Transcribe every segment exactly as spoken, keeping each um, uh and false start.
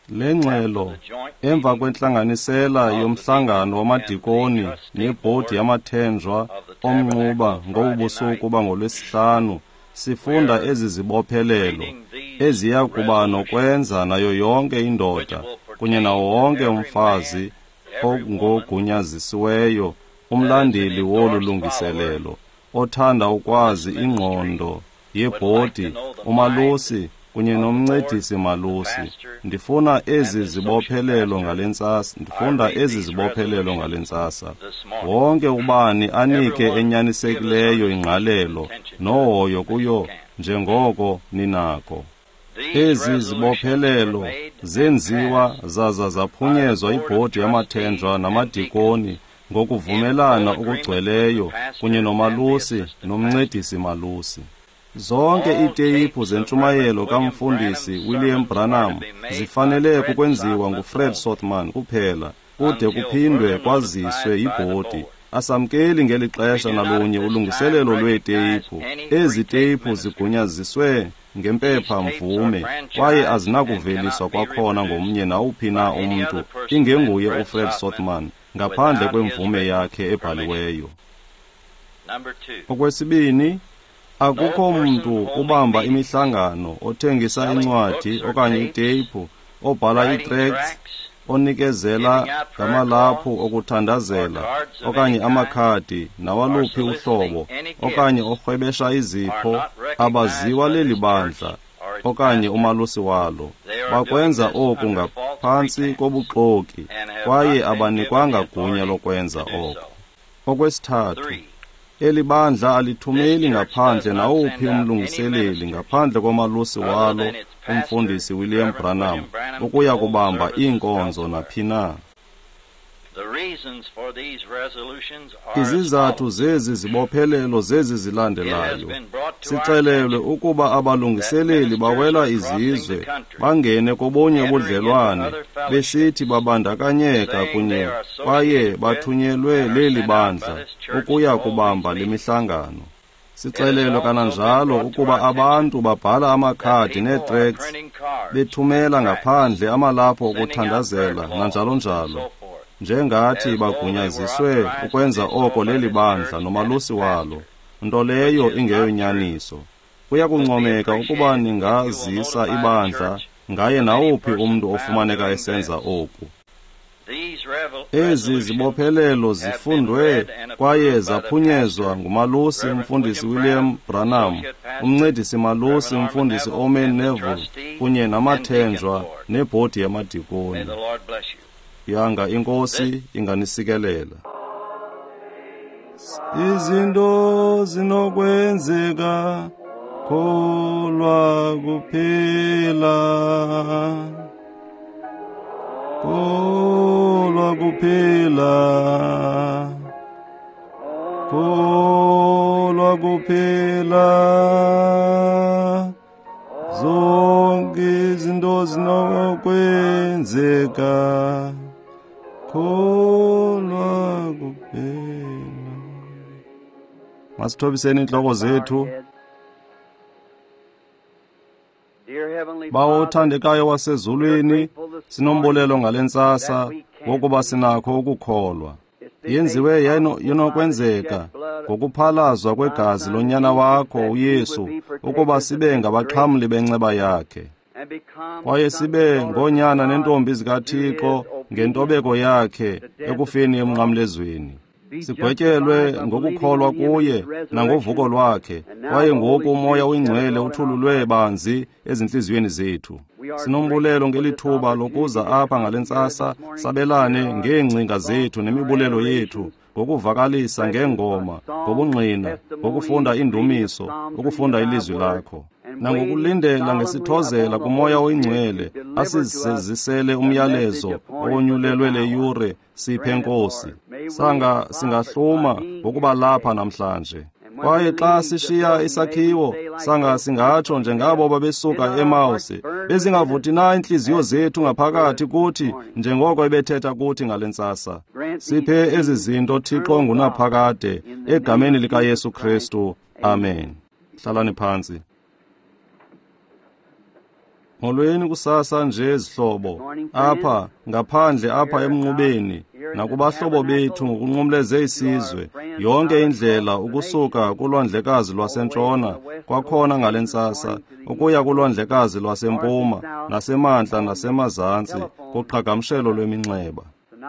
Le ngxelo emva kwentlanganisela yomhlangano wamadikoni nebhodi yamathenjwa omnquba ngobu busuku bangoLwesihlanu, sifunda ezi zibophelelo eziya kuba nokwenza nayo yonke indoda kunye nawo wonke umfazi ongogunyazisiweyo umlandeli wolu lungiselelo othanda ukwazi ingqondo yebhodi, umalusi kunye nomncedisi malusi. Ndifuna ezi zibophelelo ngale ntsasa, ndifunda ezi zibophelelo ngale ntsasa. Wonke ubani anike enyanisekileyo ingqalelo nohoyo kuyo njengoko ninako. Ezi zibophelelo zenziwa zaza zaphunyezwa ibhodi yamathenjwa namadikoni ngokuvumelana okugcweleyo kunye nomalusi nomncedisi malusi. Zonke iiteyiphu zentshumayelo kamfundisi William Branham zifanele kukwenziwa nguFred Sothmann kuphela kude kuphindwe kwaziswe yibhodi. Asamkeli ngeli xesha nalunye ulungiselelo lweeteyiphu. Ezi teyiphu zigunyaziswe ngempepha mvume kwaye azinakuveliswa kwakhona ngomnye nawuphi na umntu ingenguye uFred Sothmann ngaphandle kwemvume yakhe ebhaliweyo. Okwesibini, akukho mntu ubamba imihlangano, othengisa incwadi okanye iteyiphu, obhala ii-tracts, onikezela ngamalaphu okuthandazela okanye amakhadi nawaluphi uhlobo, okanye orhwebesha izipho, abaziwa leli bandla okanye umalusi walo. Bakwenza oku ngaphantsi kobuxoki kwaye abanikwanga gunya lokwenza oko. Okwesithathu, eli bandla alithumeli ngaphandle nawuphi umlungiseleli ngaphandle komalusi walo umfundisi William Branham ukuya kubamba iinkonzo naphi na. Izizathu zezi zibophelelo zezi zilandelayo. Sixelelwe ukuba abalungiseleli bawela izizwe bangene kobunye ubudlelwane besithi babandakanyeka kunye kwaye bathunyelwe leli bandla ukuya kubamba le mihlangano. Sixelelwe kananjalo ukuba abantu babhala amakhadi nee-tracts bethumela ngaphandle amalaphu okuthandazela nanjalo njalo, njengathi bagunyaziswe ukwenza oko leli bandla nomalusi walo, nto leyo ingeyonyaniso. Kuyakuncomeka ukuba ningazisa ibandla ngaye nawuphi umntu ofumaneka esenza oku. Ezi zibophelelo zifundwe kwaye zaphunyezwa ngumalusi umfundisi William Branham, umncedisi malusi umfundisi Orman Neville kunye namathenjwa nebhodi yamadikoni. Yanga iNkosi inganisikelela. Izinto zinokwenzeka, kholwa kuphela, kholwa kuphela, kholwa kuphela. Zonke izinto zinokwenzeka, kholwa kuphela. Masithobiseni intloko zethu. Bawo othandekayo wasezulwini, sinombulelo ngale ntsasa ngokuba sinakho ukukholwa. Yenziwe yenokwenzeka ngokuphalazwa kwegazi lonyana wakho uYesu ukuba sibe ngabaxhamli benceba yakhe, kwaye sibe ngoonyana nentombi zikaThixo ngentobeko yakhe ekufeni emnqamlezweni. Sigwetyelwe ngokukholwa kuye nangovuko lwakhe, kwaye ngoku uMoya oyiNgcwele uthululwe banzi ezintliziyweni zethu. Sinombulelo ngelithuba lokuza apha ngale ntsasa sabelane ngeengcinga zethu nemibulelo yethu ngokuvakalisa ngeengoma, ngobungqina, ngokufunda iindumiso, ukufunda ilizwi lakho, nangokulindela ngesithozela kuMoya oyiNgcwele asizisele umyalezo owonyulelwe le yure. Siphe Nkosi, sanga singahluma ngokuba lapha namhlanje. Kwaye xa sishiya isakhiwo, sanga singatsho njengabo babesuka eMawusi, bezingavuthi na iintliziyo zethu ngaphakathi kuthi njengoko ebethetha kuthi ngale ntsasa. Siphe ezi zinto Thixo ngunaphakade, egameni likaYesu Kristu. Amen. Hlalani phantsi. Molweni kusasa nje zihlobo, apha ngaphandle apha emnqubeni, nakubahlobo bethu ngokunqumleze isizwe, yonke indlela ukusuka kulwandlekazi lwasentshona, kwakhona ngale ntsasa, ukuya kulwandlekazi lwasempuma, nasemantla nasemazantsi, kuqhagamshelo lweminxeba.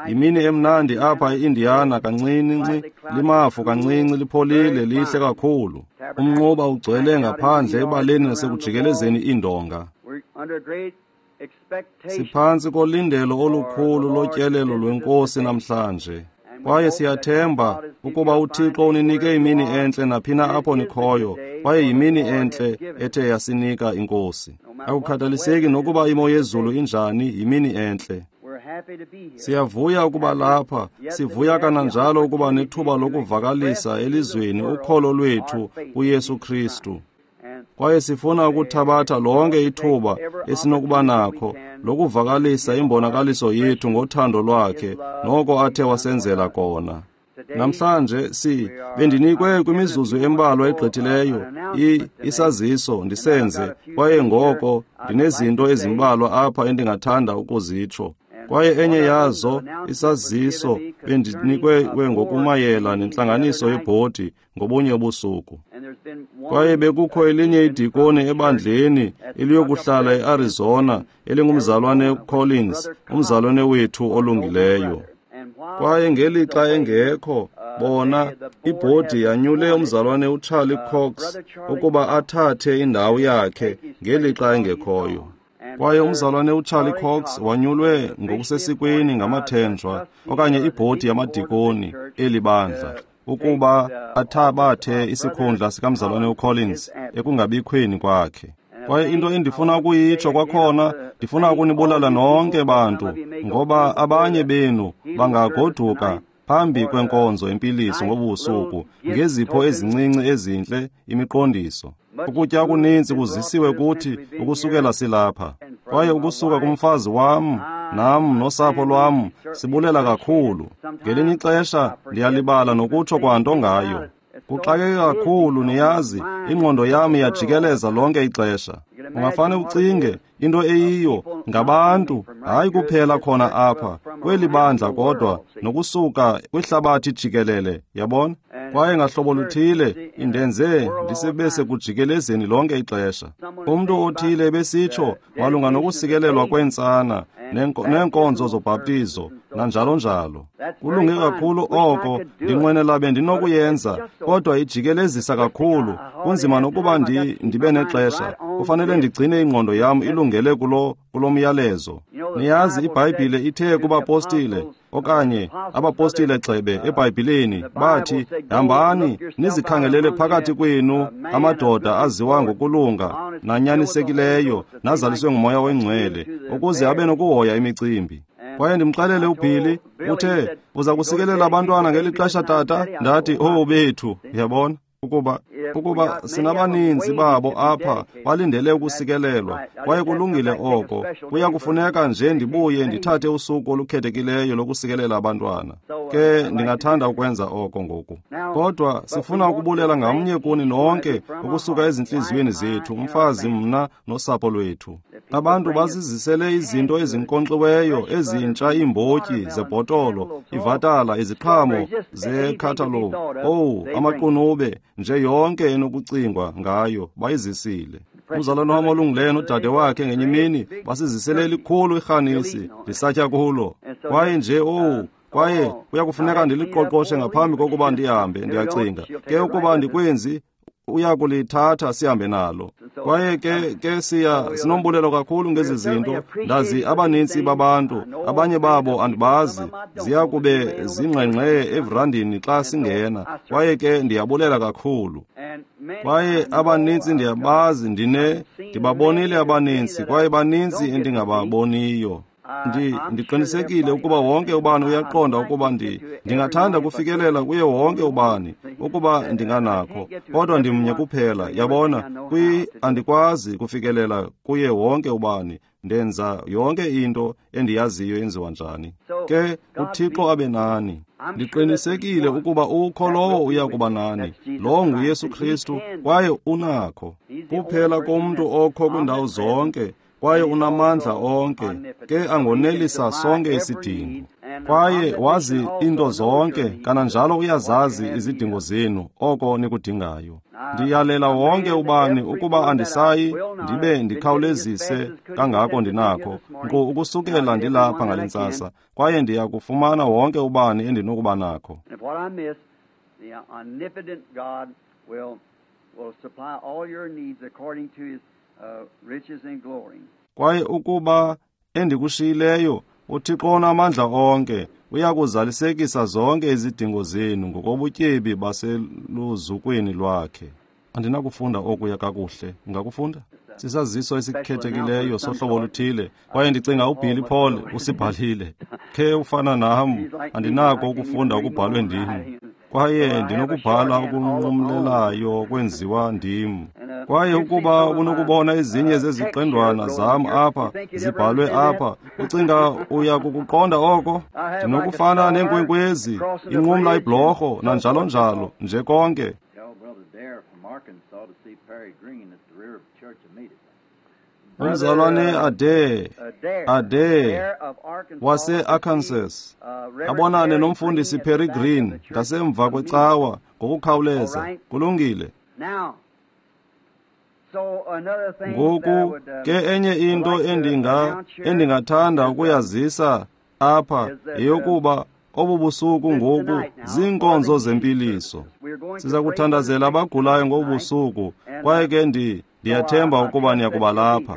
Yimini emnandi apha e-Indiana kancinci, limafu kancinci, lipholile, lihle kakhulu. Umnquba ugcwele ngaphandle ebaleni nasekujikelezeni iindonga. Siphantsi kolindelo olukhulu lotyelelo lweNkosi namhlanje. Kwaye siyathemba ukuba uThixo uninike imini entle naphina apho nikhoyo, kwaye yimini entle ethe yasinika iNkosi. Akukhathaliseki nokuba imo yezulu injani, yimini entle. Siyavuya ukuba lapha, sivuya kananjalo ukuba nethuba lokuvakalisa elizweni ukholo lwethu kuYesu Kristu. Kwaye sifuna ukuthabatha lonke ithuba esinokuba nakho lokuvakalisa imbonakaliso yethu ngothando lwakhe noko athe wasenzela kona. Namhlanje si bendinikwe kwimizuzu embalwa egqithileyo isaziso ndisenze, kwaye ngoko ndinezinto ezimbalwa apha endingathanda ukuzitsho. Kwaye enye yazo isaziso bendinikwe ngokumayela nentlanganiso yebhodi ngobunye ubusuku. Kwaye bekukho elinye idikoni ebandleni eliyokuhlala e-Arizona elingumzalwane Collins, umzalwane wethu olungileyo. Kwaye ngelixa engekho, bona ibhodi yanyule umzalwane uCharlie Cox ukuba athathe indawo yakhe ngelixa engekhoyo. Kwaye umzalwane uCharlie Cox wanyulwe ngokusesikweni ngamathenjwa okanye ibhodi yamadikoni eli bandla ukuba athabathe isikhundla sikamzalwane uCollins ekungabikhweni kwakhe. Kwaye into endifuna ukuyitsho kwakhona, ndifuna ukunibulala nonke bantu, ngoba abanye benu bangagoduka phambi kwenkonzo empiliso ngobusuku ngezipho ezincinci ezintle, imiqondiso. Ukutya okuninzi kuzisiwe kuthi ukusukela silapha. Kwaye ukusuka kumfazi wam, nam nosapho lwam, sibulela kakhulu. Ngelinye ixesha ndiyalibala nokutsho kwanto ngayo. Kuxakeke kakhulu, niyazi, ingqondo yam iyajikeleza lonke ixesha. Ungafane ucinge into eyiyo ngabantu, hayi kuphela khona apha kweli bandla kodwa nokusuka kwihlabathi jikelele, yabona? Kwaye ngahlobo luthile indenze ndisebe sekujikelezeni lonke ixesha. Umntu othile ebesitsho malunga nokusikelelwa kweentsana neenkonzo zobhaptizo nanjalo njalo. Kulunge kakhulu oko, ndinqwenela bendinokuyenza, kodwa ijikelezisa kakhulu, kunzima nokuba ndi, ndibe nexesha. Kufanele ndigcine ingqondo yam ilungele kulo kulo myalezo. Niyazi iBhayibhile ithe kubapostile okanye abapostile gxebe eBhayibhileni bathi, hambani nizikhangelele phakathi kwenu amadoda aziwa ngokulunga nanyanisekileyo nazaliswe nguMoya oyiNgcwele ukuze abe nokuhoya imicimbi. Kwaye ndimxelele uBilly, uthe uza kusikelela abantwana ngeli xesha tata. Ndathi, oh bethu, uyabona ukuba ukuba sinabaninzi babo apha balindele ukusikelelwa, kwaye kulungile oko. Kuya kufuneka nje ndibuye ndithathe usuku olukhethekileyo lokusikelela abantwana. Ke ndingathanda ukwenza oko ngoku. Kodwa sifuna ukubulela ngamnye kuni nonke ukusuka ezintliziyweni zethu, umfazi, mna nosapho lwethu. Abantu bazizisele izinto ezinkonkxiweyo ezintsha, iimbotyi zebhotolo, ivatala, iziqhamo zekhathalogu, owu, amaqunube, nje yonke enokucingwa ngayo bayizisile. Umzalwane wam olungileyo nodade wakhe ngenye imini basizisele elikhulu irhanisi, ndisatya kulo. Kwaye nje owu, kwaye kuya kufuneka ndiliqoqoshe ngaphambi kokuba ndihambe, ndiyacinga. Ke ukuba ndikwenzi, uya kulithatha sihambe nalo. Kwaye ke ke siya sinombulelo kakhulu ngezi zinto. Ndazi abanintsi babantu, abanye babo andibazi, ziya kube zingqengqe evrandini xa singena. Kwaye ke ndiyabulela kakhulu. Kwaye abanintsi ndiyabazi, ndine ndibabonile abanintsi, kwaye baninzi endingababoniyo. Ndi ndiqinisekile ukuba wonke ubani uyaqonda ukuba ndi ndingathanda ukufikelela kuye wonke ubani ukuba ndinganakho, kodwa ndimnye kuphela, yabona, kwi andikwazi kufikelela kuye wonke ubani. Ndenza yonke into endiyaziyo yenziwa njani. Ke uThixo abe nani. Ndiqinisekile ukuba ukho lowo uya kuba nani. Lowo nguYesu Kristu, kwaye unakho. Kuphela komntu okho kwindawo zonke, kwaye unamandla onke, ke angonelisa sonke isidingo. Kwaye wazi into zonke, kananjalo uyazazi izidingo zenu, oko nikudingayo. Ndiyalela wonke ubani ukuba andisayi ndibe ndikhawulezise kangako ndinakho, nkqu ukusukela ndilapha ngale ntsasa, kwaye ndiya kufumana wonke ubani endinokuba nakho. Kwaye ukuba endikushiyileyo, uThixo onamandla onke uya kuzalisekisa zonke izidingo zenu ngokobutyebi baseluzukweni lwakhe. Andinakufunda okuya kakuhle. Ungakufunda? Sisaziso esikhethekileyo sohlobo oluthile, kwaye ndicinga uBilly Paul usibhalile. Khe ufana nam, andinako ukufunda okubhalwe ndim, kwaye ndinokubhala okunqumlelayo kwenziwa ndim. Kwaye ukuba unokubona ezinye zeziqendwana zam apha zibhalwe apha, ucinga uya kukuqonda oko? Ndinokufana neenkwenkwezi, inqumla ibhlorho, nanjalo njalo, nje konke. Umzalwane Ade, Ade wase-Arkansas, abonane nomfundisi Perry Green ngasemva kwecawa ngokukhawuleza. Kulungile. Ngoku ke enye into endinga endingathanda ukuyazisa apha yeyokuba obu busuku ngoku ziinkonzo zempiliso. Siza kuthandazela abagulayo ngobu busuku, kwaye ke ndi ndiyathemba ukuba niyakuba lapha.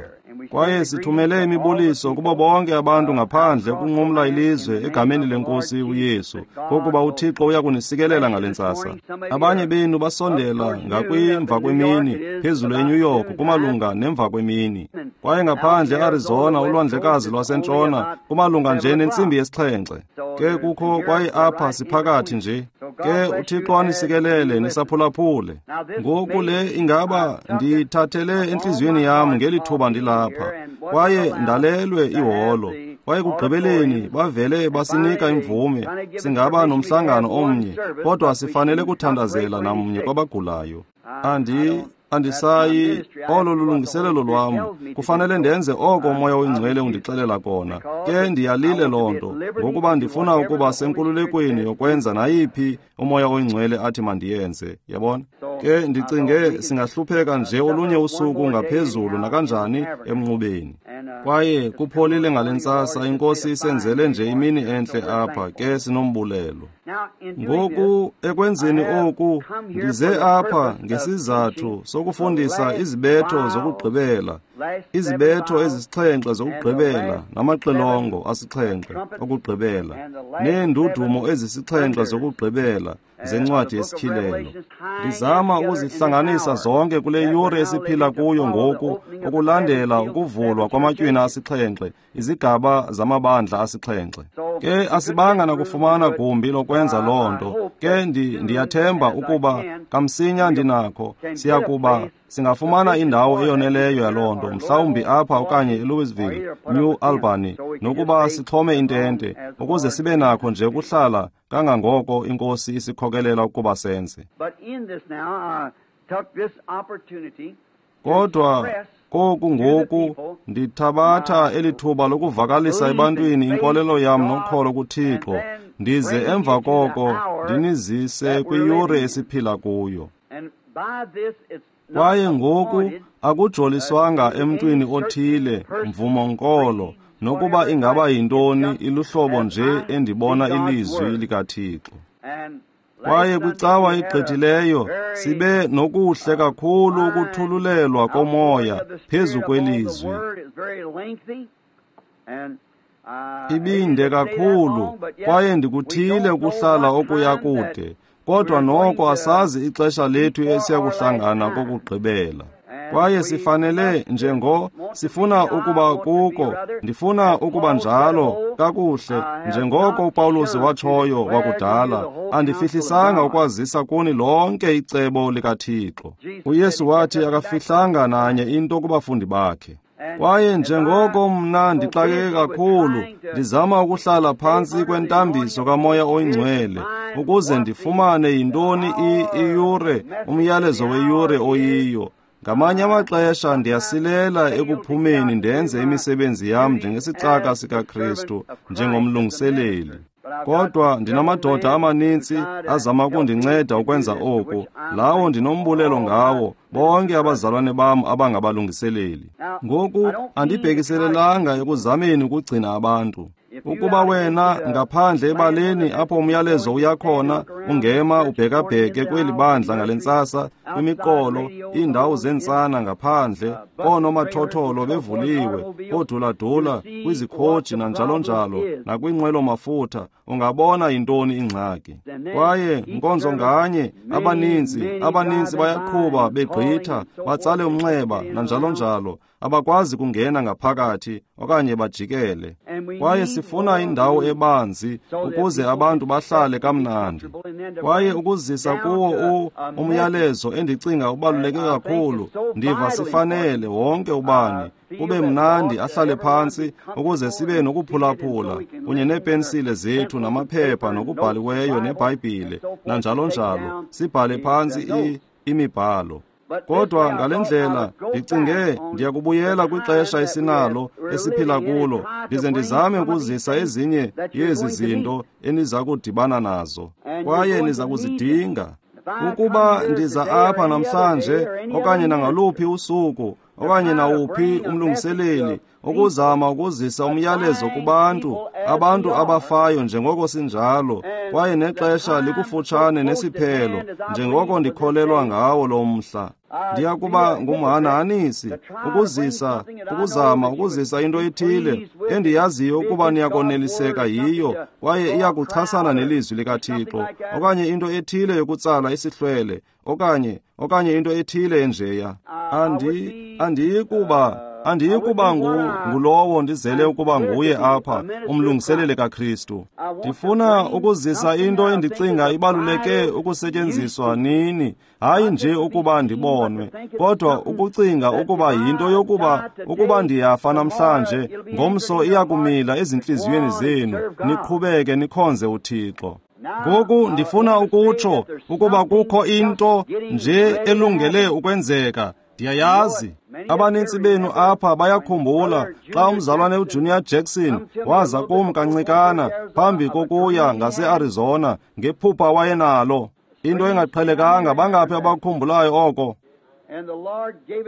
Kwaye sithumele imibuliso kubo bonke abantu ngaphandle ukunqumla ilizwe egameni leNkosi uYesu, ngokuba uThixo uya kunisikelela ngale ntsasa. Abanye benu basondela ngakwimva kwemini phezulu eNew York kumalunga nemva kwemini, kwaye ngaphandle eArizona ulwandlekazi lwasentshona kumalunga nje nentsimbi yesixhenxe. Ke kukho kwaye apha siphakathi nje. Ke uThixo anisikelele nisaphulaphule. Ngoku le ingaba ndiyithathele entliziyweni yam ngeli thuba ndilapha, kwaye ndalelwe iholo. Kwaye kugqibeleni bavele basinika imvume singaba nomhlangano omnye, kodwa sifanele kuthandazela namnye kwabagulayo. Andi Andisayi, olo lulungiselelo lwam. Kufanele ndenze oko uMoya oyiNgcwele undixelela kona. Ke ndiyalile loo nto, ngokuba ndifuna ukuba senkululekweni yokwenza nayiphi uMoya oyiNgcwele athi mandiyenze, yabona? Ke ndicinge singahlupheka nje olunye usuku ngaphezulu nakanjani emnqubeni. Kwaye kupholile ngale ntsasa, iNkosi isenzele nje imini entle apha, ke sinombulelo. Ngoku ekwenzeni oku, ndize apha ngesizathu sokufundisa izibetho zokugqibela, izibetho ezisixhenxe zokugqibela namaxilongo asixhenxe okugqibela, neendudumo ezisixhenxe zokugqibela zencwadi yesityhilelo. Ndizama ukuzihlanganisa zonke kule yure esiphila kuyo ngoku, ukulandela ukuvulwa kwamatywina asixhenxe, izigaba zamabandla asixhenxe. Ke asibanga nakufumana gumbi lokwenza loo nto. Ke ndiyathemba ukuba kamsinya ndinakho siyakuba singafumana indawo eyoneleyo yaloo nto, mhlawumbi apha okanye eLouisville, New Albany, nokuba sixhome intente ukuze sibe nakho nje ukuhlala kangangoko iNkosi isikhokelela ukuba senze. Kodwa koku ngoku ndithabatha eli thuba lokuvakalisa ebantwini inkolelo yam nokholo kuThixo, ndize emva koko ndinizise kwiyure esiphila kuyo. Kwaye ngoku akujoliswanga emntwini othile, mvumo-nkolo, nokuba ingaba yintoni, iluhlobo nje endibona ilizwi likaThixo. Kwaye kwicawa igqithileyo sibe nokuhle kakhulu ukuthululelwa komoya phezu kwelizwi. Ibinde kakhulu, kwaye ndikuthile ukuhlala okuya kude, kodwa noko asazi ixesha lethu esiyakuhlangana kokugqibela. Kwaye sifanele njengo sifuna ukuba kuko, ndifuna ukuba njalo kakuhle, njengoko uPawulos watshoyo wakudala, andifihlisanga ukwazisa kuni lonke icebo likaThixo. uYesu wathi akafihlanga nanye into kubafundi bakhe. Kwaye njengoko mna ndixakeke kakhulu, ndizama ukuhlala phantsi kwentambiso kaMoya oyiNgcwele, ukuze ndifumane yintoni iyure, umyalezo weyure oyiyo. Ngamanye amaxesha ndiyasilela ekuphumeni ndenze imisebenzi yam njengesicaka sikaKristu, njengomlungiseleli. Kodwa ndinamadoda amaninzi azama ukundinceda ukwenza oku, lawo ndinombulelo ngawo, bonke abazalwane bam abangabalungiseleli. Ngoku andibhekiselelanga ekuzameni ukugcina abantu. Ukuba wena ngaphandle ebaleni apho umyalezo uyakhona, ungema ubhekabheke kweli bandla ngale ntsasa, kwimiqolo, iindawo zentsana ngaphandle, koonomathotholo bevuliwe, kooduladula, kwizikhoji nanjalo njalo, nakwinqwelo-mafutha, ungabona yintoni ingxaki. Kwaye nkonzo nganye, abaninzi, abaninzi bayaqhuba begqitha, batsale umnxeba nanjalo njalo, abakwazi kungena ngaphakathi okanye bajikele. Kwaye sifuna indawo ebanzi ukuze abantu bahlale kamnandi. Kwaye ukuzisa kuwo umyalezo endicinga ubaluleke kakhulu, ndiva sifanele wonke ubani kube mnandi ahlale phantsi ukuze sibe nokuphulaphula kunye neepensile zethu namaphepha nokubhaliweyo neBhayibhile nanjalo njalo, sibhale phantsi imibhalo. Kodwa ngale ndlela ndicinge ndiyakubuyela kwixesha esinalo esiphila kulo, ndize ndizame ukuzisa ezinye yezi zinto eniza kudibana nazo, kwaye niza kuzidinga. Ukuba ndiza apha namhlanje okanye nangaluphi usuku okanye nawuphi umlungiseleli ukuzama ukuzisa umyalezo kubantu, abantu abafayo njengoko sinjalo, kwaye nexesha likufutshane nesiphelo njengoko ndikholelwa ngawo lo mhla. Ndiyakuba ngumhanahanisi ukuzisa, ukuzama ukuzisa into ethile endiyaziyo ukuba niyakoneliseka yiyo, kwaye iyakuchasana nelizwi likaThixo, okanye into ethile yokutsala isihlwele, okanye okanye into ethile enjeya. Andi andiyikuba andiyikuba ngulowo ndizele ukuba nguye apha, umlungiseleli kaKristu. Ndifuna ukuzisa into endicinga ibaluleke ukusetyenziswa nini, hayi nje ukuba ndibonwe, kodwa ukucinga ukuba yinto yokuba ukuba ndiyafa namhlanje, ngomso iyakumila ezintliziyweni zenu, niqhubeke nikhonze uThixo. Ngoku ndifuna ukutsho ukuba kukho into nje elungele ukwenzeka. Ndiyayazi abanintsi benu apha bayakhumbula xa umzalwane uJunior Jackson waza kum kancikana phambi kokuya ngase-Arizona ngephupha wayenalo, into engaqhelekanga. Bangaphi abakhumbulayo oko?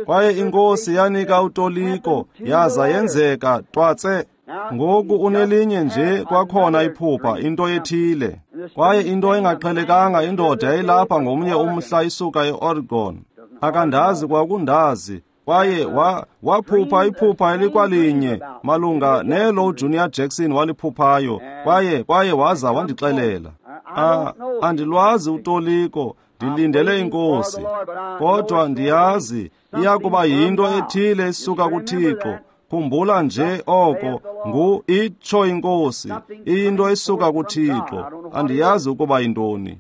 Kwaye iNkosi yanika utoliko, yaza yenzeka twatse. Ngoku unelinye nje kwakhona iphupha, into ethile. Kwaye into engaqhelekanga, indoda yayilapha ngomnye umhla isuka e-Oregon. Akandazi kwakundazi, kwaye wa, waphupha iphupha elikwalinye malunga nelo uJunior Jackson waliphuphayo, kwaye kwaye waza wandixelela. Ah, andilwazi utoliko, ndilindele iNkosi, kodwa ndiyazi iyakuba yinto ethile esuka kuThixo. Khumbula nje oko, ngu itsho iNkosi, iyinto esuka kuThixo. Andiyazi ukuba yintoni.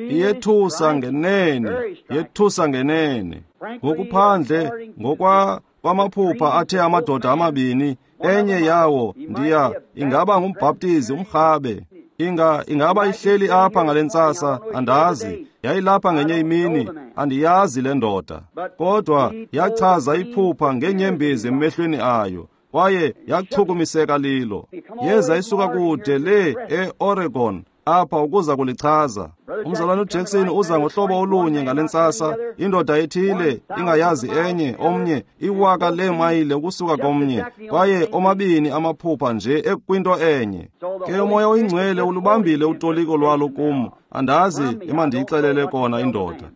Iyethusa ngenene, yethusa ngenene. Ngokuphandle, ngokwa kwamaphupha athe amadoda amabini, enye yawo ndiya ingaba ngumbhaptizi umrhabe. Inga ingaba ihleli apha ngale ntsasa, andazi. Yayilapha ngenye imini, andiyazi le ndoda. Kodwa yachaza iphupha ngenyembezi emehlweni ayo, kwaye yachukumiseka lilo. Yeza isuka kude le e-Oregon apha ukuza kulichaza. Umzalwane uJackson uza ngohlobo olunye ngale ntsasa, indoda ethile ingayazi enye omnye iwaka leemayile ukusuka komnye, kwaye omabini amaphupha nje ekwinto enye. Ke uMoya oyiNgcwele ulubambile utoliko lwalo kum, andazi emandiyixelele kona indoda.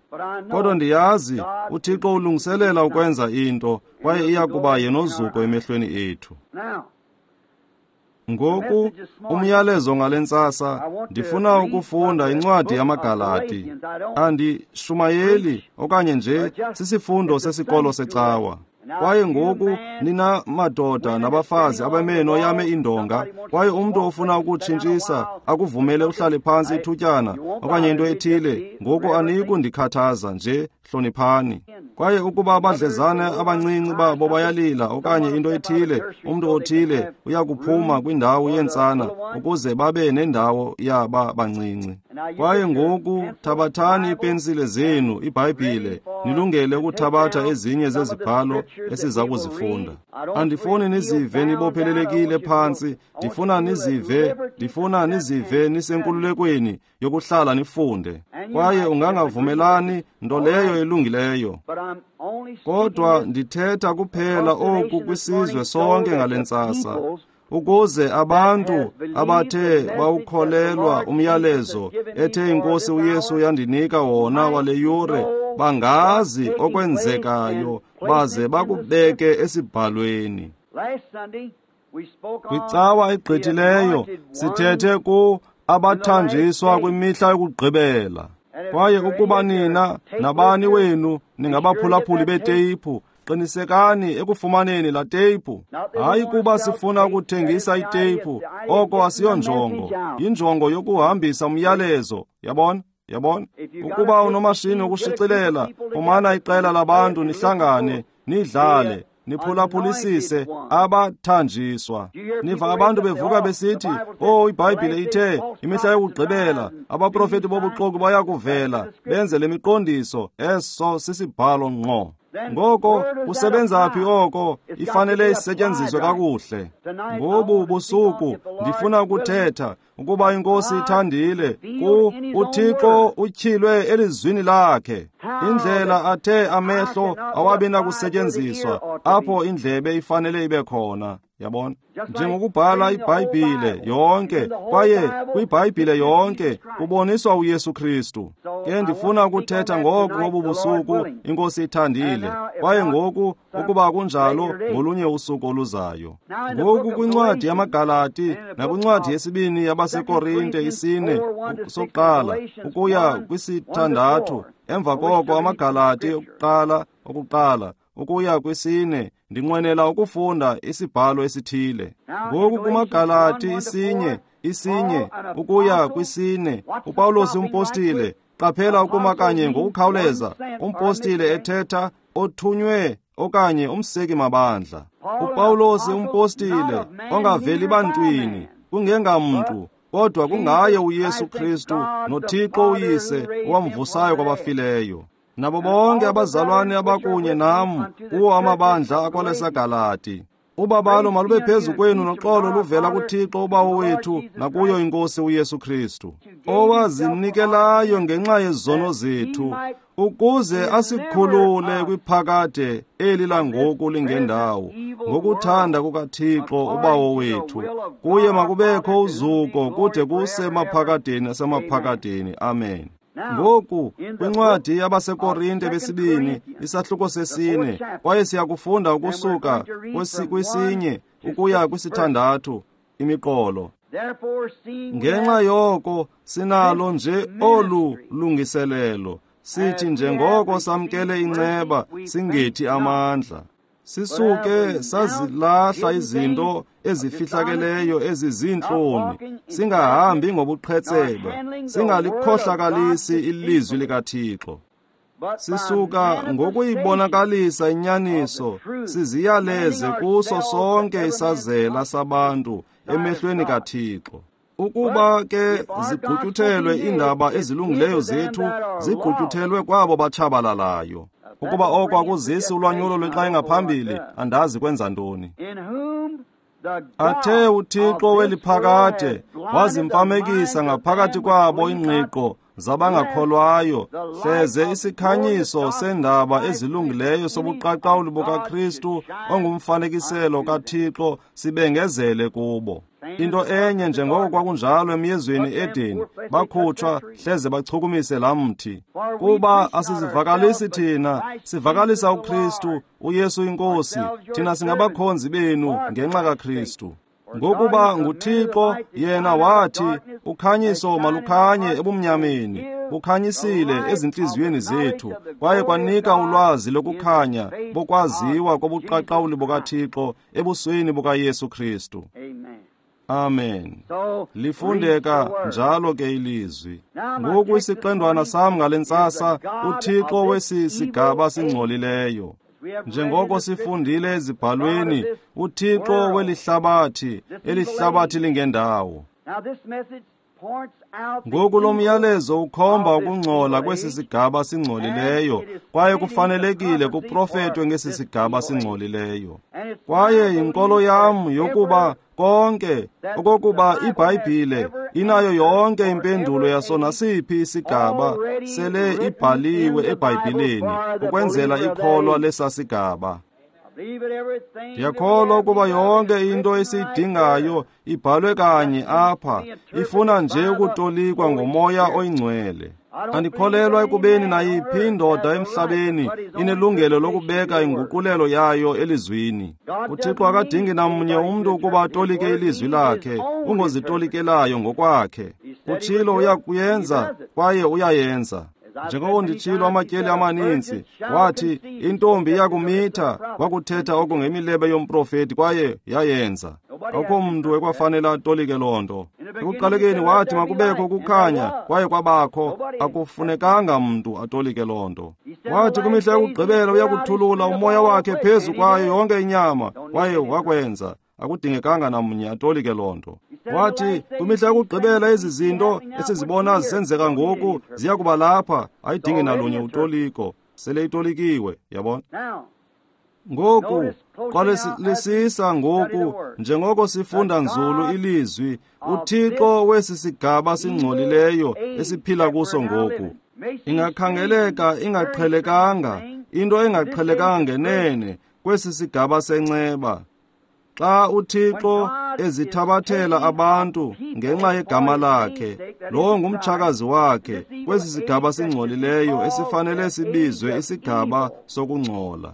Kodwa ndiyazi uThixo ulungiselela ukwenza into, kwaye iya kuba yenozuko emehlweni ethu. Ngoku umyalezo ngale ntsasa, ndifuna ukufunda incwadi yamaGalati. Andishumayeli okanye nje sisifundo sesikolo secawa. Kwaye ngoku nina madoda nabafazi abameno yame indonga, kwaye umntu ofuna ukutshintshisa akuvumele uhlale phantsi ithutyana okanye into ethile, ngoku aniyikundikhathaza nje, hloniphani. Kwaye ukuba abadlezana abancinci babo bayalila okanye into ethile, umntu othile uyakuphuma kwindawo yentsana ukuze babe nendawo yaba bancinci. Kwaye ngoku thabathani iipensile zenu, iBhayibhile, nilungele ukuthabatha ezinye zezibhalo esiza kuzifunda. Andifuni nizive nibophelelekile phantsi, ndifuna nizive, ndifuna nizive nisenkululekweni yokuhlala nifunde. Kwaye ungangavumelani nto leyo ilungileyo. Kodwa ndithetha kuphela oku kwisizwe sonke ngale ntsasa, ukuze abantu abathe bawukholelwa umyalezo ethe iNkosi uYesu yandinika wona wale yure bangazi okwenzekayo baze bakubeke esibhalweni. Kwicawa egqithileyo sithethe ku abathanjiswa kwimihla yokugqibela. Kwaye ukuba nina nabani wenu ningabaphulaphuli beteyiphu, qinisekani ekufumaneni la teyiphu. Hayi kuba sifuna ukuthengisa iteyiphu, oko asiyonjongo, yinjongo yokuhambisa umyalezo. Yabona? Yabona? Ukuba unomashini wokushicilela, fumana iqela labantu nihlangane, nidlale, niphulaphulisise abathanjiswa. Niva abantu bevuka besithi, "Oh, iBhayibhile ithe imihla yokugqibela abaprofeti bobuxoki baya kuvela benze le miqondiso." Eso sisibhalo ngqo. Ngoko kusebenza phi oko? Ifanele isetyenziswe kakuhle. Ngobu busuku ndifuna ukuthetha, ukuba iNkosi ithandile, ku uThixo utyhilwe elizwini lakhe. Indlela athe amehlo awabi nakusetyenziswa, apho indlebe ifanele ibe khona. Yabona? Njengokubhala iBhayibhile yonke, kwaye kwiBhayibhile yonke kuboniswa uYesu Kristu. Ke ndifuna ukuthetha ngoku ngobu busuku, iNkosi ithandile. Kwaye ngoku, ukuba kunjalo, ngolunye usuku oluzayo. Ngoku kwincwadi yamaGalati nakwincwadi yesibini yabaseKorinte isine sokuqala ukuya kwisithandathu, emva koko amaGalati okuqala okuqala ukuya kwisine, ndinqwenela ukufunda isibhalo esithile. Ngoku kumaGalati isinye isinye ukuya kwisine, uPawulos umpostile, qaphela ukuma kanye ngokukhawuleza, umpostile ethetha othunywe okanye umseki mabandla. uPawulos umpostile ongaveli bantwini, kungengamntu, kodwa kungaye uYesu Kristu noThixo uYise owamvusayo kwabafileyo. Nabo bonke abazalwane abakunye nam kuwo amabandla akwalesaGalati. Ubabalo malube phezu kwenu noxolo luvela kuThixo uBawo wethu nakuyo iNkosi uYesu Kristu, owazinikelayo ngenxa yezono zethu, ukuze asikhulule kwiphakade eli langoku lingendawo, ngokuthanda kukaThixo uBawo wethu. Kuye makubekho uzuko kude kuse maphakadeni nasemaphakadeni. Amen. Ngoku kwincwadi yabaseKorinte besibini isahluko sesine, kwaye siyakufunda ukusuka kwisinye ukuya kwisithandathu imiqolo. Ngenxa yoko sinalo nje olu lungiselelo, sithi njengoko samkele inceba singethi amandla. Sisuke sazilahla izinto ezifihlakeleyo ezizintloni, singahambi ngobuqhetseba, singalikhohlakalisi ilizwi likaThixo. Sisuka ngokuyibonakalisa inyaniso, siziyaleze kuso sonke isazela sabantu emehlweni kaThixo. Ukuba ke zigqutyuthelwe iindaba ezilungileyo zethu, zigqutyuthelwe kwabo batshabalalayo. Ukuba oko akuzisi ulwanyulo lwexa engaphambili, andazi kwenza ntoni. Athe uThixo weliphakade wazimfamekisa ngaphakathi kwabo ingqiqo zabangakholwayo, hleze isikhanyiso sendaba ezilungileyo sobuqaqawuli bukaKristu ongumfanekiselo kaThixo sibengezele kubo. Into enye njengoko kwakunjalo emyezweni Edeni, bakhutshwa hleze bachukumise laa mthi. Kuba asizivakalisi thina, sivakalisa uKristu, uYesu iNkosi. Thina singabakhonzi benu ngenxa kaKristu. Ngokuba nguThixo yena wathi, ukhanyiso malukhanye ebumnyameni, bukhanyisile ezintliziyweni zethu, kwaye kwanika ulwazi lokukhanya bokwaziwa kobuqaqawuli bukaThixo ebusweni bukaYesu Kristu. Amen. Lifundeka njalo ke ilizwi. Ngoku isiqendwana sam ngale ntsasa, uThixo wesi sigaba singcolileyo. Njengoko sifundile ezibhalweni, uThixo welihlabathi, elihlabathi lingendawo. Ngoku lo myalezo ukhomba ukungcola kwesi sigaba singcolileyo, kwaye kufanelekile kuprofetwe ngesi sigaba singcolileyo. Kwaye yinkolo yam yokuba konke okokuba iBhayibhile inayo yonke impendulo yaso nasiphi isigaba sele ibhaliwe eBhayibhileni ukwenzela ikholwa lesa sigaba. Ndiyakholwa ukuba yonke into esiyidingayo ibhalwe kanye apha, ifuna nje ukutolikwa ngoMoya oyiNgcwele. Andikholelwa ekubeni nayiphi indoda emhlabeni inelungelo lokubeka inguqulelo yayo elizwini. UThixo akadingi namnye umntu ukuba atolike ilizwi lakhe, ungozitolikelayo ngokwakhe. Utshilo uyakuyenza kwaye uyayenza. Njengoko nditshilo amatyeli amaninzi, wathi intombi iyakumitha, wakuthetha oko ngemilebe yomprofeti kwaye yayenza. Akukho mntu ekwafanele atolike loo nto. Ekuqalekeni wathi makubekho ukukhanya, kwaye kwabakho. Akufunekanga mntu atolike loo nto. Wathi kwimihla yokugqibela uyakuthulula umoya wakhe phezu kwayo yonke inyama, kwaye wakwenza. Akudingekanga namnye atolike loo nto. Wathi kwimihla yokugqibela ezi zinto esizibona zisenzeka ngoku ziya kuba lapha, ayidingi nalunye utoliko, sele itolikiwe, yabona. Ngoku qwalisisa ngoku njengoko sifunda nzulu ilizwi, uThixo wesi sigaba singcolileyo esiphila kuso ngoku. Ingakhangeleka ingaqhelekanga, into engaqhelekanga ngenene kwesi sigaba senceba. Xa uThixo ezithabathela abantu ngenxa yegama lakhe, lowo ngumtshakazi wakhe kwesi sigaba singcolileyo esifanele sibizwe isigaba sokungcola.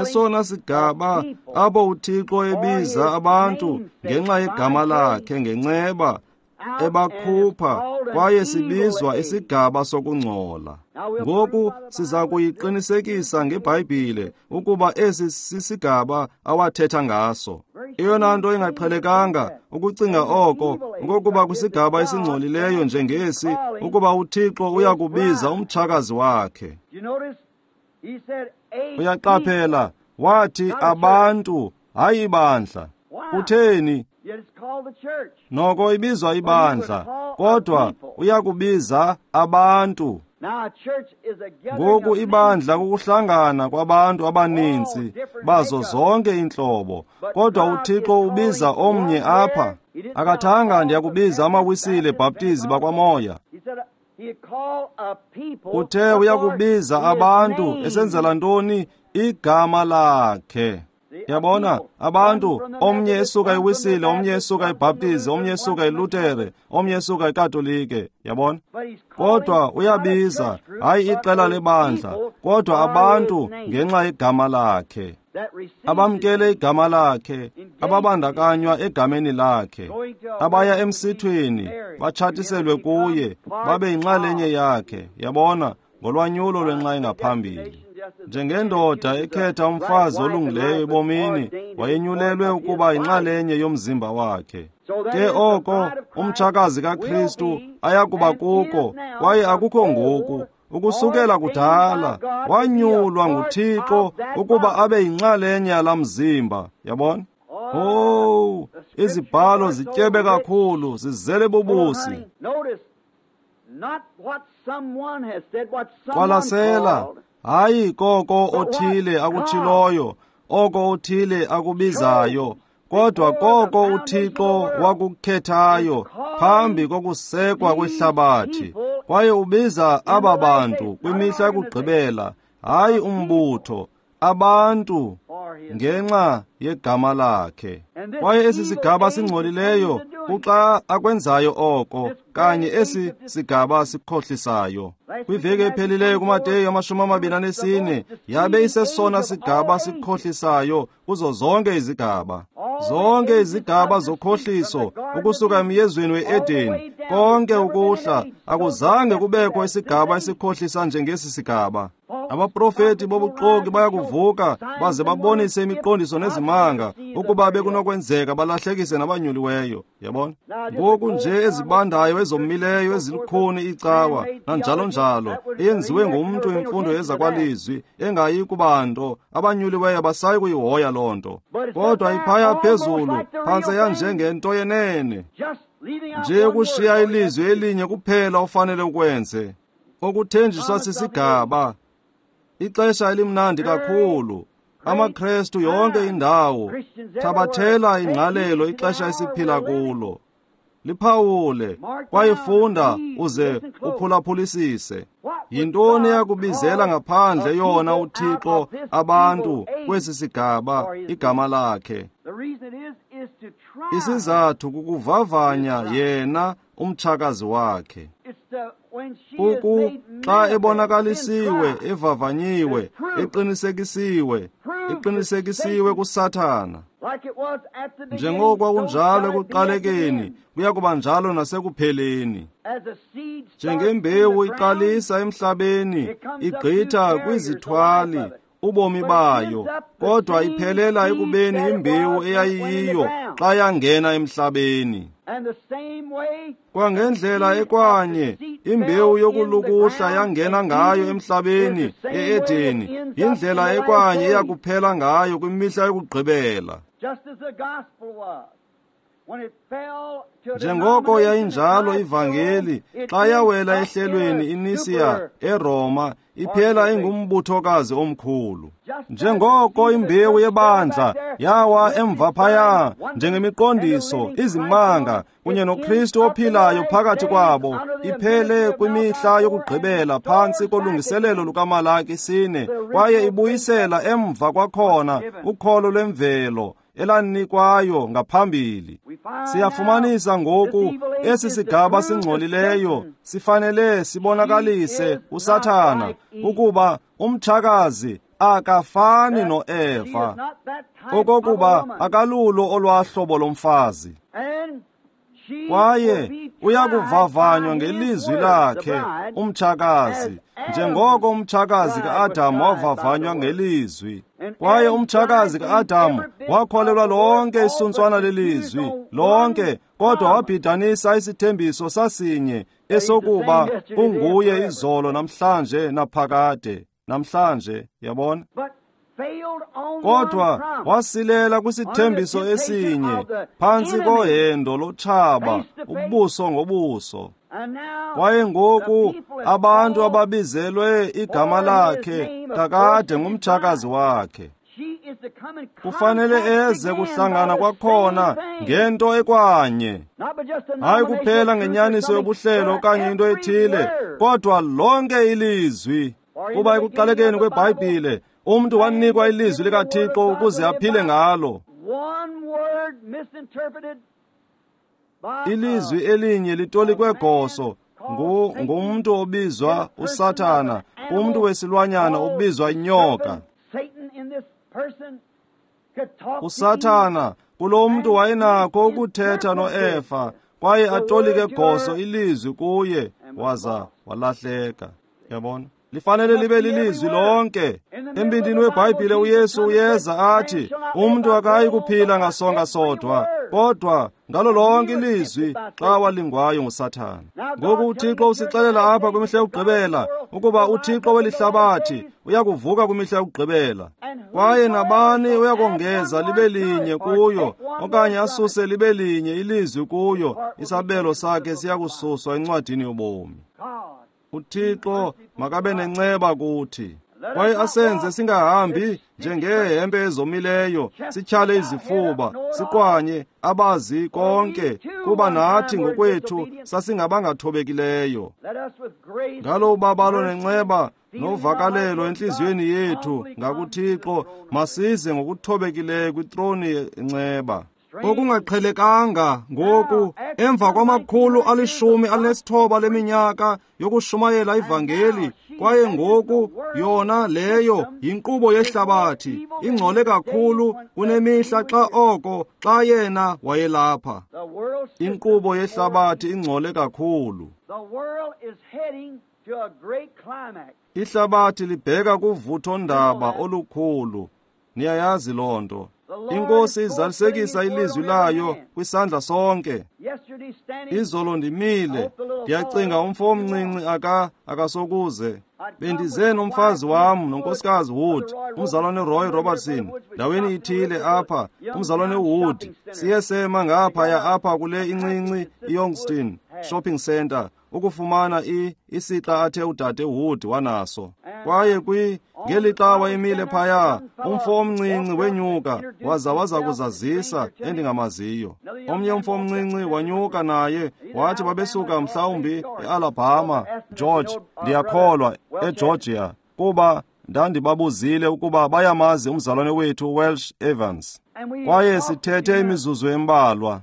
Esona sigaba apho uThixo ebiza abantu ngenxa yegama lakhe ngenceba, ebakhupha, kwaye sibizwa isigaba sokungcola. Ngoku siza kuyiqinisekisa ngeBhayibhile ukuba esi sisigaba awathetha ngaso. Eyona nto ingaqhelekanga ukucinga oko ngokuba kwisigaba esingcolileyo njengesi ukuba uThixo uyakubiza umtshakazi wakhe. Uyaqaphela, wathi abantu, hayi ibandla. Kutheni? Noko ibizwa ibandla, kodwa uyakubiza abantu. Ngoku ibandla kukuhlangana kwabantu abaninzi bazo zonke iintlobo, kodwa uThixo ubiza omnye apha. Akathanga ndiyakubiza amaWisile Bhaptizi bakwaMoya. Uthe uyakubiza abantu esenzela ntoni? Igama lakhe. Yabona, abantu, omnye esuka eWisile, omnye esuka eBhaptizi, omnye esuka eLutere, omnye esuka eKatolike, yabona? Kodwa uyabiza, hayi iqela lebandla, kodwa abantu ngenxa yegama lakhe. Abamkele igama lakhe, ababandakanywa egameni lakhe, abaya emsithweni, batshatiselwe kuye, babe yinxalenye yakhe, yabona, ngolwanyulo lwenxa engaphambili. Njengendoda ekhetha umfazi olungileyo ebomini, wayenyulelwe ukuba yinxalenye yomzimba wakhe. Ke oko umtshakazi kaKristu ayakuba kuko, kwaye akukho ngoku, ukusukela kudala, wanyulwa nguThixo ukuba abe yinxalenye yalaa mzimba, yabona? Oh, izibhalo zityebe kakhulu, zizele bubusi. Qwalasela, hayi koko othile akutshiloyo, oko othile akubizayo, kodwa koko uThixo wakukhethayo phambi kokusekwa kwehlabathi. Kwaye ubiza aba bantu kwimihla yokugqibela, hayi umbutho, abantu ngenxa yegama lakhe. Kwaye esi sigaba singcolileyo kuxa akwenzayo oko, kanye esi sigaba sikhohlisayo. Kwiveki ephelileyo kuMateyu amashumi amabini anesine, yabe isesona sigaba sikhohlisayo kuzo zonke izigaba. Zonke izigaba zokhohliso ukusuka emyezweni we-Edeni, konke ukuhla, akuzange kubekho isigaba esikhohlisa njengesi sigaba. Abaprofeti bobuxoki bayakuvuka baze babonise imiqondiso nezimanga ukuba bekunokwenzeka balahlekise nabanyuliweyo. Yabona? Ngoku nje ezibandayo, ezomileyo, ezilukhuni icawa nanjalo njalo, eyenziwe ngumntu imfundo yezakwalizwi engayi kuba nto, abanyuliweyo abasayi kuyihoya loo nto. Kodwa iphaya phezulu phantse yanjengento yenene. Nje ukushiya ilizwi elinye kuphela ofanele ukwenze. Okuthenjiswa sisigaba. Ixesha elimnandi kakhulu. AmaKrestu yonke indawo. Thabathela ingqalelo ixesha esiphila kulo. Liphawule, kwaye funda uze uphulaphulisise. Yintoni eyakubizela ngaphandle yona uThixo abantu kwesi sigaba igama lakhe? Isizathu kukuvavanya yena umtshakazi wakhe. Kuku xa ebonakalisiwe, evavanyiwe, eqinisekisiwe, eqinisekisiwe kuSathana. Njengoko kwakunjalo ekuqalekeni, kuya kuba njalo nasekupheleni. Njengembewu iqalisa emhlabeni, igqitha kwizithwali ubomi bayo, kodwa iphelela ekubeni imbewu eyayiyiyo xa yangena emhlabeni. Kwangendlela ekwanye imbewu yokulukuhla yangena ngayo emhlabeni e-Edeni, yindlela ekwanye eyakuphela ngayo kwimihla yokugqibela. Njengoko yayinjalo ivangeli xa yawela ehlelweni iNisiya eRoma, iphela ingumbuthokazi omkhulu. Njengoko imbewu yebandla yawa emva phaya njengemiqondiso, izimanga kunye noKristu ophilayo phakathi kwabo, iphele kwimihla yokugqibela phantsi kolungiselelo lukaMalaki sine, kwaye ibuyisela emva kwakhona ukholo lwemvelo elanikwayo ngaphambili. Siyafumanisa ngoku esi sigaba singcolileyo sifanele sibonakalise uSathana ukuba umtshakazi akafani noEva, okokuba akalulo olwahlobo lomfazi. Kwaye uyakuvavanywa ngelizwi lakhe umtshakazi, njengoko umtshakazi ka-Adamu wavavanywa ngelizwi. Kwaye umtshakazi ka-Adamu wakholelwa lonke isuntswana lelizwi, lonke, kodwa wabhidanisa isithembiso sasinye esokuba unguye izolo, namhlanje, naphakade. Namhlanje, yabona? Kodwa wasilela kwisithembiso esinye phantsi kohendo lotshaba, ubuso ngobuso. Kwaye ngoku abantu ababizelwe igama lakhe kakade ngumtshakazi wakhe. Kufanele eze kuhlangana kwakhona ngento ekwanye, hayi kuphela ngenyaniso yobuhlelo okanye into ethile, kodwa lonke ilizwi. Kuba ekuqalekeni kweBhayibhile umntu wanikwa ilizwi likaThixo ukuze aphile ngalo. Ilizwi elinye litolikwe goso ngumntu obizwa uSathana, kumntu wesilwanyana obizwa inyoka. USathana kulo mntu wayenakho ukuthetha noEfa, kwaye atolike goso ilizwi kuye, waza walahleka. Yabona? Lifanele libe lilizwi lonke. Embindini weBhayibhile uYesu uyeza athi, umntu akayi kuphila ngasonka sodwa, kodwa ngalo lonke ilizwi xa walingwayo nguSathana. Ngoku uThixo usixelela apha kwimihla yokugqibela ukuba uThixo welihlabathi uyakuvuka kwimihla yokugqibela, kwaye nabani uyakongeza libe linye kuyo okanye asuse libe linye ilizwi kuyo, isabelo sakhe siyakususwa encwadini yobomi. uThixo makabe nenceba kuthi, kwaye asenze singahambi njengeehempe ezomileyo, sityhale izifuba, siqwanye abazi konke, kuba nathi ngokwethu sasingabangathobekileyo. Ngalo ubabalo nenceba novakalelo entliziyweni yethu ngakuThixo, masize ngokuthobekileyo kwitroni yenceba. Okungaqhelekanga ngoku, emva kwamakhulu alishumi alinesithoba leminyaka yokushumayela ivangeli, kwaye ngoku yona leyo yinkqubo yehlabathi, ingcole kakhulu kunemihla xa oko xa yena wayelapha. Inkqubo yehlabathi ingcole kakhulu. Ihlabathi libheka kuvuthondaba olukhulu. Niyayazi loo nto. INkosi izalisekisa ilizwi layo kwisandla sonke. Izolo ndimile, ndiyacinga umfo omncinci aka akasokuze. Bendize nomfazi wam nonkosikazi Wood, umzalwane Roy Robertson, ndaweni ithile apha, umzalwane Wood. Siye sema ngaphaya apha kule incinci iYoungston Shopping Center ukufumana i isixa athe udade Wood wanaso. Kwaye kwi ngelixa wayemile phaya, umfo omncinci wenyuka waza waza kuzazisa endingamaziyo. Omnye umfo omncinci wanyuka naye, wathi babesuka mhlawumbi eAlabama, George, ndiyakholwa, eGeorgia, kuba ndandibabuzile ukuba bayamazi umzalwane wethu Welsh Evans. Kwaye sithethe imizuzu embalwa.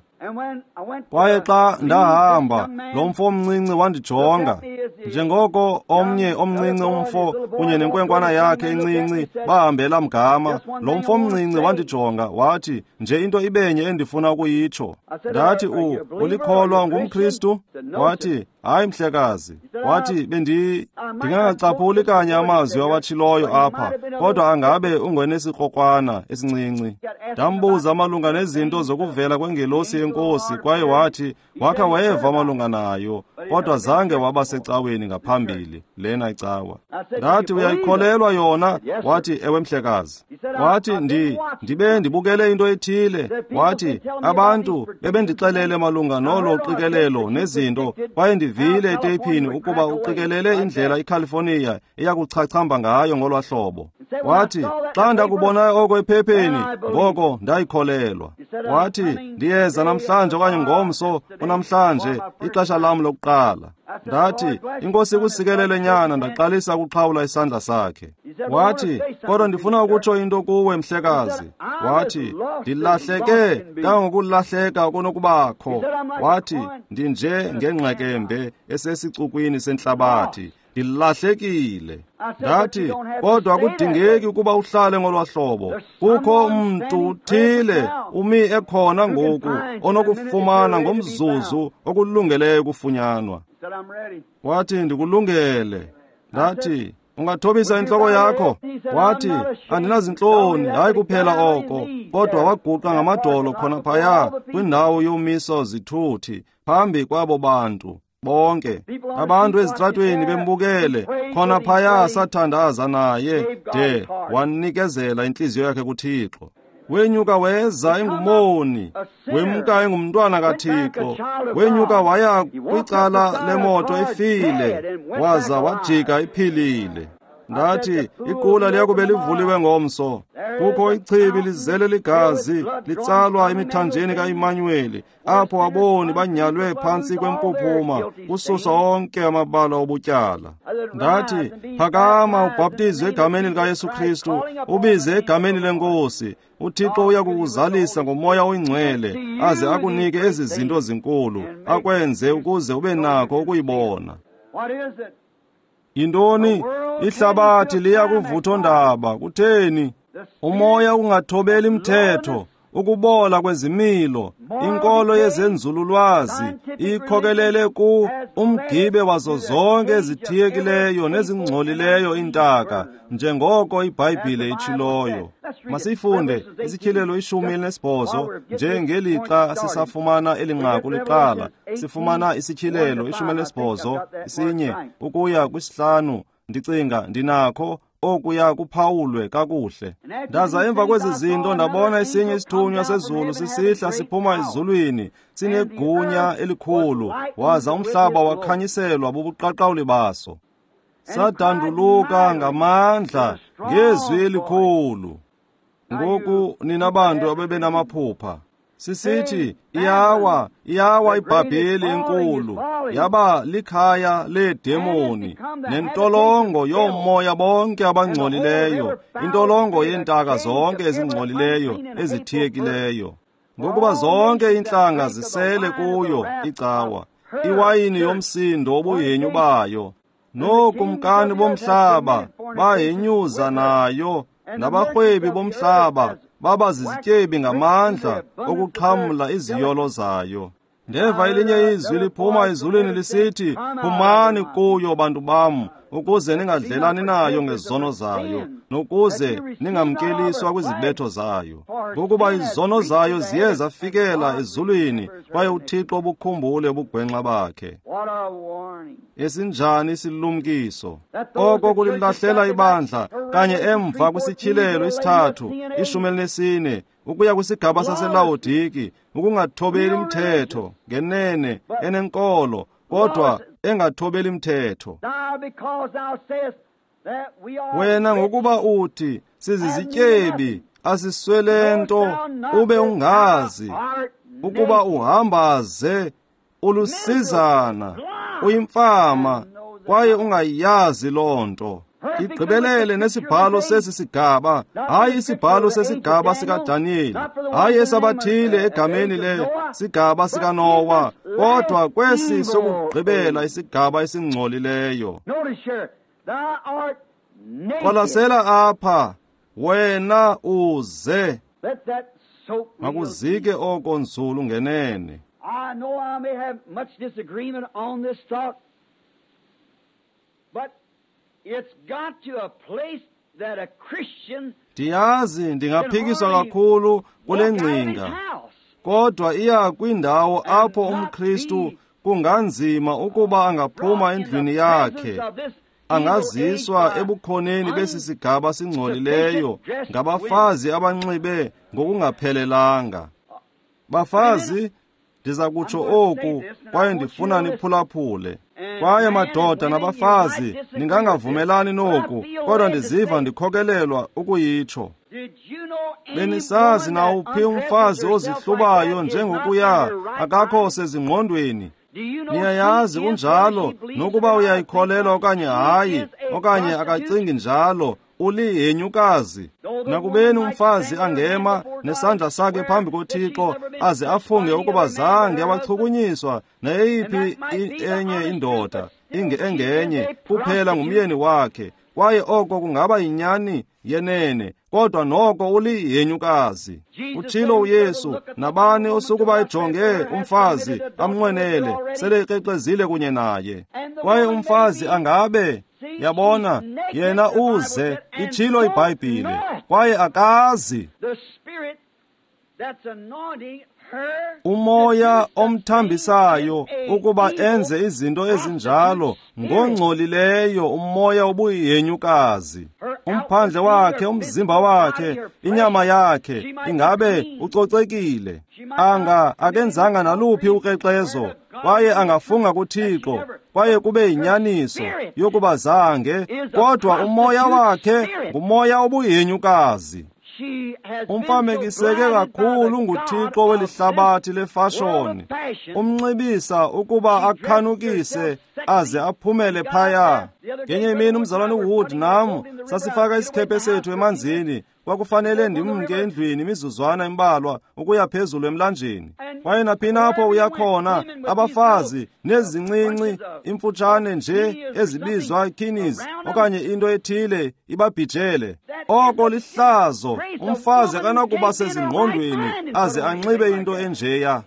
Kwaye xa ndahamba, lo mfo omncinci wandijonga. Njengoko omnye omncinci umfo kunye nenkwenkwana yakhe encinci bahambela mgama, lo mfo omncinci wandijonga wathi, nje into ibenye endifuna ukuyitsho. Ndathi, u ulikholwa ngumKristu? Wathi, hayi mhlekazi. Wathi, bendi ndingangacaphuli kanye amazwi awatshiloyo apha, kodwa angabe ungonesikrokrwana esincinci. Ndambuza malunga nezinto zokuvela kwengelosi yenkosi, kwaye wathi wakha wayeva malunga nayo, kodwa zange waba secaweni ngaphambili lena icawa. Ndathi, uyayikholelwa yona? Wathi, ewe mhlekazi. Wathi, ndi ndibe ndibukele into ethile. Wathi, abantu bebendixelele malunga nolo qikelelo nezinto, kwaye ndivile eteyphini ukuba uqikelele indlela iCalifornia eyakuchachamba ngayo ngolwa hlobo. Wathi, xa ndakubona oko ephepheni, ngoko ndayikholelwa. Wathi, ndiyeza namhlanje okanye ngomso kunamhlanje, ixesha lam lokuqala. Ndathi, iNkosi ikusikelele nyana. Ndaqalisa ukuxhawula isandla sakhe. Wathi, kodwa ndifuna ukutsho into kuwe mhlekazi. Wathi, ndilahleke kangokulahleka kunokubakho. Wathi, ndinje ngengqekembe esesicukwini sentlabathi. Ndilahlekile. Ndathi, kodwa akudingeki ukuba uhlale ngolwa hlobo. Kukho umntu uthile umi ekhona ngoku onokufumana ngomzuzu okulungeleyo ukufunyanwa. Wathi, ndikulungele. Ndathi, ungathobisa intloko yakho? Wathi, andinazintloni, hayi kuphela oko, kodwa waguqa ngamadolo khona phaya kwindawo yomiso zithuthi phambi kwabo bantu bonke. Abantu ezitratweni bembukele khona phaya, sathandaza naye de wanikezela intliziyo yakhe kuThixo. Wenyuka weza engumoni, wemka engumntwana kaThixo. Wenyuka waya kwicala lemoto efile, waza wajika iphilile. Ndathi, iqula liyakube livuliwe ngomso. Kukho ichibi lizele ligazi litsalwa emithanjeni kaImanuweli, apho aboni banyalwe phantsi kwempuphuma kususwa onke amabala obutyala. Ndathi, phakama ubhaptizwe egameni likaYesu Kristu, ubize egameni lenkosi. UThixo uya kukuzalisa ngomoya oyingcwele, aze akunike ezi zinto zinkulu, akwenze ukuze ube nako ukuyibona. Yintoni? Ihlabathi liya kuvuthondaba. Kutheni? Umoya ungathobeli mthetho, ukubola kwezimilo, inkolo yezenzululwazi ikhokelele ku umgibe wazo zonke ezithiyekileyo nezingcolileyo iintaka, njengoko iBhayibhile itshiloyo. Masiyifunde isityhilelo ishumi elinesibhozo, njengelixa sisafumana eli nqaku liqala. Sifumana isityhilelo ishumi elinesibhozo isinye ukuya kwisihlanu. Ndicinga ndinakho okuya kuphawulwe kakuhle. Ndaza emva kwezi zinto ndabona esinye isithunywa sezulu sisihla siphuma ezulwini, sinegunya elikhulu, waza umhlaba wakhanyiselwa bubuqaqawuli baso. Sadanduluka ngamandla ngezwi elikhulu. Ngoku nina bantu abebenamaphupha, sisithi, iyawa, iyawa iBhabheli enkulu, yaba likhaya leedemoni nentolongo yomoya bonke abangcolileyo, intolongo yeentaka zonke ezingcolileyo ezithiyekileyo. Ngokuba zonke iintlanga zisele kuyo icawa, iwayini yomsindo wobuhenyu bayo. Nookumkani bomhlaba bahenyuza nayo, nabarhwebi bomhlaba baba zizityebi ngamandla okuxhamla iziyolo zayo. Ndeva elinye izwi liphuma ezulwini lisithi, phumani kuyo bantu bam, ukuze ningadlelani nayo ngezono zayo, nokuze ningamkeliswa kwizibetho zayo. Ngokuba izono zayo ziye zafikela ezulwini, kwaye uThixo ubukhumbule ubugwenxa bakhe. Esinjani isilumkiso! Oko kulilahlela ibandla kanye emva kwisityhilelo isithathu, ishumi elinesine, ukuya kwisigaba saseLawodiki, ukungathobeli mthetho, ngenene enenkolo, kodwa engathobeli mthetho. Wena ngokuba uthi sizizityebi, asiswele nto, ube ungazi ukuba uhamba ze ulusizana, uyimfama, kwaye ungayazi loo nto. Igqibelele nesibhalo sesi sigaba, hayi isibhalo sesigaba sikaDaniyeli, hayi esabathile egameni le sigaba sikaNowa, kodwa kwesi sokugqibela isigaba esingcolileyo. Qwalasela apha, wena uze. Makuzike oko nzulu ngenene. I know I may have much disagreement on this thought, but it's got to a place that a Christian Ndiyazi ndingaphikiswa kakhulu kule ngcinga, kodwa iya kwindawo apho umKristu kunganzima ukuba angaphuma endlwini yakhe, angaziswa ebukhoneni besi sigaba singcolileyo ngabafazi abanxibe ngokungaphelelanga. Bafazi, ndiza kutsho oku, kwaye ndifuna niphulaphule. Kwaye madoda nabafazi, ningangavumelani noku, kodwa ndiziva ndikhokelelwa ukuyitsho. Benisazi nawuphi umfazi ozihlubayo njengokuya akakho sezingqondweni? Niyayazi unjalo, nokuba uyayikholelwa okanye hayi, okanye akacingi njalo, ulihenyukazi. Nakubeni umfazi angema nesandla sakhe phambi koThixo aze afunge ukuba zange abachukunyiswa nayeyiphi enye indoda inge engenye kuphela ngumyeni wakhe, kwaye oko kungaba yinyani yenene, kodwa noko ulihenyukazi. Utshilo uYesu, nabani osukuba ejonge umfazi amnqwenele, sele ekrexezile kunye naye. Kwaye umfazi angabe, yabona, yena uze, itshilo iBhayibhile, kwaye akazi. Umoya omthambisayo ukuba enze izinto ezinjalo ngongcolileyo, umoya obuyihenyukazi. Umphandle wakhe, umzimba wakhe, inyama yakhe ingabe ucocekile, anga akenzanga naluphi ukrexezo, kwaye angafunga kuThixo, kwaye kube yinyaniso yokuba zange, kodwa umoya wakhe ngumoya obuyihenyukazi. Umfamekiseke kakhulu nguThixo welihlabathi lefashoni, umnxibisa ukuba akhanukise aze aphumele phaya. Ngenye imini umzalwane uWood nam sasifaka isikhephe sethu emanzini. Kwakufanele ndimke endlwini imizuzwana embalwa ukuya phezulu emlanjeni. Kwaye naphina apho uya khona, abafazi nezincinci imfutshane nje ezibizwa kinis okanye into ethile ibabhijele. Oko lihlazo, umfazi akanakuba sezingqondweni aze anxibe into enjeya.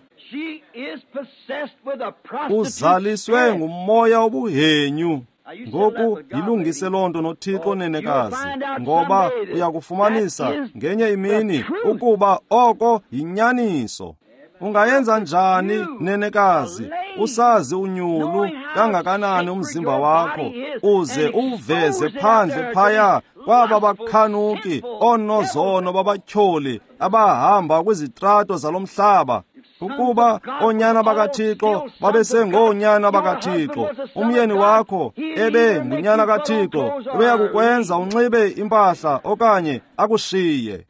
Uzaliswe ngumoya obuhenyu. Ngoku yilungise loo nto noThixo, nenekazi, ngoba uyakufumanisa ngenye imini ukuba oko yinyaniso. Ungayenza njani, nenekazi, usazi unyulu kangakanani umzimba wakho, uze uveze phandle phaya kwaba bakhanuki oonozono babatyholi abahamba kwizitrato zalo mhlaba? Ukuba oonyana bakaThixo babesengoonyana bakaThixo, umyeni wakho ebe ngunyana kaThixo, ubeyakukwenza unxibe impahla okanye akushiye.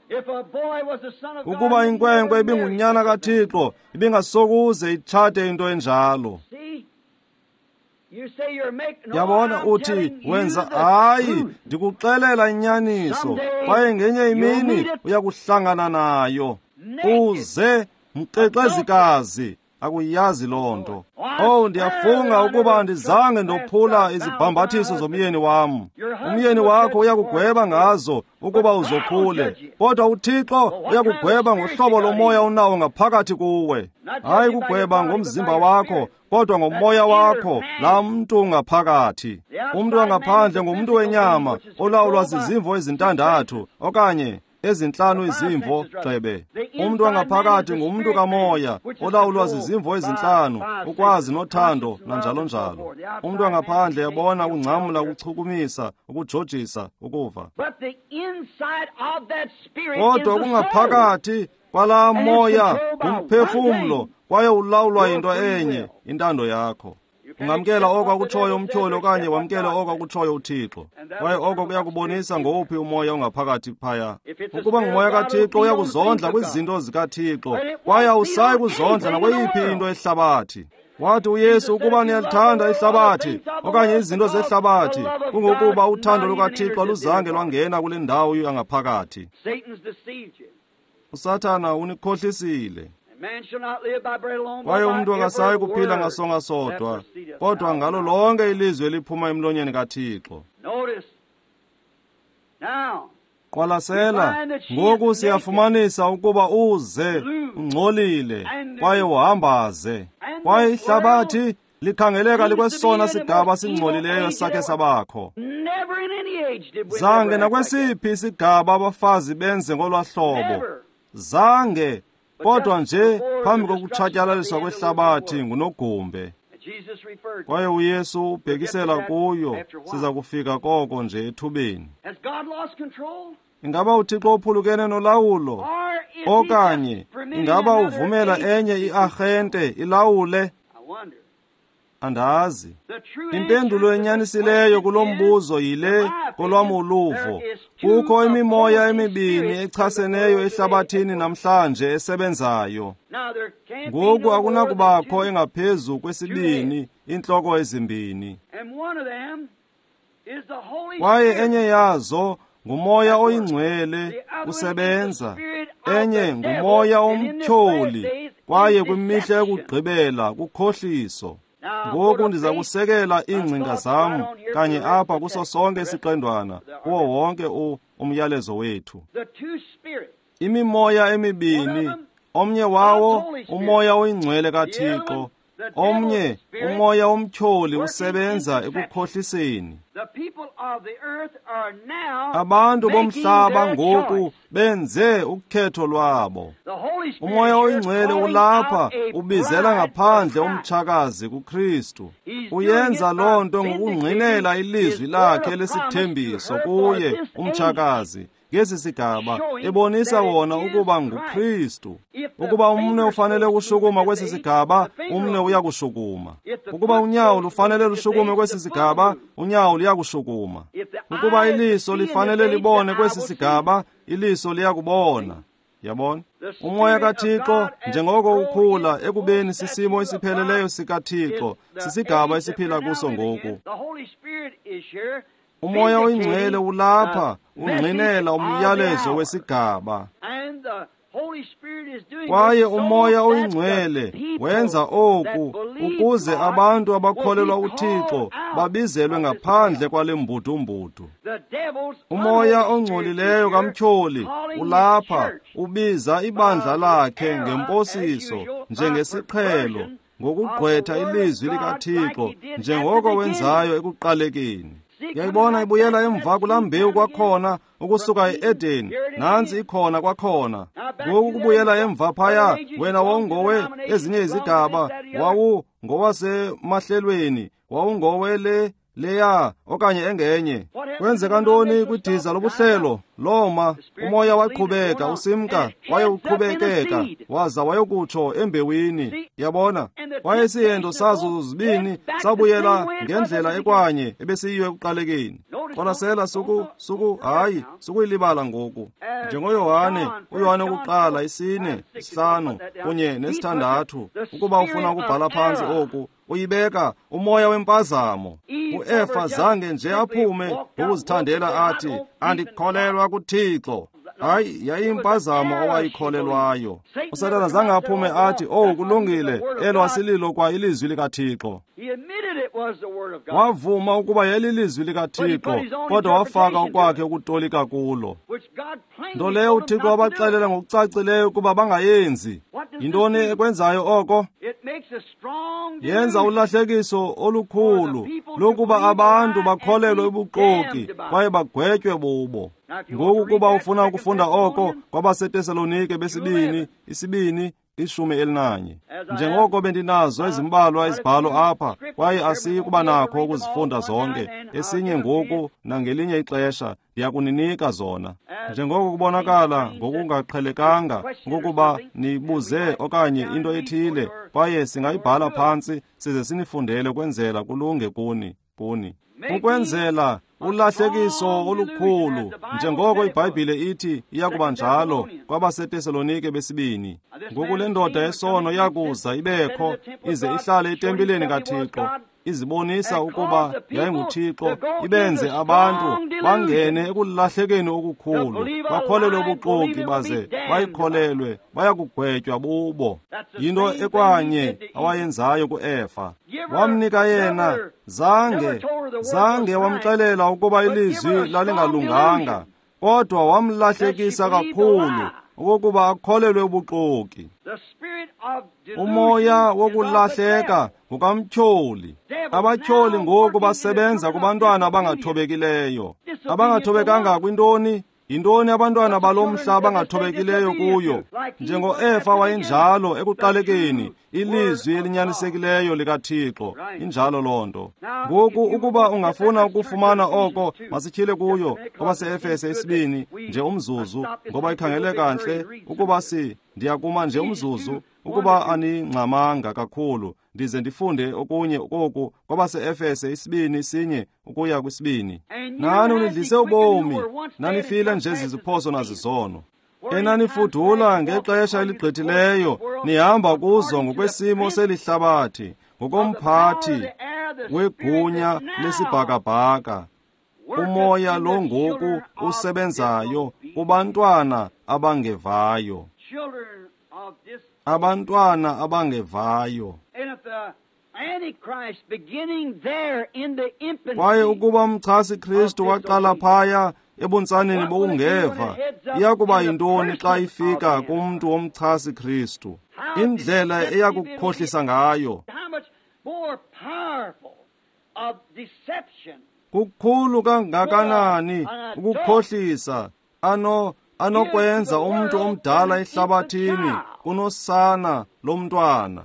Ukuba inkwenkwe ibingunyana kaThixo, ibingasokuze itshate into enjalo. Yabona, uthi wenza, hayi, ndikuxelela inyaniso, kwaye ngenye imini uyakuhlangana nayo. Uze mkrexezikazi, Akuyazi loo nto. Oh, ndiyafunga ukuba andizange ndophula izibhambathiso zomyeni wam. Umyeni wakho uyakugweba ngazo ukuba uzophule, kodwa uThixo uyakugweba ngohlobo lomoya onawo ngaphakathi kuwe. Hayi kugweba ngomzimba wakho, kodwa ngomoya wakho, laa mntu ngaphakathi. Umntu wangaphandle ngumntu wenyama olawulwa zizimvo ezintandathu okanye ezintlanu izimvo gxebe. Umntu wangaphakathi ngumntu kamoya olawulwa zizimvo ezintlanu, ukwazi nothando nanjalo njalo. Umntu wangaphandle yabona ukungcamla, ukuchukumisa, ukujojisa, ukuva. Kodwa okungaphakathi kwalaa moya ngumphefumlo, kwaye ulawulwa yinto enye, intando yakho. Ungamkela oko akutshoyo umtyholi okanye wamkele oko akutshoyo uThixo. Kwaye oko kuyakubonisa ngowuphi umoya ongaphakathi phaya. Ukuba ngumoya kaThixo uyakuzondla kwizinto zikaThixo, kwaye awusayi kuzondla nakweyiphi into ehlabathi. Wathi uYesu, ukuba niyalithanda ihlabathi okanye izinto zehlabathi, kungokuba uthando lukaThixo aluzange lwangena kule ndawo yangaphakathi. USathana unikhohlisile. Kwaye umntu akasayi kuphila ngasonga sodwa, kodwa ngalo lonke ilizwi eliphuma emlonyeni kaThixo. Qwalasela, ngoku siyafumanisa ukuba uze ungcolile kwaye uhambaze, kwaye ihlabathi likhangeleka likwesona sigaba singcolileyo sakhe sabakho. Zange nakwesiphi isigaba abafazi benze ngolwa hlobo. Zange, kodwa nje phambi kokutshatyalaliswa kwehlabathi ngunogumbe. Kwaye uYesu ubhekisela kuyo, siza kufika koko nje ethubeni. Ingaba uThixo uphulukene nolawulo? Okanye ingaba uvumela enye iarhente ilawule? Andazi. Impendulo enyanisileyo kulo mbuzo yile kolwam uluvo. Kukho imimoya emibini echaseneyo ehlabathini namhlanje esebenzayo. Ngoku akunakubakho engaphezu kwesibini, intloko ezimbini. Kwaye enye yazo ngumoya oyingcwele usebenza, enye ngumoya omtyholi, kwaye kwimihla yokugqibela kukhohliso. Ngoku ndiza kusekela iingcinga zam kanye apha kuso sonke isiqendwana, kuwo wonke umyalezo wethu. Imimoya emibini, omnye wawo umoya oyingcwele kaThixo, omnye umoya omtyholi usebenza ekukhohliseni. Abantu bomhlaba ngoku benze ukhetho lwabo. Umoya oyingcwele ulapha ubizela ngaphandle umtshakazi kuKristu. Uyenza loo nto ngokungqinela ilizwi lakhe lesithembiso kuye umtshakazi ngesi sigaba, ebonisa wona ukuba nguKristu. Ukuba umnwe ufanele ukushukuma kwesi sigaba, umnwe uyakushukuma. Ukuba unyawo lufanele lushukume kwesi sigaba, unyawo luyakushukuma. Ukuba iliso lifanele libone kwesi sigaba, iliso liyakubona. Yabona? Umoya kaThixo njengoko ukhula ekubeni sisimo esipheleleyo sikaThixo, sisigaba esiphila kuso ngoku. Umoya oyingcwele ulapha ungqinela umyalezo wesigaba. Kwaye umoya oyingcwele wenza oku ukuze abantu abakholelwa uThixo babizelwe ngaphandle kwale mbudumbudu. Umoya ongcolileyo kamtyholi ulapha ubiza ibandla lakhe ngemposiso njengesiqhelo, ngokugqwetha ilizwi likaThixo njengoko wenzayo ekuqalekeni. Yayibona ibuyela emva kulaa mbewu kwakhona ukusuka e-Edeni, nantsi ikhona kwakhona. Ngoku kubuyela emva phaya, wena wawungowe ezinye izigaba, wawu ngowasemahlelweni, wawungowe le leya okanye engenye. Kwenzeka ntoni kwidiza lobuhlelo? Loma, umoya waqhubeka usimka, waye uqhubekeka, waza wayokutsho embewini. Yabona? Kwaye isihendo sazo zibini sabuyela ngendlela ekwanye ebesiyiyo ekuqalekeni. Qwalasela, suku suku hayi, sukuyilibala ngoku. NjengoYohane, uYohane wokuqala isine, isihlanu kunye nesithandathu, ukuba ufuna ukubhala phantsi oku, uyibeka umoya wempazamo. UEfa zange nje aphume ngokuzithandela athi, andikholelwa kuThixo. Hayi, yayiyimpazamo owayikholelwayo. USathana zange aphume athi, "Oh, kulungile, elo asililo kwa ilizwi likaThixo." Wavuma ukuba yayililizwi likaThixo, kodwa wafaka okwakhe ukutolika kulo, nto leyo uThixo wabaxelela ngokucacileyo ukuba bangayenzi. Yintoni ekwenzayo oko? Yenza ulahlekiso olukhulu lokuba abantu bakholelwe ubuxoki kwaye bagwetywe bubo. Ngoku kuba ufuna ukufunda oko kwabaseTesalonike besibini, isibini, ishumi elinanye. Njengoko bendinazo ezimbalwa izibhalo apha, kwaye asiyi kuba nakho ukuzifunda zonke, esinye ngoku nangelinye ixesha ndiyakuninika zona. Njengoko kubonakala ngokungaqhelekanga ngokuba nibuze okanye into ethile, kwaye singayibhala phantsi size sinifundele ukwenzela kulunge kuni, kuni. Ukwenzela ulahlekiso olukhulu, njengoko iBhayibhile ithi iyakuba njalo kwabaseTesalonike besibini. Ngoku le ndoda yesono iyakuza ibekho, ize ihlale etempileni kaThixo, izibonisa ukuba yayinguThixo, ibenze abantu bangene ekulahlekeni okukhulu, bakholelwe ubuxoki baze bayikholelwe, bayakugwetywa bubo. Yinto ekwanye awayenzayo kuEfa. Wamnika yena, zange, zange wamxelela ukuba ilizwi lalingalunganga, kodwa wamlahlekisa kakhulu okokuba akholelwe ubuxoki. Umoya wokulahleka ngukamtyholi. Abatyholi ngoku basebenza kubantwana abangathobekileyo. Abangathobekanga kwintoni? Yintoni abantwana balo mhla abangathobekileyo kuyo? NjengoEfa wayenjalo ekuqalekeni, ilizwi elinyanisekileyo likaThixo. Injalo loo nto. Ngoku ukuba ungafuna ukufumana oko, masityhile kuyo kwabaseEfese isibini nje umzuzu, ngoba ikhangeleka ntle ukuba si ndiyakuma nje umzuzu, ukuba aningxamanga kakhulu, ndize ndifunde okunye koku kwabaseEfese isibini sinye ukuya kwisibini. Nani unidlise ubomi, nanifile nje ziziphoso nazizono, enanifudula ngexesha eligqithileyo, nihamba kuzo ngokwesimo selihlabathi, ngokomphathi wegunya lesibhakabhaka, umoya lo ngoku usebenzayo kubantwana abangevayo. Abantwana abangevayo. Kwaye ukuba umchasi Kristu waqala phaya ebuntsaneni bokungeva, iyakuba yintoni xa ifika kumntu womchasi Kristu? Indlela eyakukhohlisa ngayo. Kukhulu kangakanani ukukhohlisa ano anokwenza umntu omdala ehlabathini kunosana lomntwana.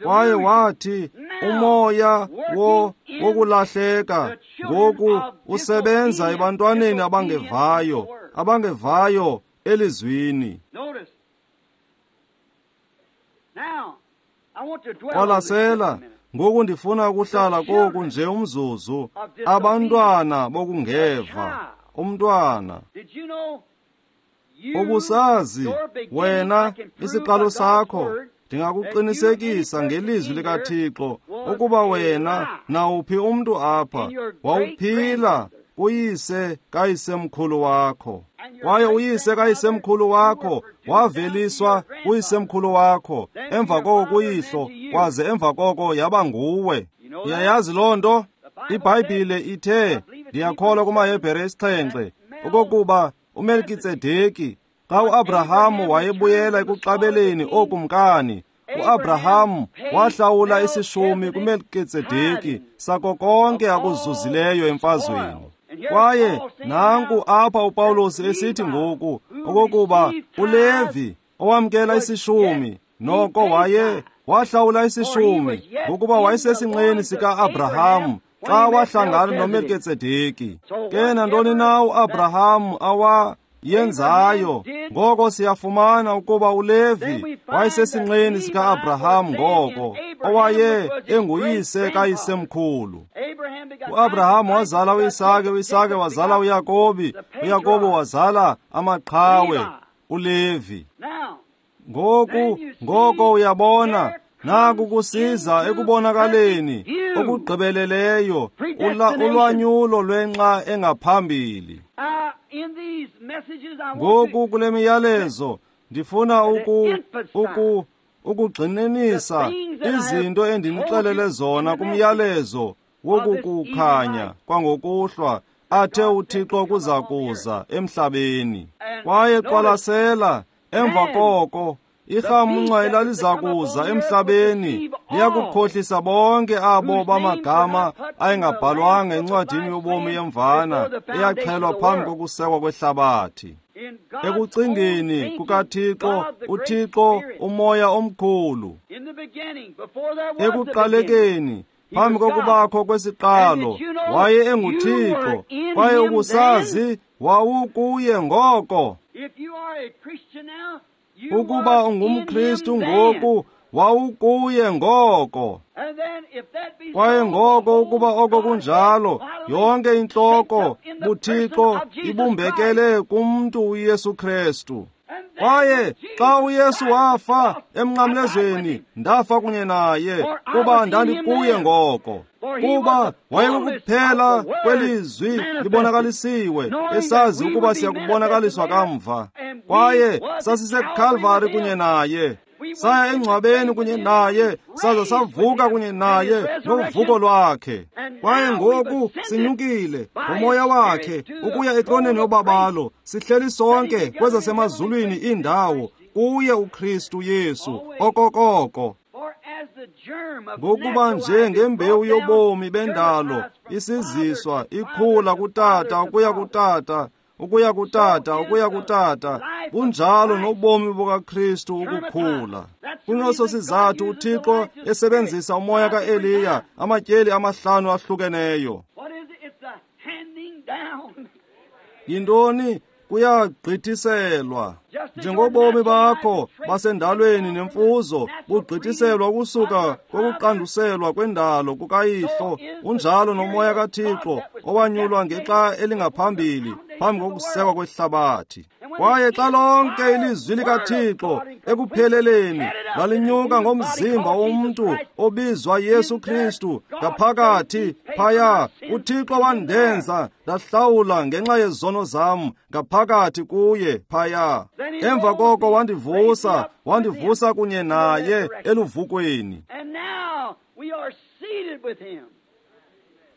Kwaye wathi umoya wo wokulahleka ngoku usebenza ebantwaneni abangevayo, abangevayo elizwini. Qwalasela, ngoku ndifuna ukuhlala koku nje umzuzu. Abantwana bokungeva, umntwana. Ubusazi wena isiqalo sakho, ndingakuqinisekisa ngelizwi likaThixo ukuba wena nawuphi umntu apha wawuphila kuyise kayisemkhulu wakho, kwaye uyise kayisemkhulu wakho waveliswa kuyisemkhulu wakho, emva koko kuyihlo, kwaze emva koko yaba nguwe. Uyayazi loo nto? IBhayibhile ithe, ndiyakholwa kumaHebhere esixhenxe, okokuba uMelkitsedeki, xa uAbrahamu wayebuyela ekuxabeleni ookumkani, uAbrahamu wahlawula isishumi kuMelkitsedeki sako konke akuzuzileyo emfazweni. Kwaye nanku apha uPawulos esithi ngoku okokuba uLevi owamkela isishumi noko waye wahlawula isishumi ngokuba wayesesinqeni sika-Abrahamu xa wahlangana noMelkitsedeki. Ke nantoni na uAbrahamu awa yenzayo, ngoko siyafumana ukuba uLevi wayesesinqeni sika-Abrahamu ngoko, owaye enguyise kayisemkhulu. UAbrahamu wazala uIsake, uIsake wazala uYakobi, uYakobi wazala amaqhawe, uLevi. Ngoku, ngoko uyabona, Naku kusiza ekubonakaleni okugqibeleleyo ulwanyulo lwenxa engaphambili. Ngoku kule miyalezo ndifuna uku uku ukugxininisa izinto endinixelele zona kumyalezo wokukukhanya kwangokuhlwa athe uThixo kuza kuza emhlabeni. Kwaye qwalasela emva koko irhamncwa elaliza kuza emhlabeni liyakukhohlisa bonke abo bamagama ayengabhalwanga encwadini yobomi yemvana eyaxhelwa phambi kokusekwa kwehlabathi. Ekucingeni kukaThixo, uThixo umoya omkhulu, ekuqalekeni phambi kokubakho kwesiqalo waye enguThixo, kwaye ukusazi wawukuye ngoko. Ukuba ungumKristu ngoku, wawukuye ngoko. Kwaye ngoko ukuba oko kunjalo, yonke intloko buThixo ibumbekele kumntu uYesu Kristu. Kwaye xa uYesu wafa emnqamlezweni, ndafa kunye naye, kuba ndandikuye ngoko. Kuba wayekukuphela kwelizwi libonakalisiwe, esazi ukuba siyakubonakaliswa kamva. Kwaye sasiseKalvari kunye naye, saya engcwabeni kunye naye, saza savuka kunye naye novuko lwakhe. Kwaye ngoku sinyukile ngomoya wakhe ukuya etroneni yobabalo, sihleli sonke kwezasemazulwini iindawo kuye uKristu Yesu okokoko. Ngokuba nje ngembewu yobomi bendalo isiziswa ikhula kutata ukuya kutata ukuya kutata ukuya kutata, bunjalo nobomi bukaKristu ukukhula. Kuneso sizathu uThixo esebenzisa umoya kaEliya amatyeli amahlanu ahlukeneyo. Yintoni? Kuyagqithiselwa. Njengobomi bakho basendalweni nemfuzo bugqithiselwa ukusuka kokuqanduselwa kwendalo kukayihlo, unjalo nomoya kaThixo owanyulwa ngexa elingaphambili phambi kokusekwa kwehlabathi. Kwaye xa lonke ilizwi likaThixo ekupheleleni lalinyuka ngomzimba womntu obizwa Yesu Kristu ngaphakathi phaya, uThixo wandenza ndahlawula ngenxa yezono zam ngaphakathi kuye phaya. Emva koko wandivusa, wandivusa kunye naye eluvukweni.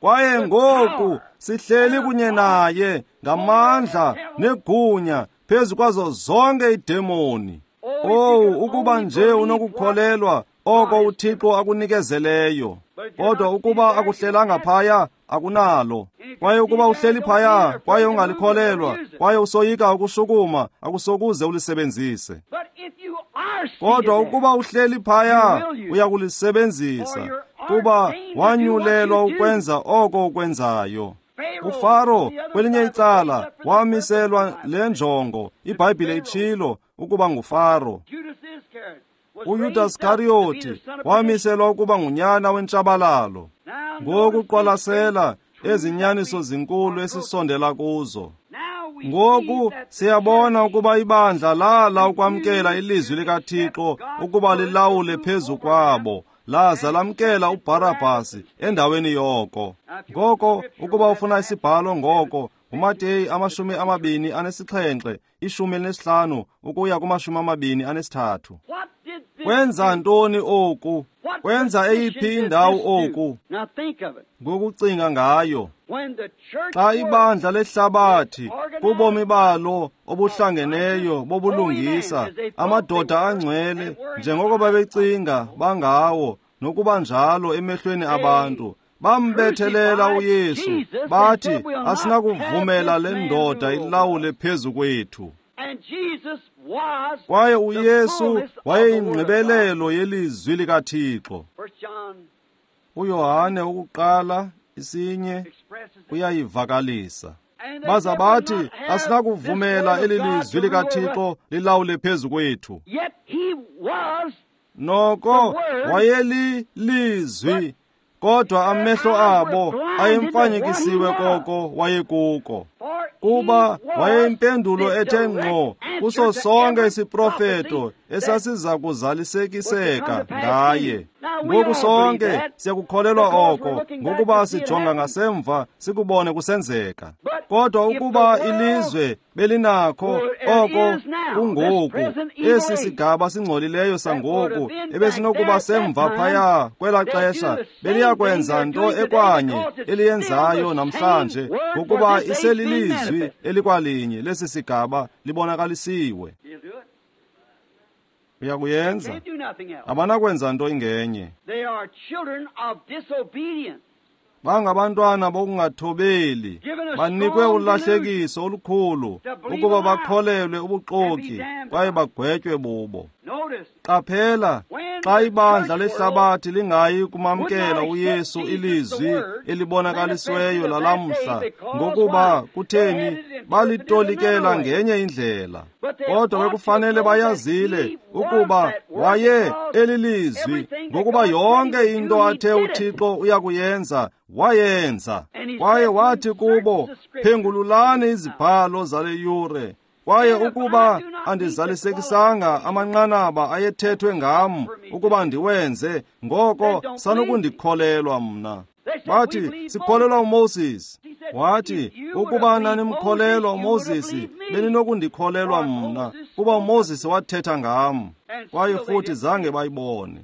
Kwaye ngoku sihleli kunye naye ngamandla negunya phezu kwazo zonke iidemoni. Owu, ukuba nje unokukholelwa oko uThixo akunikezeleyo. Kodwa ukuba akuhlelanga phaya, akunalo. Kwaye ukuba uhleli phaya kwaye ungalikholelwa, kwaye usoyika ukushukuma, akusokuze ulisebenzise. Kodwa ukuba uhleli phaya, uyakulisebenzisa, kuba wanyulelwa ukwenza oko ukwenzayo. UFaro kwelinye icala wamiselwa le njongo, iBhayibhile itshilo ukuba nguFaro. uYudas Iskariyoti wamiselwa ukuba ngunyana wentshabalalo. Ngoku qwalasela ezinyaniso zinkulu esisondela kuzo. Ngoku siyabona ukuba ibandla lala ukwamkela ilizwi likaThixo ukuba lilawule phezu kwabo, laza lamkela uBharabhasi endaweni yoko. Ngoko ukuba ufuna isibhalo ngoko, uMateyu amashumi amabini anesixhenxe, ishumi elinesihlanu ukuya kumashumi amabini anesithathu. Kwenza ntoni oku? Kwenza eyiphi indawo oku? Ngokucinga ngayo, xa ibandla lehlabathi kubomi balo obuhlangeneyo bobulungisa, amadoda angcwele njengoko babecinga bangawo nokuba njalo emehlweni abantu, bambethelela uYesu bathi asinakuvumela le ndoda ilawule phezu kwethu. Kwaye uYesu wayeyingqibelelo yelizwi likaThixo. uYohane wokuqala isinye uyayivakalisa. Baza bathi asinakuvumela eli lizwi likaThixo lilawule phezu kwethu. Noko wayelilizwi, kodwa amehlo abo ayemfanyekisiwe koko wayekuko. Kuba wayeyimpendulo ethe ngqo kuso sonke isiprofeto esasiza kuzalisekiseka ngaye. Ngoku sonke siyakukholelwa oko, ngokuba sijonga ngasemva sikubone kusenzeka. Kodwa ukuba ilizwe belinakho oko kungoku, esi sigaba singcolileyo sangoku ebesinokuba semva phaya kwelaa xesha, beliyakwenza nto ekwanye eliyenzayo namhlanje, ngokuba iselilizwi elikwalinye lesi sigaba libonakalisiwe. Uyakuyenza. Abanakwenza nto ingenye. Bangabantwana bokungathobeli, banikwe ulahlekiso olukhulu ukuba bakholelwe ubuxoki kwaye bagwetywe bubo. Qaphela, xa ibandla lehlabathi lingayi kumamkela uYesu ilizwi elibonakalisiweyo lalamhla, ngokuba kutheni balitolikela ngenye indlela. Kodwa bekufanele bayazile ukuba waye elilizwi, ngokuba yonke into athe uThixo uyakuyenza wayenza. Kwaye wathi kubo, phengululani izibhalo zale yure. Kwaye ukuba andizalisekisanga amanqanaba ayethethwe ngam ukuba ndiwenze, ngoko sanukundikholelwa mna. Bathi, sikholelwa uMoses. Wathi, ukuba nanimkholelwa uMoses, beninokundikholelwa mna, kuba uMoses wathetha ngam. Kwaye futhi zange bayibone.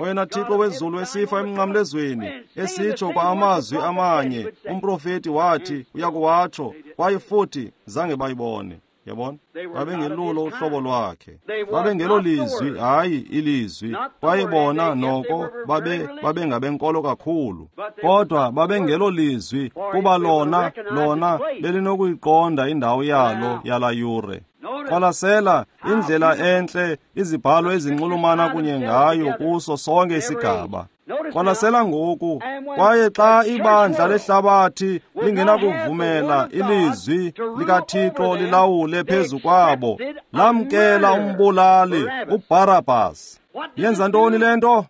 Oyena Thixo wezulu esifa emnqamlezweni, esitsho kwa amazwi amanye, umprofeti wathi uyakuwatsho, kwaye futhi zange bayibone. Yabona? Babengelulo uhlobo lwakhe. Babengelolizwi, hayi ilizwi. Kwaye bona noko babe babengabenkolo kakhulu. Kodwa babengelolizwi kuba lona lona belinokuyiqonda indawo yalo yala yure. Qwalasela indlela entle izibhalo ezinxulumana kunye ngayo kuso sonke isigaba. Qwalasela ngoku, kwaye xa ibandla lehlabathi lingenakuvumela ilizwi likaThixo lilawule phezu kwabo, lamkela umbulali uBarabas. Yenza ntoni le nto?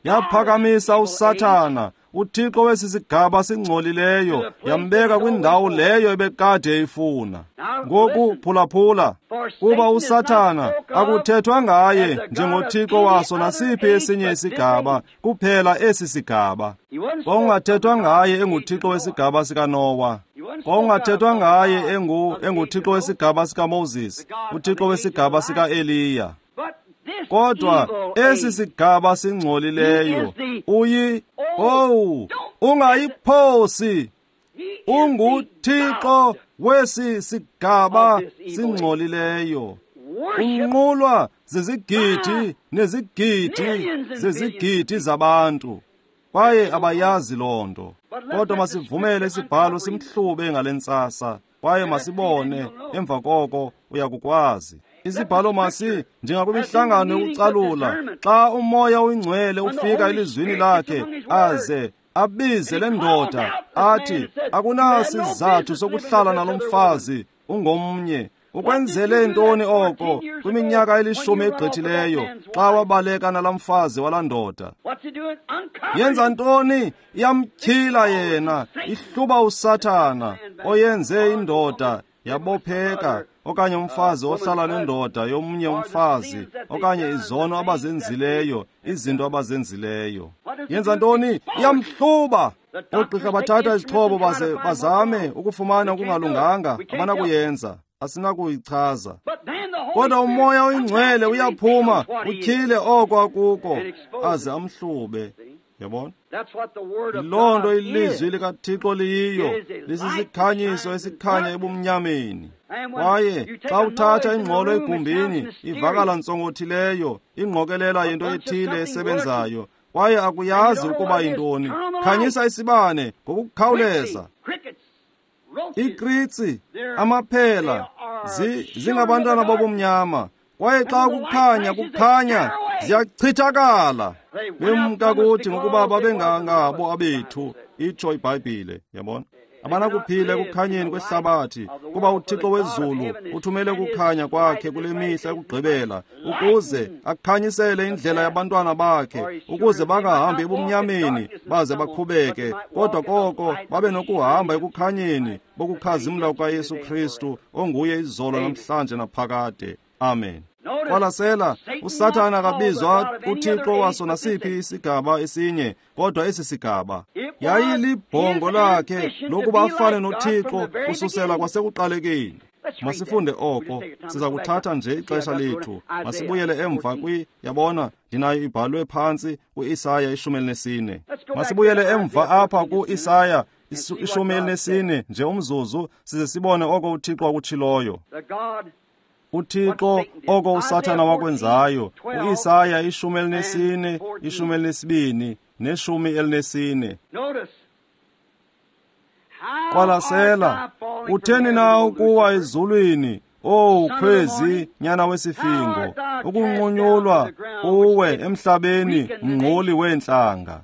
Yaphakamisa uSathana, uThixo wesi sigaba singcolileyo, yambeka kwindawo leyo ebekade eyifuna. Ngoku phulaphula, kuba uSathana akuthethwa ngaye njengoThixo waso nasiphi esinye isigaba, kuphela esi sigaba. Kwakungathethwa ngaye enguThixo wesigaba sikaNowa. Kwakungathethwa ngaye engu enguThixo wesigaba sikaMoses, uThixo wesigaba sikaEliya. Kodwa esi sigaba singcolileyo uyi oh ungayiphosi, unguThixo wesi sigaba singcolileyo. Unqulwa zizigidi nezigidi zezigidi zabantu, kwaye abayazi loo nto. Kodwa masivumele isibhalo simhlube ngale ntsasa, kwaye masibone emva koko uyakukwazi. Isibhalo masi njengakwimihlangano yokucalula, xa umoya oyingcwele ufika elizwini lakhe aze abize le ndoda athi, akunasizathu sokuhlala nalo mfazi, ungomnye. Ukwenzele ntoni oko kwiminyaka elishumi egqithileyo xa wabaleka nalaa mfazi walaa ndoda? Yenza ntoni? Iyamtyhila yena, ihluba uSathana oyenze indoda yabopheka, okanye umfazi ohlala nendoda yomnye umfazi, okanye izono abazenzileyo, izinto abazenzileyo. Yenza ntoni? Iyamhluba. Oogqirha bathatha izixhobo baze bazame ukufumana okungalunganga, abanakuyenza, asinakuyichaza. Kodwa umoya oyingcwele uyaphuma utyhile oko akuko, aze amhlube. Yabona? Yiloo nto ilizwi likaThixo liyiyo, lisisikhanyiso esikhanya ebumnyameni. Kwaye xa uthatha ingxolo egumbini, ivakala ntsongothileyo, ingqokelela yento ethile esebenzayo, kwaye akuyazi ukuba yintoni. Khanyisa isibane ngokukhawuleza. Ikritsi, amaphela, zingabantwana bobumnyama. Kwaye xa kukhanya kukhanya, ziyachithakala. Bemka kuthi ngokuba babengangabo abethu, itsho iBhayibhile. Yabona? Abanakuphila ekukhanyeni kwehlabathi, kuba uThixo wezulu uthumele ukukhanya kwakhe kule mihla yokugqibela, ukuze akhanyisele indlela yabantwana bakhe, ukuze bangahambi ebumnyameni baze bakhubeke, kodwa koko babe nokuhamba ekukhanyeni bokukhazimla kukaYesu Kristu, onguye izolo namhlanje naphakade. Amen. Qwalasela, uSathana akabizwa uThixo waso nasiphi isigaba esinye, kodwa esi sigaba yayilibhongo lakhe lokuba afane noThixo kususela kwasekuqalekeni. Masifunde oko, siza kuthatha nje ixesha lethu. Masibuyele emva kwi, yabona, ndinayo ibhalwe phantsi ku-Isaya ishumi elinesine. Masibuyele emva apha ku-Isaya ishumi elinesine nje umzuzu, size sibone oko uThixo akutshiloyo. uThixo oko uSathana wakwenzayo. U-Isaya ishumi elinesine, ishumi elinesibini neshumi elinesine. Qwalasela, utheni na ukuwa ezulwini, owu Khwezi, nyana wesifingo, ukunqunyulwa uwe emhlabeni, mngquli weentlanga.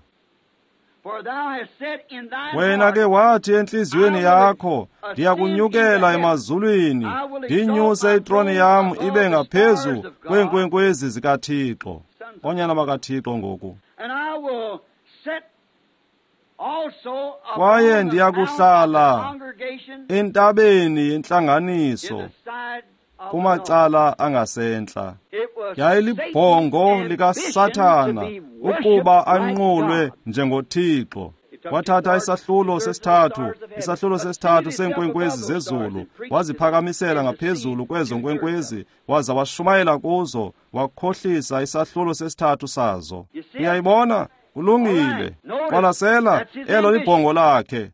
Wena ke wathi entliziyweni yakho, ndiyakunyukela emazulwini, ndinyuse itroni yam ibe ngaphezu kweenkwenkwezi zikaThixo. Oonyana bakaThixo ngoku. Kwaye ndiyakuhlala entabeni yentlanganiso kumacala angasentla. Yayilibhongo likaSathana ukuba anqulwe njengoThixo. Wathatha isahlulo sesithathu, isahlulo sesithathu seenkwenkwezi zezulu, waziphakamisela ngaphezulu kwezo nkwenkwezi, waza washumayela kuzo, wakhohlisa isahlulo sesithathu sazo. Uyayibona? Kulungile. Qwalasela, elo libhongo lakhe.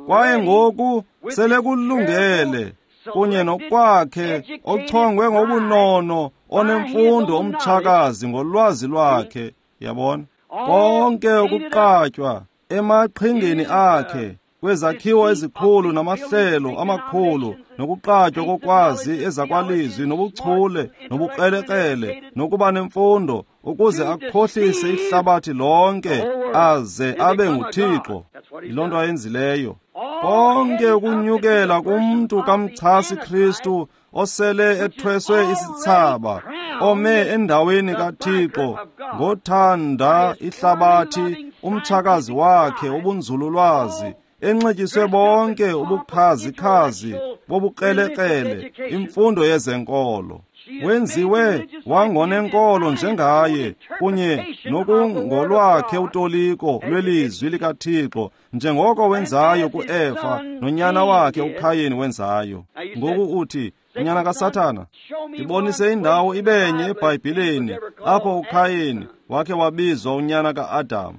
Kwaye ngoku selekulungele kunye nokwakhe ochongwe ngobunono onemfundo umtshakazi ngolwazi lwakhe. Yabona? Konke ukuqatywa emaqhingeni akhe kwezakhiwo ezikhulu namahlelo amakhulu nokuqatywa kokwazi ezakwalizwi nobuchule nobukrelekrele nokuba nemfundo ukuze akhohlise ihlabathi lonke aze abe nguThixo. Yiloo nto ayenzileyo. Konke ukunyukela kumntu kamchasi Kristu osele ethweswe isithsaba, ome endaweni kaThixo ngothanda ihlabathi umtshakazi wakhe ubunzululwazi, enxityiswe bonke ubukhazikhazi bobukrelekrele, imfundo yezenkolo. Wenziwe wangonenkolo njengaye kunye nokungolwakhe utoliko lwelizwi likaThixo, njengoko wenzayo kuEfa nonyana wakhe uKhayini wenzayo. Ngoku uthi, unyana kaSathana, ndibonise indawo ibenye eBhayibhileni apho uKhayini wakhe wabizwa unyana ka-Adam.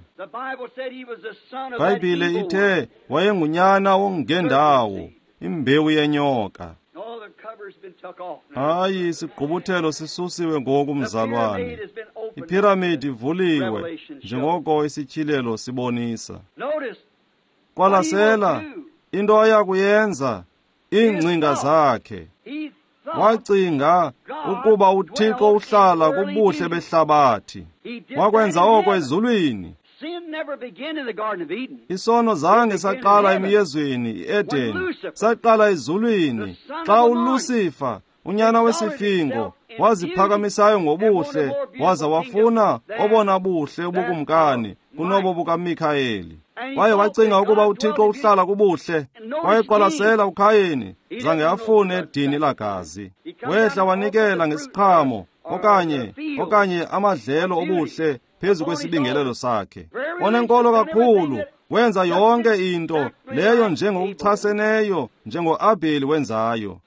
Bhayibhile ithe wayengunyana wongendawo, imbewu yenyoka. Hayi, isigqubuthelo sisusiwe ngoku, mzalwane. Iphiramidi ivuliwe njengoko isityhilelo sibonisa. Qwalasela into ayakuyenza, iingcinga zakhe. Wacinga ukuba uThixo uhlala kubuhle behlabathi. Wakwenza oko ezulwini. Isono zange saqala emyezweni iEden, saqala ezulwini xa uLucifer, unyana wesifingo, waziphakamisayo ngobuhle waza wafuna obona buhle ubukumkani kunobo bukaMikhayeli. Kwaye wacinga ukuba uThixo uhlala kubuhle. Kwaye qwalasela uKhayini, zange afune idini lagazi. Wehla wanikela ngesiqhamo okanye okanye amadlelo obuhle phezu kwesibingelelo sakhe. Onenkolo kakhulu, wenza yonke into leyo njengokuchaseneyo njengoAbheli wenzayo.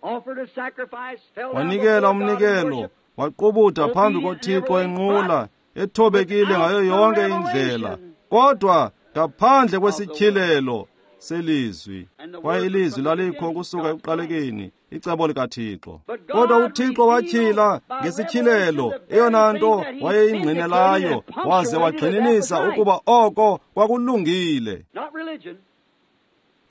Wanikela umnikelo, waqubuda phambi koThixo enqula, ethobekile ngayo yonke indlela, kodwa ngaphandle kwesityhilelo selizwi. Kwaye ilizwi lalikho kusuka ekuqalekeni, icebo likaThixo. Kodwa uThixo watyhila ngesityhilelo eyona nto wayeyingqinelayo, waze wagxininisa ukuba oko kwakulungile.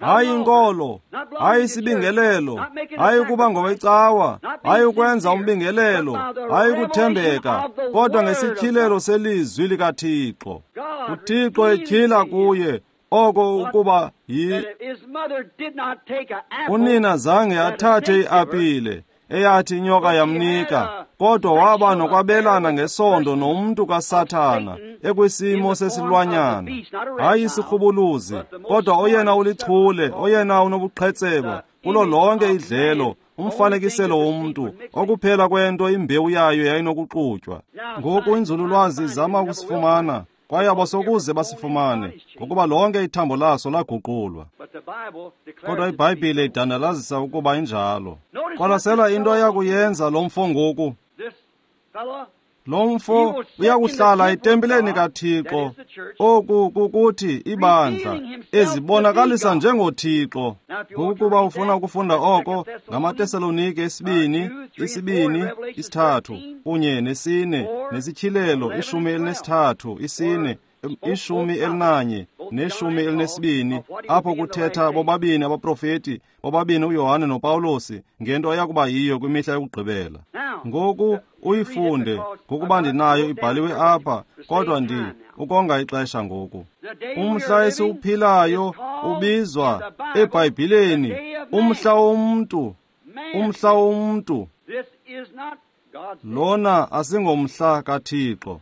Hayi inkolo, hayi isibingelelo, hayi ukuba ngowecawa, hayi ukwenza umbingelelo, hayi ukuthembeka, kodwa ngesityhilelo selizwi likaThixo. uThixo etyhila kuye Oko ukuba yi unina zange athathe iapile eyathi inyoka yamnika, kodwa waba nokwabelana ngesondo nomntu kaSathana ekwisimo sesilwanyana. Hayi isirhubuluzi, kodwa oyena ulichule, oyena unobuqhetseba kulo lonke idlelo, umfanekiselo womntu, okuphela kwento imbewu yayo yayinokuxutywa. Ngoku inzululwazi izama ukusifumana, kwaye abasokuze basifumane, ngokuba lonke ithambo laso laguqulwa. Kodwa iBhayibhile idandalazisa ukuba injalo. Qwalasela into ayakuyenza lo mfo ngoku. Lo mfo uyakuhlala etempileni kaThixo, oku kukuthi ibandla, ezibonakalisa njengoThixo. Ngokuba ufuna ukufunda oko, ngamaTesalonike esibini, isibini, isithathu, kunye nesine, nesityhilelo, ishumi elinesithathu, isine, ishumi elinanye, neshumi elinesibini, apho kuthetha bobabini abaprofeti, bobabini uYohane noPawulosi, ngento eyakuba yiyo kwimihla yokugqibela. Ngoku uyifunde, ngokuba ndinayo ibhaliwe apha, kodwa ndi ukonga ixesha ngoku. Umhla esiwuphilayo ubizwa eBhayibhileni umhla womntu, umhla womntu. Lona asingomhla kaThixo.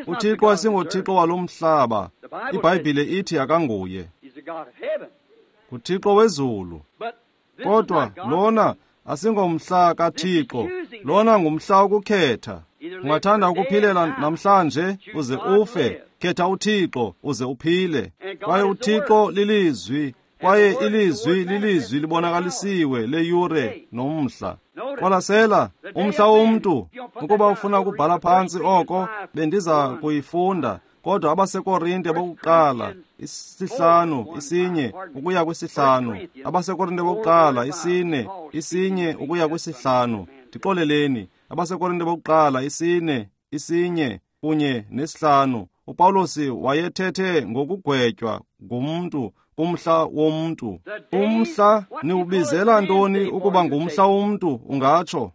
UThixo asingoThixo walo mhlaba. IBhayibhile ithi akanguye. NguThixo wezulu. Kodwa lona asingomhla kaThixo. Lona ngumhla wokukhetha. Ungathanda ukuphilela namhlanje uze ufe, khetha uThixo uze uphile. Kwaye uThixo lilizwi, kwaye ilizwi lilizwi libonakalisiwe leyure nomhla. Qwalasela umhla womntu. Ukuba ufuna ukubhala phantsi oko, bendiza kuyifunda. Kodwa abaseKorinte bokuqala isihlanu isinye ukuya kwisihlanu, abaseKorinte bokuqala isine isinye ukuya kwisihlanu. Ndixoleleni, abaseKorinte bokuqala isine isinye kunye nesihlanu. uPawulosi wayethethe ngokugwetywa ngumntu kumhla womntu. Umhla niwubizela ntoni ukuba ngumhla womntu? Ungatsho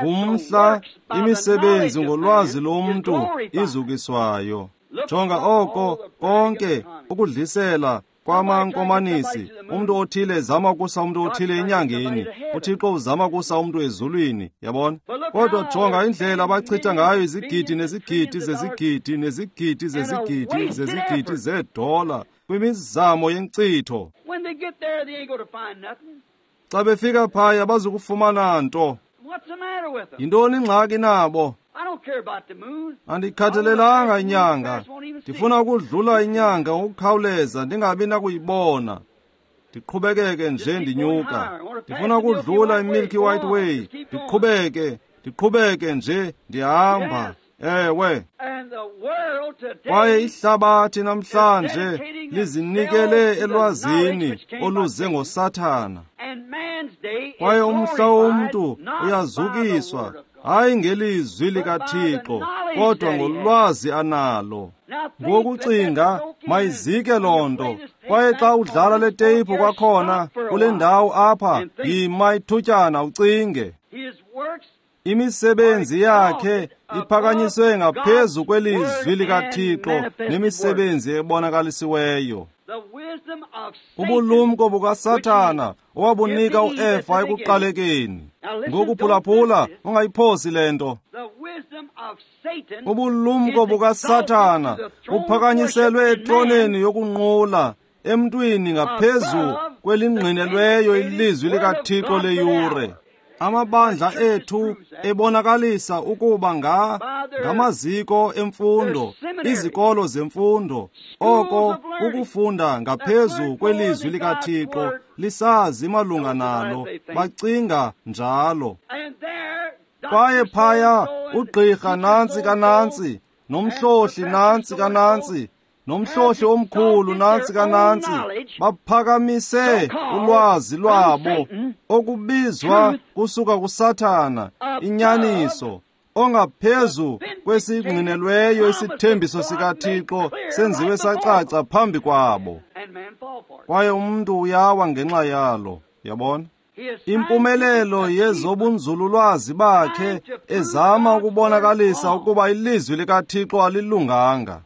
ngumhla imisebenzi ngolwazi lomntu izukiswayo. Jonga oko konke ukudlisela kwamankomanisi. Umntu othile ezama ukusa umntu othile enyangeni, uThixo uzama kusa umntu ezulwini, yabona. Kodwa jonga indlela abachitha ngayo izigidi nezigidi zezigidi nezigidi zezigidi zezigidi zeedola kwimizamo yenkcitho. Xa befika phaya bazukufumana nto. Yintoni ingxaki nabo? Andikhathalelanga inyanga. Ndifuna ukudlula inyanga ngokukhawuleza ndingabi nakuyibona. Ndiqhubekeke nje ndinyuka. Ndifuna ukudlula iMilky White Way. Ndiqhubeke, ndiqhubeke nje ndihamba. Ewe. Kwaye ihlabathi namhlanje lizinikele elwazini oluze ngoSathana. Kwaye umhla womntu uyazukiswa, hayi ngelizwi likaThixo, kodwa ngolwazi analo. Ngokucinga mayizike loo nto. Kwaye xa udlala le teyiphu kwakhona kule ndawo apha, yima ithutyana ucinge. Imisebenzi yakhe iphakanyiswe ngaphezu kwelizwi likaThixo nemisebenzi ebonakalisiweyo. Ubulumko bukaSathana owabunika uEva ekuqalekeni. Ngokuphulaphula ungayiphosi le nto. Ubulumko bukaSathana buphakanyiselwe etroneni yokunqula emntwini ngaphezu kwelingqinelweyo ilizwi likaThixo leyure. Amabandla ethu ebonakalisa ukuba nga ngamaziko emfundo, izikolo zemfundo, oko ukufunda ngaphezu kwelizwi likaThixo lisazi malunga nalo, bacinga njalo. Kwaye phaya ugqirha nantsi kanantsi, nomhlohli nantsi kanantsi, nomhlohli omkhulu nantsi kanantsi, baphakamise ulwazi lwabo okubizwa kusuka kuSathana, inyaniso, ongaphezu kwesingqinelweyo isithembiso sikaThixo senziwe sacaca phambi kwabo. Kwaye umntu uyawa ngenxa yalo, yabona? Impumelelo yezobunzululwazi bakhe ezama ukubonakalisa ukuba ilizwi likaThixo alilunganga.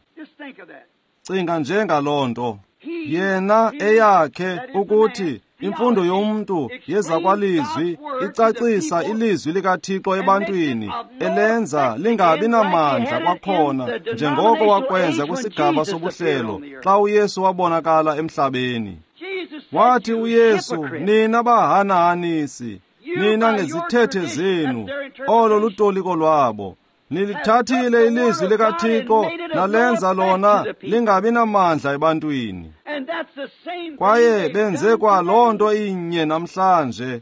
Cinga nje ngaloo nto. Yena eyakhe ukuthi imfundo yomntu yezakwalizwi icacisa ilizwi likaThixo ebantwini, elenza lingabi namandla kwakhona njengoko wakwenza kwisigaba sobuhlelo xa uYesu wabonakala emhlabeni. Wathi uYesu, nina bahanahanisi, nina ngezithethe zenu, olo lutoliko lwabo. Nilithathile ilizwi likaThixo nalenza lona lingabi namandla ebantwini. Kwaye benze kwa loo nto inye namhlanje.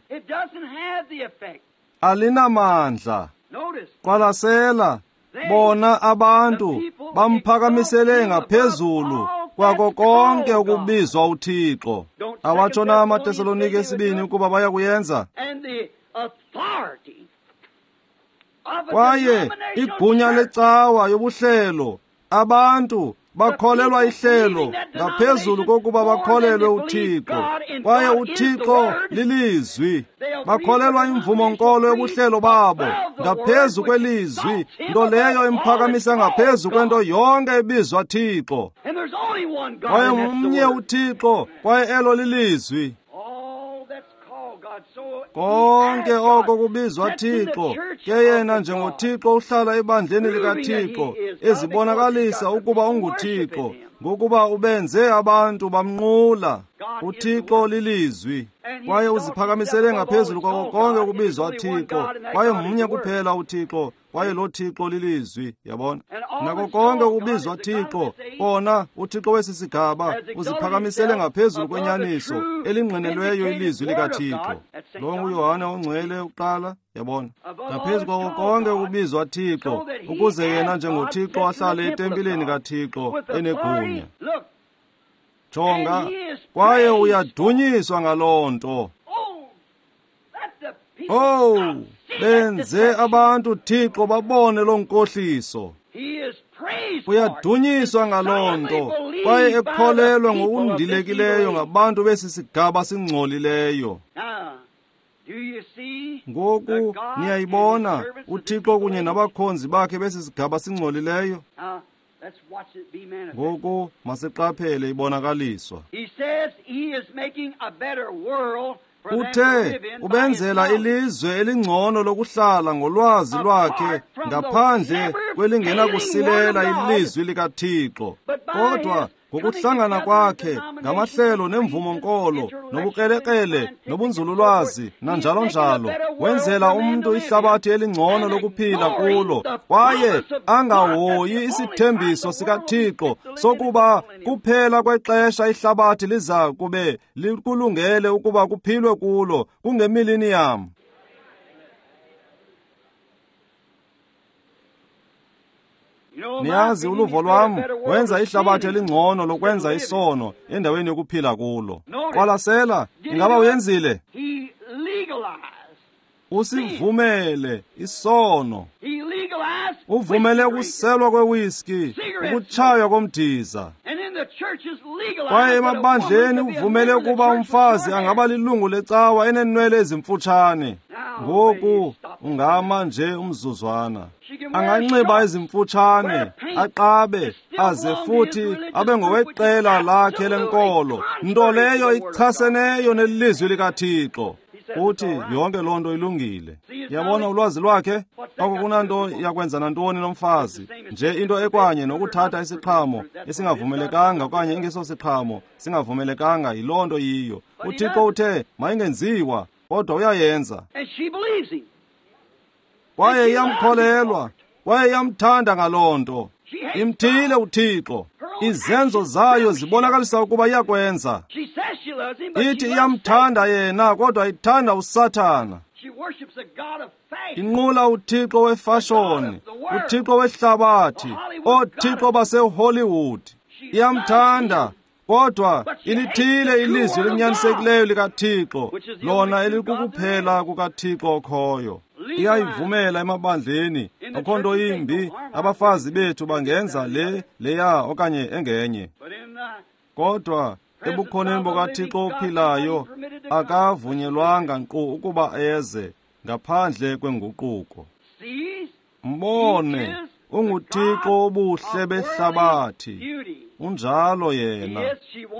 Alinamandla. Qwalasela, bona abantu bamphakamisele ngaphezulu kwako konke ukubizwa uThixo. Awatsho na amaTesalonike esibini ukuba baya kuyenza? Kwaye igunya lecawa yobuhlelo, abantu bakholelwa ihlelo ngaphezulu kokuba bakholelwe uThixo. Kwaye uThixo lilizwi. Bakholelwa imvumo-nkolo yobuhlelo babo ngaphezu kwelizwi, nto leyo imphakamisa ngaphezu kwento yonke ebizwa Thixo. Kwaye mnye uThixo, kwaye elo lilizwi. Konke oko kubizwa Thixo, ke yena njengoThixo uhlala ebandleni likaThixo, ezibonakalisa ukuba unguThixo, ngokuba ubenze abantu bamnqula. uThixo lilizwi, kwaye uziphakamisele ngaphezulu kwako konke ukubizwa Thixo, kwaye mnye kuphela uThixo, kwaye lo Thixo lilizwi. Yabona? Nako konke ukubizwa Thixo, kona uThixo wesi sigaba uziphakamisele ngaphezulu kwenyaniso elingqinelweyo ilizwi likaThixo. Lo nguYohane ongcwele uqala, yabona? Ngaphezu kwako konke ukubizwa Thixo, ukuze yena njengoThixo ahlale etempileni kaThixo enegunya. Jonga, kwaye uyadunyiswa ngaloo nto. Oh, benze abantu Thixo babone loo nkohliso. Uyadunyiswa ngaloo nto, kwaye ekholelwa ngokundilekileyo ngabantu besi sigaba singcolileyo. Ngoku niyayibona uThixo kunye nabakhonzi bakhe besi sigaba singcolileyo. Ngoku masiqaphele ibonakaliswa. Uthe ubenzela ilizwe elingcono lokuhlala ngolwazi lwakhe ngaphandle kwelingenakusilela ilizwi likaThixo. Kodwa ngokuhlangana kwakhe ngamahlelo nemvumo-nkolo nobukrelekrele nobunzululwazi nanjalo njalo, wenzela umntu ihlabathi elingcono lokuphila kulo, kwaye angahoyi isithembiso sikaThixo sokuba kuphela kwexesha ihlabathi liza kube likulungele ukuba kuphilwe kulo kungemillennium. Niyazi uluvo lwam wenza ihlabathi elingcono lokwenza isono endaweni yokuphila kulo. Qwalasela, ingaba uyenzile? Usivumele isono. Uvumele ukuselwa kwewiski, ukutshaywa komdiza. Kwaye emabandleni uvumele ukuba umfazi angaba lilungu lecawa enenwele ezimfutshane. Ngoku ungama nje umzuzwana. Anganxiba ezimfutshane, aqabe, aze futhi abe ngoweqela lakhe lenkolo, nto leyo ichaseneyo nelizwi likaThixo. Uthi yonke loo nto ilungile. Yabona ulwazi lwakhe? Oko kunanto yakwenza nantoni nomfazi, nje into ekwanye nokuthatha isiqhamo esingavumelekanga okanye ingesosiqhamo singavumelekanga, yiloo nto yiyo. uThixo uthe mayingenziwa, kodwa uyayenza. Kwaye iyamkholelwa, kwaye iyamthanda ngaloo nto. Imthile uThixo. Izenzo zayo zibonakalisa ukuba iyakwenza. Ithi iyamthanda yena, kodwa ithanda uSathana. Inqula uThixo wefashoni, uThixo wehlabathi, oothixo baseHollywood. Iyamthanda, kodwa ilithile ilizwi elinyanisekileyo likaThixo, lona elikukuphela kukaThixo okhoyo. Iyayivumela emabandleni, akho nto imbi, abafazi bethu bangenza le leya okanye engenye. Kodwa ebukhoneni bukaThixo ophilayo akavunyelwanga nkqu ukuba eze ngaphandle kwenguquko. Mbone, unguThixo obuhle behlabathi, Unjalo yena.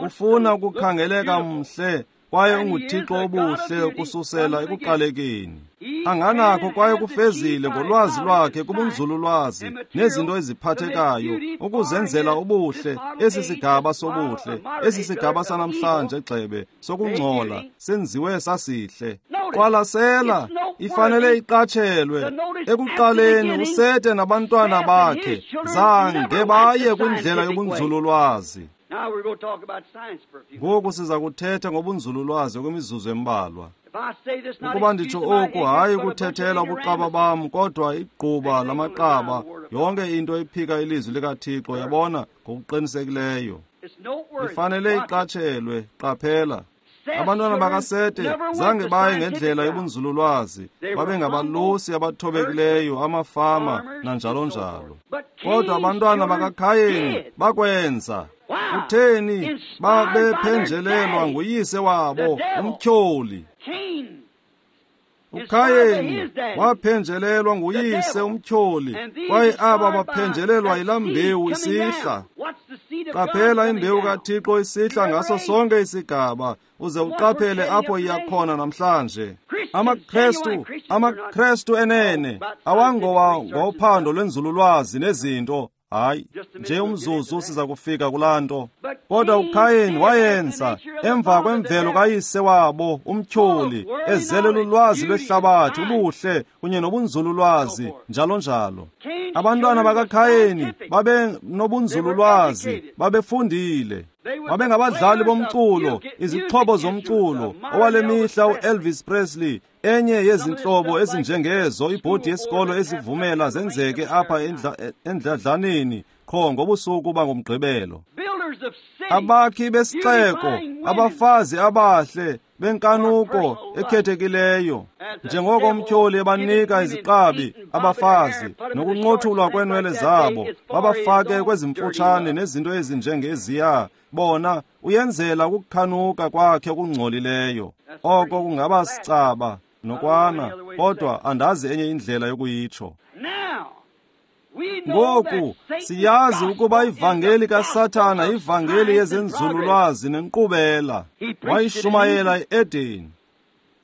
Ufuna ukukhangeleka mhle, kwaye unguThixo obuhle ukususela ekuqalekeni. Anganakho kwaye kufezile ngolwazi lwakhe kubunzululwazi nezinto eziphathekayo ukuzenzela ubuhle. Esi sigaba sobuhle, esi sigaba sanamhlanje gxebe sokungcola senziwe sasihle. Qwalasela, ifanele iqatshelwe. Ekuqaleni uSete nabantwana bakhe zange baye kwindlela yobunzululwazi. Ngoku siza kuthetha ngobunzululwazi okwemizuzu embalwa. Ukuba nditsho oku, hayi ukuthethela ubuqaba bam, kodwa igquba lamaqaba, yonke into ephika ilizwi likaThixo, yabona, ngokuqinisekileyo. Ifanele iqatshelwe. Qaphela. Abantwana bakaSete zange baye ngendlela yobunzululwazi, babengabalusi abathobekileyo, amafama nanjalo njalo. Kodwa abantwana bakaKhayeni bakwenza. Kutheni? Babephenjelelwa nguyise wabo, umtyholi. uKhayeni waphenjelelwa nguyise umtyholi, kwaye aba baphenjelelwa yilaa mbewu isihla. Qaphela imbewu kaThixo isihla ngaso sonke isigaba, uze uqaphele apho iyakhona namhlanje. AmaKrestu, amaKrestu enene awangowa ngophando lwenzululwazi nezinto. Hayi, nje umzuzu siza kufika kulaa nto. Kodwa uKhayeni wayenza emva kwemvelo kayise wabo umtyholi, ezele lulwazi lwehlabathi, ubuhle kunye nobunzululwazi njalo njalo. Abantwana bakaKhayeni babe nobunzululwazi, babefundile, babengabadlali bomculo, izixhobo zomculo. Owale mihla uElvis Presley, enye yezinhlobo ezinjengezo ibhodi yesikolo ezivumela zenzeke apha endladlaneni qho ngobusuku bangomgqibelo. Abakhi besixeko, abafazi abahle benkanuko ekhethekileyo, njengoko umtyholi ebanika iziqabi abafazi nokunqothulwa kweenwele zabo, babafake kwezimfutshane nezinto ezinjengeziya. Bona uyenzela ukukhanuka kwakhe okungcolileyo. Oko kungaba sicaba nokwana, kodwa andazi enye indlela yokuyitsho. Ngoku siyazi ukuba ivangeli kaSathana ivangeli yezenzululwazi nenkqubela. Wayishumayela e-Edeni,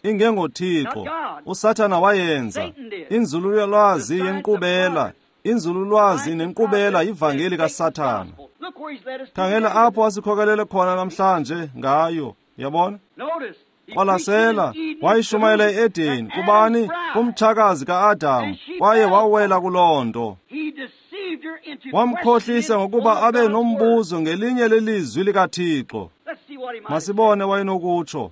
ingengoThixo. uSathana wayenza inzululwazi yenkqubela. Inzululwazi nenkqubela yivangeli kaSathana. Khangela apho asikhokelele khona namhlanje ngayo, yabona? Qwalasela, wayishumayela e-Edeni kubani? Kumtshakazi ka-Adam, kwaye wawela kuloo nto. Wamkhohlisa ngokuba abe nombuzo ngelinye lelizwi likaThixo. Masibone wayenokutsho.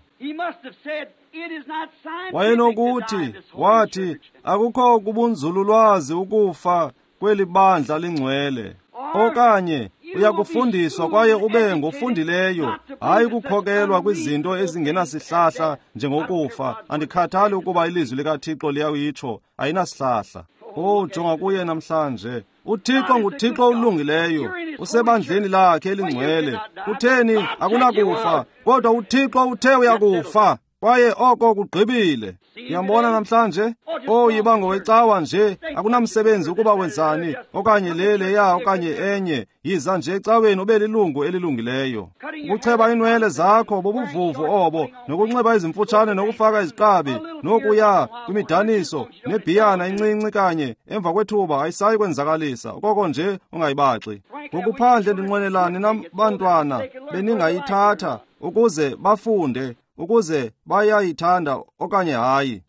Wayenokuthi, wathi, akukho kubunzululwazi ukufa kweli bandla lingcwele. Okanye uyakufundiswa kwaye ube ngofundileyo, hayi ukukhokelwa kwizinto ezingenasihlahla njengokufa. Andikhathali ukuba ilizwi likaThixo liyawitsho, ayinasihlahla. Oh, jonga kuye namhlanje. uThixo nguThixo olungileyo, usebandleni lakhe elingcwele. Kutheni? Akunakufa, kodwa uThixo uthe uyakufa, kwaye oko kugqibile. Uyambona namhlanje? Oh, yiba ngowecawa nje, akunamsebenzi ukuba wenzani, okanye le leya okanye enye. Yiza nje ecaweni ube lilungu elilungileyo. Ukucheba iinwele zakho bobuvuvu obo, nokunxiba izimfutshane nokufaka iziqabi, nokuya kwimidaniso nebhiyana incinci kanye emva kwethuba ayisayi kwenzakalisa, okoko nje ungayibaxi. Ngokuphandle ndinqwenelani nabantwana beningayithatha ukuze bafunde, ukuze bayayithanda okanye hayi.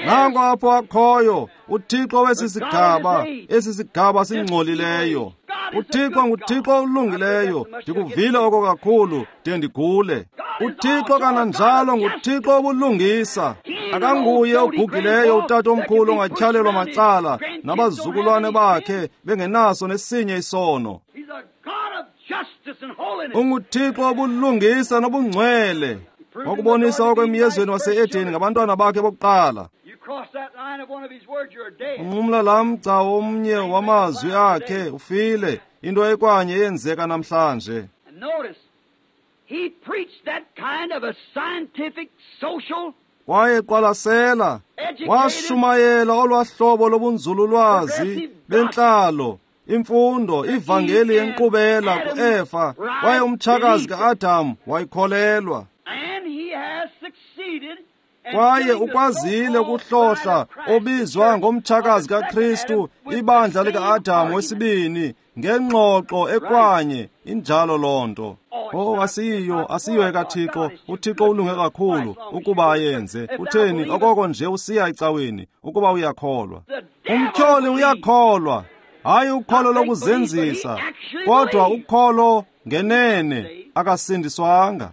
Nanko apho akhoyo uThixo wesi sigaba, esi sigaba singcolileyo. uThixo nguThixo olungileyo, ndikuvile oko kakhulu de ndigule. uThixo kananjalo nguThixo obulungisa. Akanguye ogugileyo utata omkhulu ongatyhalelwa macala nabazukulwane bakhe bengenaso nesinye isono. UnguThixo obulungisa nobungcwele. Wakubonisa okwemyezweni wase-Edeni ngabantwana bakhe bokuqala. Unqumla laa mgca omnye wamazwi akhe, ufile. Into ekwanye eyenzeka namhlanje. Kwaye qwalasela, washumayela olwahlobo lobunzululwazi bentlalo Imfundo, ivangeli yenkqubela ku-Eva, kwaye umtshakazi ka-Adam wayikholelwa. Kwaye ukwazile ukuhlohla obizwa ngomtshakazi kaKristu, ibandla lika-Adam wesibini, ngengxoxo ekwanye. Injalo loo nto. Oh, asiyiyo, asiyiyo ekaThixo. UThixo ulunge kakhulu ukuba ayenze. Utheni okoko nje usiya ecaweni ukuba uyakholwa. Umtyholi uyakholwa, hayi ukholo lokuzenzisa, kodwa ukholo ngenene akasindiswanga.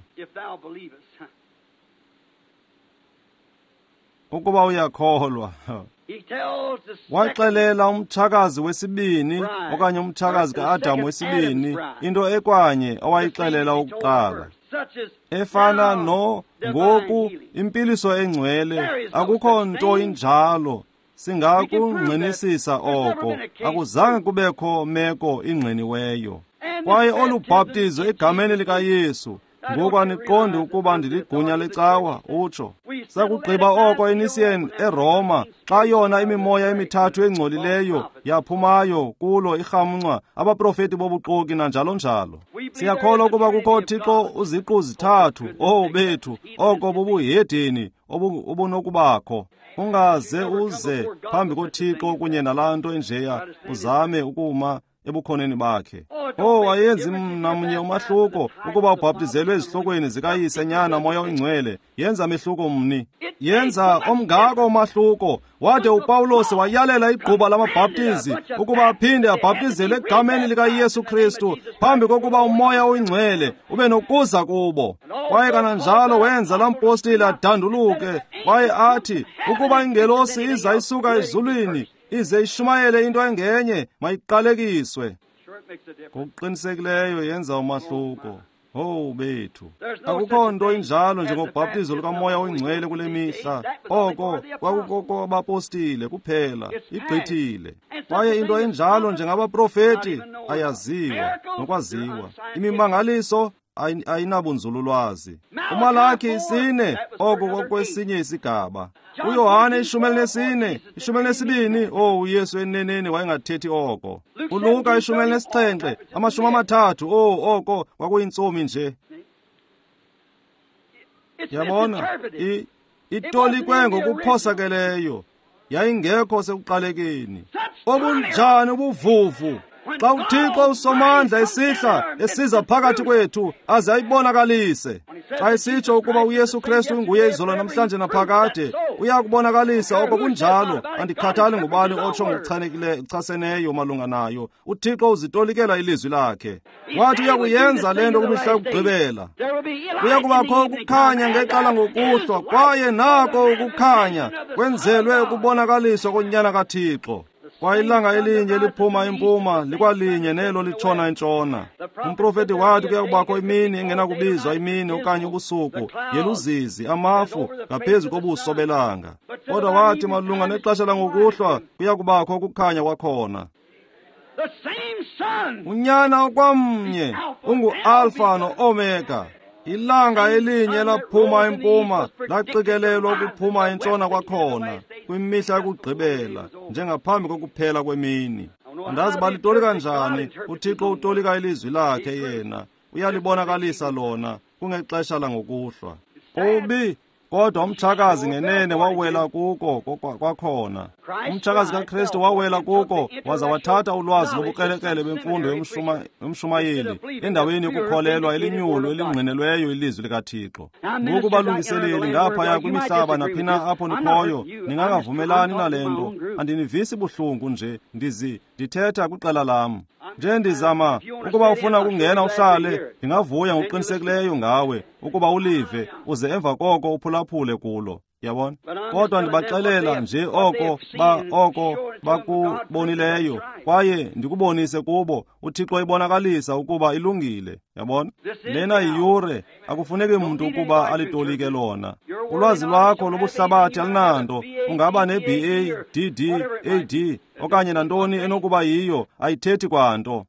Ukuba uyakholwa. Waxelela umtshakazi wesibini okanye umtshakazi ka-Adam wesibini into ekwanye owayixelela ukuqala, efana no ngoku impiliso engcwele. Akukho nto injalo. Singakungqinisisa oko. Akuzange kubekho meko ingqiniweyo. Kwaye olu bhaptizo egameni likaYesu, ngoku aniqondi ukuba ndiligunya lecawa, utsho. Sakugqiba oko eNicene eRoma, xa yona imimoya emithathu engcolileyo yaphumayo kulo irhamncwa, abaprofeti bobuxoki nanjalo njalo. Siyakholwa ukuba kukho Thixo uziqu zithathu. Oh bethu, oko bubuhedeni obunokubakho. Ungaze uze phambi koThixo kunye nalaa nto enjeya, uzame ukuma ebukhoneni bakhe. Oh, ayenzi namnye umahluko ukuba ubhaptizelwe ezihlokweni zikaYise, Nyana, Moya oyiNgcwele. Yenza mehluko mni? Yenza omngako umahluko. Wade uPawulos wayalela igquba lamabhaptizi ukuba aphinde abhaptizelwe egameni likaYesu Kristu phambi kokuba uMoya oyiNgcwele ube nokuza kubo. Kwaye kananjalo wenza laa mpostile adanduluke kwaye athi ukuba ingelosi iza isuka ezulwini ize ishumayele into engenye, mayiqalekiswe. Ngokuqinisekileyo yenza umahluko. Oh bethu, akukho nto injalo njengobhaptizo lukaMoya oyiNgcwele kule mihla. Oko kwakukokobapostile kuphela, igqithile. Kwaye into enjalo njengabaprofeti ayaziwa nokwaziwa. Imimangaliso ayinabunzululwazi. UMalaki isine, oko kwakwesinye isigaba. uYohane ishumi elinesine, ishumi elinesibini. Oh, uYesu eneneni wayengathethi oko. ULuka ishumi elinesixhenxe, amashumi amathathu. Oh, oko kwakuyintsomi nje. Yabona, itolikwe ngokuphosakeleyo, yayingekho sekuqalekeni. Obunjani ubuvuvu! Xa uThixo uSomandla esihla esiza phakathi kwethu aze ayibonakalise. Xa esitsho ukuba uYesu Kristu nguye izolo namhlanje naphakade, uyakubonakalisa oko kunjalo. Andikhathali ngubani otsho ngokuchanekileyo malunga nayo. uThixo uzitolikela ilizwi lakhe. Wathi uyakuyenza le nto kwimihla yokugqibela. Kuya kubakho ukukhanya ngexesha ngokuhlwa, kwaye nako ukukhanya kwenzelwe ukubonakaliswa koNyana kaThixo. Kwaye ilanga elinye liphuma impuma likwalinye nelo litshona entshona. Umprofeti wathi kuya kubakho imini engenakubizwa imini okanye ubusuku, yeluzizi, amafu ngaphezu kobuso belanga. Kodwa wathi malunga nexesha langokuhlwa kuya kubakho ukukhanya kwakhona. Unyana okwamnye ungu-Alfa no-Omega. Ilanga elinye laphuma impuma laqikelelwa ukuphuma entshona kwakhona kwimihla yokugqibela, njengaphambi kokuphela kwemini. Andazi balitolika njani. uThixo utolika ilizwi lakhe yena, uyalibonakalisa lona kungexesha langokuhlwa. Kubi, kodwa umtshakazi ngenene wawela kuko kwakhona. Umtshakazi kaKristu wawela kuko waza wathatha ulwazi lobukrelekrele bemfundo yomshumayeli endaweni yokukholelwa elinyulu elingqinelweyo ilizwi likaThixo. Ngoku balungiseleli ngaphaya kwimihlaba naphina apho nikhoyo, ningangavumelani nale nto. Andinivisi buhlungu nje, ndizi ndithetha kwiqela lam. Nje ndizama ukuba ufuna ukungena uhlale, ndingavuya ngokuqinisekileyo ngawe ukuba ulive uze emva koko uphulaphule kulo. Yabona? Kodwa ndibaxelela nje oko ba oko bakubonileyo, kwaye ndikubonise kubo. uThixo ibonakalisa ukuba ilungile. Yabona? Lena yiyure, akufuneki mntu ukuba alitolike lona. Ulwazi lwakho lobuhlabathi alinanto. Ungaba ne-B A, D D, A D okanye nantoni enokuba yiyo, ayithethi kwanto.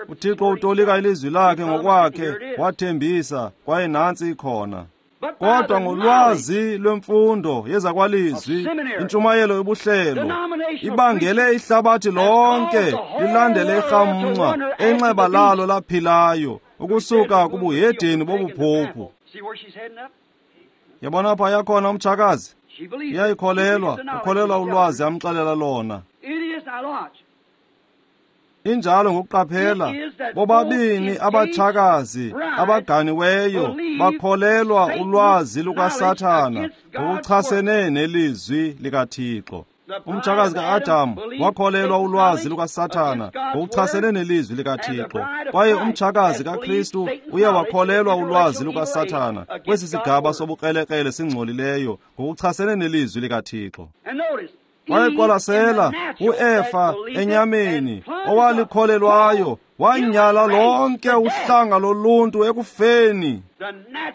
uThixo utolika ilizwi lakhe ngokwakhe, wathembisa, kwaye nantsi ikhona. Kodwa ngolwazi lwemfundo yezakwalizwi, intshumayelo yobuhlelo ibangele ihlabathi lonke lilandele irhamncwa enxeba lalo laphilayo ukusuka kubuhedeni bobuphuphu. Yabona apha yakhona umtshakazi iyayikholelwa, ukholelwa ulwazi amxelela lona. Injalo ngokuqaphela bobabini abatshakazi abaganiweyo bakholelwa ulwazi lukaSathana ngokuchasene nelizwi likaThixo. Umtshakazi ka-Adamu wakholelwa ulwazi lukaSathana ngokuchasene nelizwi likaThixo, kwaye umtshakazi kaKristu uye wakholelwa ulwazi lukaSathana kwesi sigaba sobukrelekrele singcolileyo ngokuchasene nelizwi likaThixo. Wayeqwalasela uEfa enyameni owalikholelwayo wanyala lonke uhlanga loluntu ekufeni.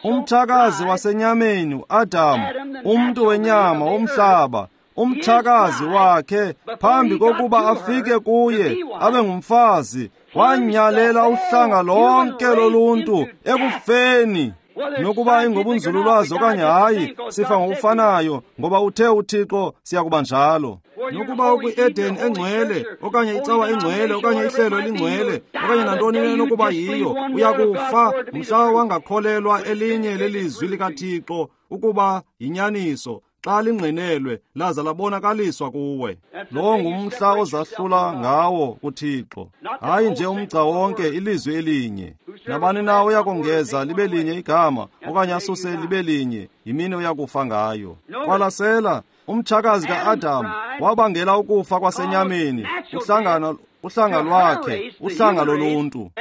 Umtshakazi wasenyameni uAdamu, umntu wenyama womhlaba, umtshakazi wakhe phambi kokuba afike kuye abe ngumfazi wanyalela uhlanga lonke loluntu ekufeni. Nokuba ingobunzululwazi okanye hayi, sifa ngokufanayo, ngoba uthe uThixo siyakuba njalo. Nokuba ukwi-Eden engcwele okanye icawa engcwele okanye ihlelo elingcwele okanye nantoni enokuba yiyo, uyakufa mhla wangakholelwa elinye lelizwi likaThixo ukuba yinyaniso xa lingqinelwe laza labonakaliswa kuwe. Lo ngumhla ozahlula ngawo kuThixo, hayi nje umgca wonke, ilizwi elinye. Nabani na uyakongeza libe linye igama okanye asuse libe linye, yimini oyakufa ngayo. Qwalasela, umtshakazi ka-Adamu wabangela ukufa kwasenyameni, uhlangano uhlanga lwakhe, uhlanga loluntu.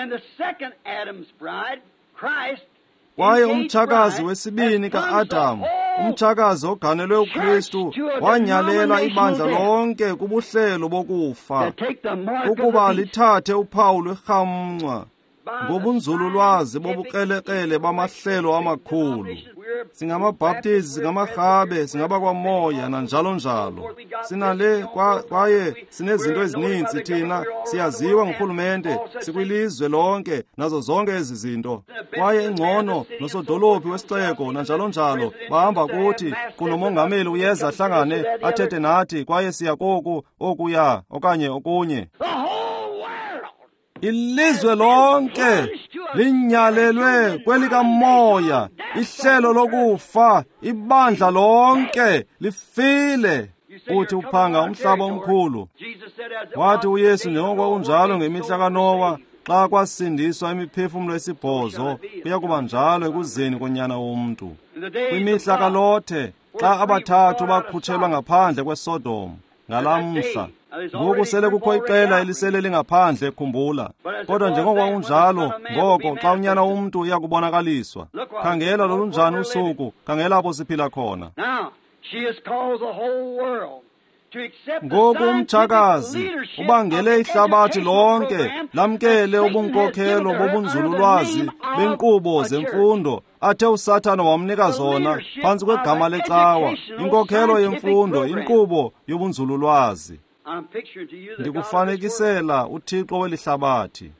Kwaye umtshakazi wesibini ka-Adamu, umtshakazi oganelwe uKristu, wanyalela ibandla lonke kubuhlelo bokufa ukuba lithathe uphawu lwerhamncwa ngobunzululwazi bobukrelekrele bamahlelo amakhulu. SingamaBhaptizi, singamarhabe, singabakwamoya nanjalo njalo. Sinale kwaye sinezinto ezininzi thina, siyaziwa ngurhulumente, sikwilizwe lonke nazo zonke ezi zinto. Kwaye ingcono nosodolophi wesixeko nanjalo njalo bahamba kuthi kunomongameli uyeza ahlangane athethe nathi, kwaye siya koku okuya okanye okunye. Ilizwe lonke linyalelwe kwelikamoya, ihlelo lokufa, ibandla lonke lifile. Uthi uphanga umhlaba omkhulu. Wathi uYesu, njengoba kunjalo ngemihla kaNowa, xa kwasindiswa imiphefumlo esibhozo, kuya kuba njalo ekuzeni konyana womntu. Kwimihla kaLothe, xa abathathu bakhutshelwa ngaphandle kweSodom ngalamhla, ngoku sele kukho iqela elisele lingaphandle, khumbula. Kodwa njengoba kunjalo ngoko xa unyana womntu uyakubonakaliswa, khangela lolunjani usuku, khangela apho siphila khona. Ngoku umtshakazi ubangele ihlabathi lonke lamkele ubunkokhelo bobunzululwazi benkqubo zemfundo athe uSathana wamnika zona phantsi kwegama lecawa, inkokhelo yemfundo, inkqubo yobunzululwazi. Ndikufanekisela uThixo weli hlabathi.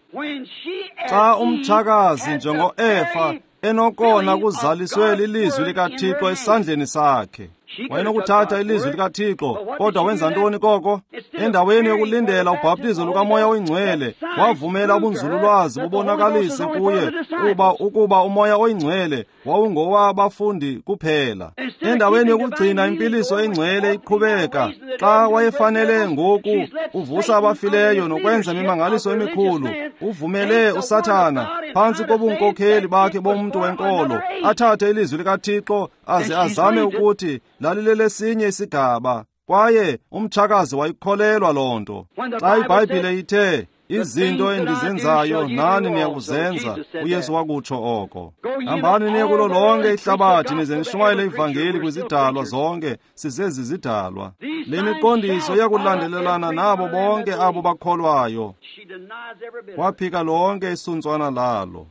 Xa umtshakazi njengoEfa enokona kuzaliswe lilizwi likaThixo esandleni sakhe, wayenokuthatha ilizwi likaThixo, kodwa wenza ntoni koko? Endaweni yokulindela ubhaptizo lukaMoya oyiNgcwele, wavumela ubunzululwazi bubonakalise kuye uba ukuba uMoya oyiNgcwele wawungowabafundi kuphela. Endaweni yokugcina impiliso engcwele iqhubeka, xa wayefanele ngoku uvusa abafileyo nokwenza imimangaliso emikhulu, uvumele uSathana phantsi kobunkokheli bakhe bomntu wenkolo athathe ilizwi likaThixo aze azame ukuthi lalilelesinye isigaba, kwaye umtshakazi wayikholelwa loo nto. Xa iBhayibhile ithe izinto endizenzayo nani niyakuzenza, uYesu wakutsho oko. Hambani niye kulo lonke ihlabathi nize nishumayele ivangeli kwizidalwa zonke, sizezi zidalwa. Le miqondiso iyakulandelelana nabo bonke abo bakholwayo. Waphika lonke isuntswana lalo,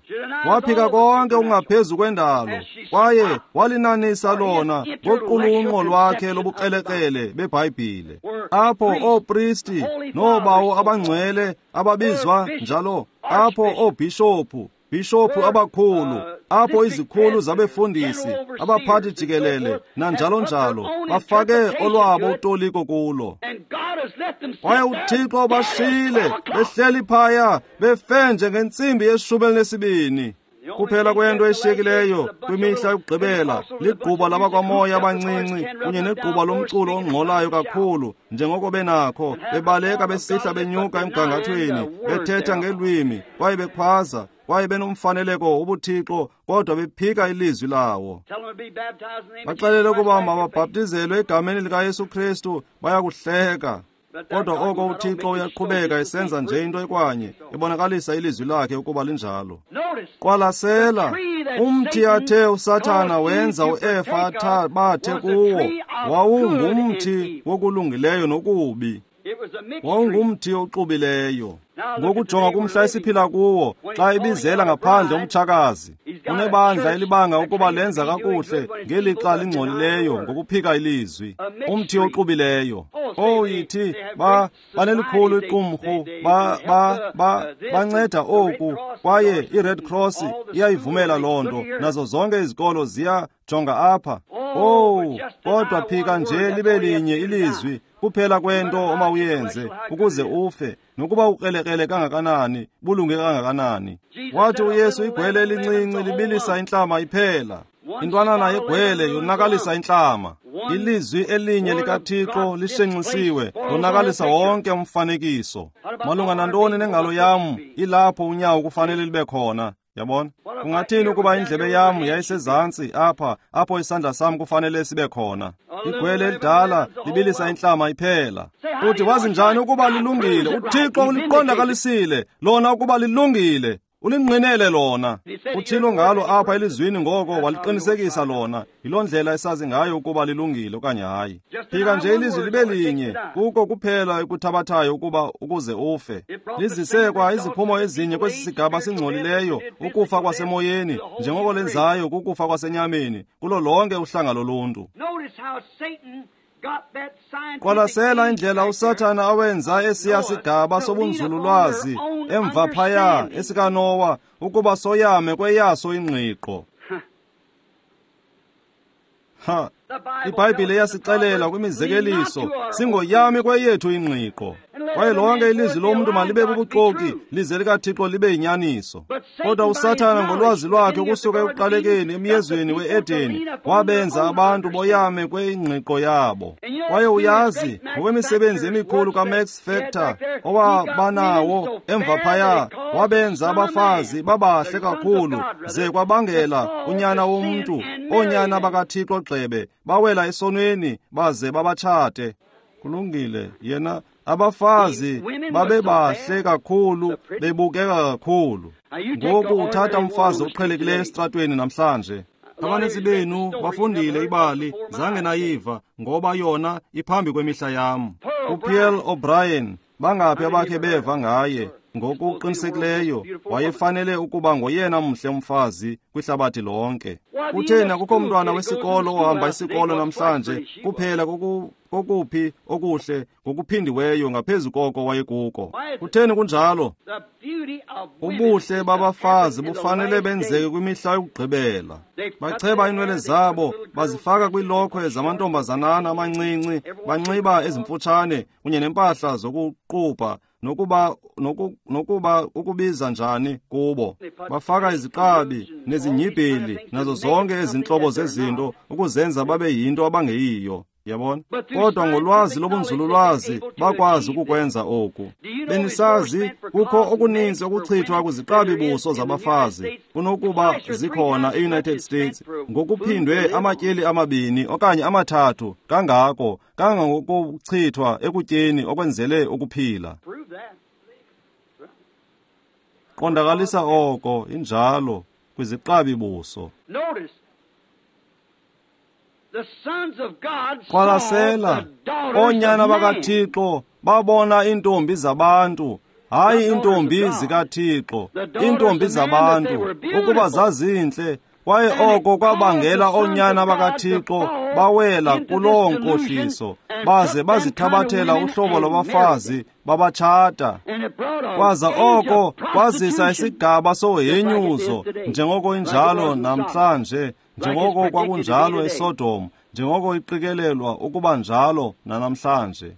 waphika konke okungaphezu kwendalo, kwaye walinanisa lona ngoqulunqo lwakhe lobukrelekrele beBhayibhile, apho oopristi noobawo abangcwele ababizwa njalo, apho oobhishophu, bhishophu abakhulu, apho izikhulu zabefundisi, abaphathi jikelele, nanjalo njalo, bafake olwabo utoliko kulo. Kwaye uThixo bashiyile behleli phaya befe njengentsimbi yeshumi elinesibini. Kuphela kwento eshiyekileyo kwimihla yokugqibela ligquba labakwamoya abancinci kunye negquba lomculo ongxolayo kakhulu njengoko benakho, bebaleka besihla benyuka emgangathweni, bethetha ngelwimi kwaye bekhwaza kwaye benomfaneleko wobuthixo, kodwa bephika ilizwi lawo. Baxelele ukuba mababhaptizelwe egameni likaYesu Kristu, bayakuhleka. Kodwa oko uThixo uyaqhubeka esenza nje into ekwanye, ebonakalisa ilizwi lakhe ukuba linjalo. Qwalasela, umthi athe uSathana wenza uEfa athabathe kuwo wawungumthi wokulungileyo nokubi. Wawungumthi oxubileyo. Ngokujonga kumhla esiphila kuwo, xa ibizela ngaphandle umtshakazi, unebandla elibanga ukuba lenza kakuhle ngelixa lingcolileyo ngokuphika ilizwi. Umthi oxubileyo. Oh, yithi ba banelikhulu iqumrhu, ba ba ba banceda oku, kwaye iRed Cross iyayivumela loo nto, nazo zonke izikolo ziyajonga apha. Oh, kodwa phika nje libe linye ilizwi kuphela kwento omawuyenze ukuze ufe, nokuba ukrelekrele kangakanani, bulunge kangakanani. Wathi uYesu igwele elincinci libilisa intlama iphela. Intwanana yegwele yonakalisa intlama. Ilizwi elinye likaThixo lishenxisiwe lonakalisa wonke umfanekiso. Malunga nantoni nengalo yam ilapho unyawo kufanele libe khona. Yabona? Kungathini ukuba indlebe yam yayisezantsi apha, apho isandla sam kufanele sibe khona? Igwele elidala libilisa intlama iphela. Uthi wazi njani ukuba lilungile? UThixo uliqondakalisile lona ukuba lilungile. Ulingqinele lona. Uthilo ngalo apha elizwini, ngoko waliqinisekisa lona. Yiloo ndlela esazi ngayo ukuba lilungile okanye hayi. Phika nje ilizwi libe linye, kuko kuphela ekuthabathayo ukuba ukuze ufe. Lizise kwa iziphumo ezinye kwesi sigaba singcolileyo, ukufa kwasemoyeni, njengoko lenzayo kukufa kwasenyameni, kulo lonke uhlanga loluntu. Qwalasela indlela uSathana awenza esiya sigaba sobunzululwazi emva phaya esikaNowa ukuba soyame kweyaso ingqiqo. Ha, iBhayibhile iyasixelela kwimizekeliso, singoyami kweyethu ingqiqo. Kwaye lonke ilizwi lomntu malibe bubuxoki, lize likaThixo libe yinyaniso. Kodwa uSathana ngolwazi lwakhe ukusuka ekuqalekeni emyezweni we-Edeni wabenza abantu boyame kwengqiqo yabo. Kwaye uyazi ngokwemisebenzi emikhulu kaMax Factor owabanawo emva phaya, wabenza abafazi babahle kakhulu ze kwabangela unyana womntu, oonyana bakaThixo gxebe, bawela esonweni baze babatshate. Kulungile, yena abafazi babebahle kakhulu, bebukeka kakhulu. Ngoku uthatha umfazi oqhelekileyo esitratweni namhlanje. Abanintsi benu bafundile ibali, zange nayiva, ngoba yona iphambi kwemihla yam. UPearl O'Brien, bangaphi abakhe beva ngaye? Ngokuqinisekileyo wayefanele ukuba ngoyena mhle umfazi kwihlabathi lonke. Kutheni akukho mntwana wesikolo ohamba isikolo namhlanje kuphela kokuphi okuhle ngokuphindiweyo ngaphezu koko wayekuko? Kutheni kunjalo? Ubuhle babafazi bufanele benzeke kwimihla yokugqibela. Bacheba iinwele zabo, bazifaka kwiilokhwe zamantombazanana amancinci, banxiba ezimfutshane kunye nempahla zokuqubha, nokuba noku, nokuba ukubiza njani kubo. Bafaka iziqabi nezinyibheli nazo zonke ezintlobo zezinto ukuzenza babe yinto abangeyiyo. Yabona? Kodwa ngolwazi lobunzululwazi bakwazi ukukwenza oku. Benisazi kukho okuninzi okuchithwa kwiziqabi buso zabafazi kunokuba zikhona e-United States ngokuphindwe amatyeli amabini okanye amathathu kangako kangangokuchithwa ekutyeni okwenzele ukuphila. Qondakalisa oko injalo kwiziqabi buso. Qwalasela, oonyana bakaThixo babona iintombi zabantu, hayi iintombi zikaThixo, iintombi zabantu, ukuba zazintle, kwaye oko kwabangela oonyana bakaThixo bawela kuloo nkohliso baze bazithabathela uhlobo lwabafazi babatshata. Kwaza oko kwazisa isigaba sohenyuzo njengoko injalo namhlanje, njengoko kwakunjalo eSodom, njengoko iqikelelwa ukuba njalo nanamhlanje.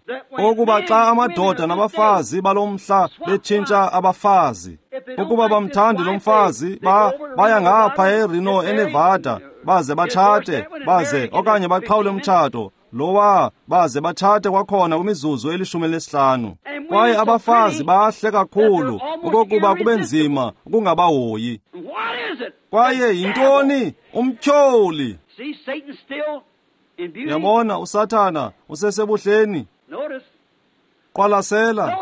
Ukuba xa amadoda nabafazi balomhla betshintsha abafazi, ukuba bamthandi lo mfazi, ba baya ngapha eReno eNevada baze batshate, baze okanye baqhawule umtshato lowa, baze batshate kwakhona kwimizuzu elishumi elesihlanu. Kwaye abafazi bahle kakhulu okokuba kube nzima ukungabahoyi. Kwaye yintoni? Umtyholi. Yabona, uSathana usesebuhleni. Qwalasela,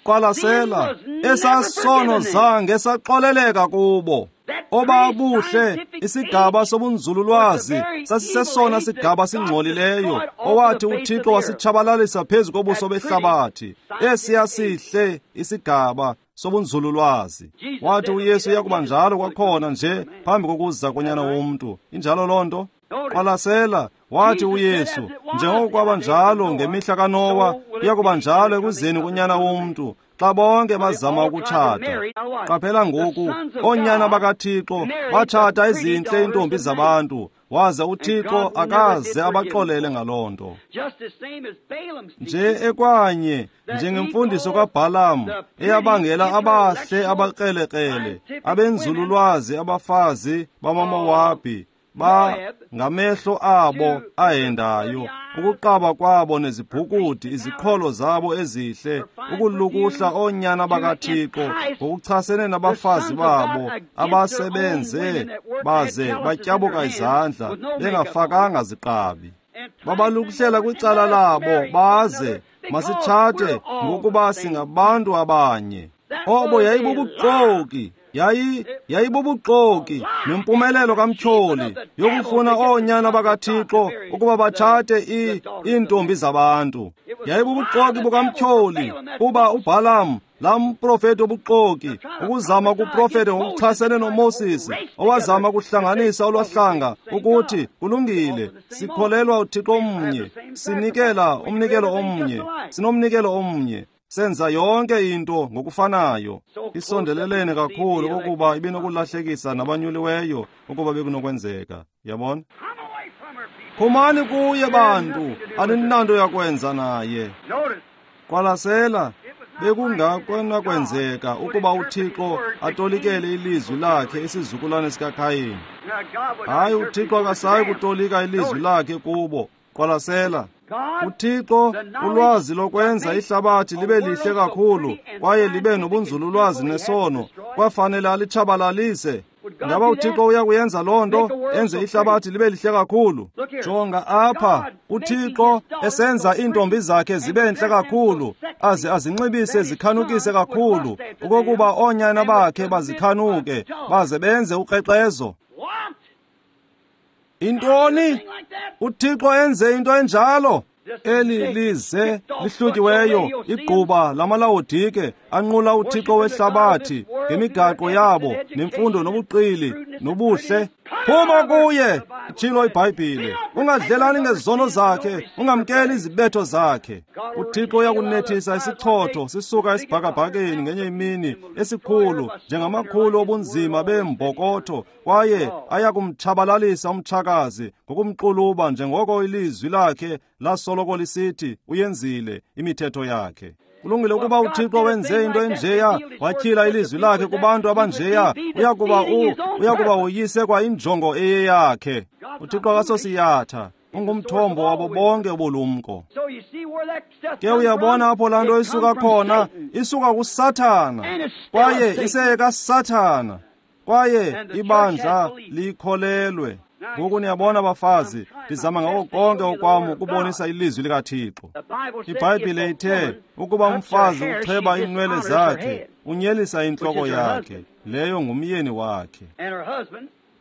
qwalasela, esasono zange saxoleleka kubo. Obabuhle isigaba sobunzululwazi sasisesona sigaba singcolileyo owathi uThixo wasitshabalalisa phezu kobuso behlabathi. Esiya sihle isigaba sobunzululwazi. Wathi uYesu uyakuba njalo kwakhona nje phambi kokuza konyana womntu. Injalo loo nto? Qwalasela, wathi uYesu, njengoko kwaba njalo ngemihla kaNowa, kuyakuba njalo ekuzeni konyana womntu, xa bonke bazama ukutshata. Qaphela ngoku, oonyana bakaThixo batshata ezintle iintombi zabantu, waze uThixo akaze abaxolele ngaloo nto. Nje ekwanye njengemfundiso kaBhalamu eyabangela abahle abakrelekrele, abenzululwazi abafazi bamaMowabi, ba ngamehlo abo ahendayo, ukuqaba kwabo nezibhukudi, iziqholo zabo ezihle, ukulukuhla oonyana bakaThixo ngokuchasene nabafazi babo abasebenze baze batyabuka izandla bengafakanga ziqabi. Babalukuhlela kwicala labo baze masitshate ngokuba singabantu abanye. Obo yayibubuxoki. Yayi yayibubuxoki nempumelelo kaMtyholi yokufuna oonyana bakaThixo ukuba batshate iintombi zabantu. Yayibubuxoki bukaMtyholi kuba uBhalamu laa mprofeti obuxoki ukuzama ukuprofeta ngokuchasene noMoses, owazama ukuhlanganisa olwahlanga ukuthi kulungile, sikholelwa uThixo omnye, sinikela umnikelo omnye, sinomnikelo omnye, senza yonke into ngokufanayo. Isondelelene kakhulu okokuba ibinokulahlekisa nabanyuliweyo ukuba bekunokwenzeka. Yabona? Phumani kuye bantu, aninanto yakwenza naye. Qwalasela, bekungakwenakwenzeka ukuba uThixo atolikele ilizwi lakhe isizukulwane sikaKhayini. Hayi, uThixo akasayi kutolika ilizwi lakhe kubo. Qwalasela, uThixo ulwazi lokwenza ihlabathi libe lihle kakhulu kwaye libe nobunzululwazi nesono kwafanele alitshabalalise. Ngaba uThixo uyakuyenza loo nto, enze ihlabathi libe lihle kakhulu? Jonga apha, uThixo esenza iintombi zakhe zibe ntle kakhulu, aze azinxibise zikhanukise kakhulu, okokuba oonyana bakhe bazikhanuke, baze benze ukrexezo. Intoni? uThixo enze into enjalo? Eli lize lihlutyiweyo igquba lamaLawodike anqula uThixo wehlabathi ngemigaqo yabo nemfundo nobuqili nobuhle. Phuma kuye, itshilo iBhayibhile. Ungadlelani ngezono zakhe, ungamkeli izibetho zakhe. uThixo uyakunethisa isichotho sisuka esibhakabhakeni ngenye imini esikhulu njengamakhulu obunzima beembokotho, kwaye ayakumtshabalalisa umtshakazi ngokumxuluba njengoko ilizwi lakhe lasoloko lisithi uyenzile imithetho yakhe. Kulungile ukuba uThixo wenze into enjeya, watyhila ilizwi lakhe kubantu abanjeya, uyakuba u uyakuba uyise kwa injongo eyeyakhe. uThixo akasosiyatha, ungumthombo wabo bonke ubulumko. Ke uyabona apho laa nto isuka khona, isuka kuSathana, kwaye iseyekaSathana, kwaye ibandla likholelwe. Ngoku niyabona bafazi, ndizama ngako konke okwam ukubonisa ilizwi likaThixo. IBhayibhile ithe ukuba umfazi ucheba iinwele zakhe, unyelisa intloko yakhe, leyo ngumyeni wakhe.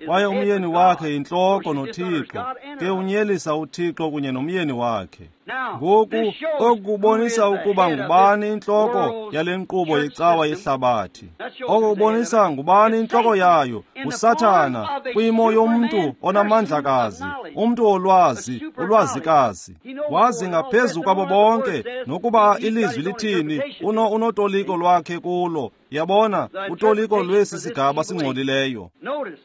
Kwaye umyeni wakhe yintloko noThixo, ke unyelisa uThixo kunye nomyeni wakhe. Ngoku oku kubonisa ukuba ngubani intloko yale nkqubo yecawa yehlabathi. Oku kubonisa ngubani intloko yayo, uSathana, kwimo yomntu onamandlakazi, umntu olwazi, ulwazikazi. Wazi ngaphezu kwabo bonke, nokuba ilizwi lithini, uno unotoliko lwakhe kulo. Yabona, utoliko lwesi sigaba singcolileyo.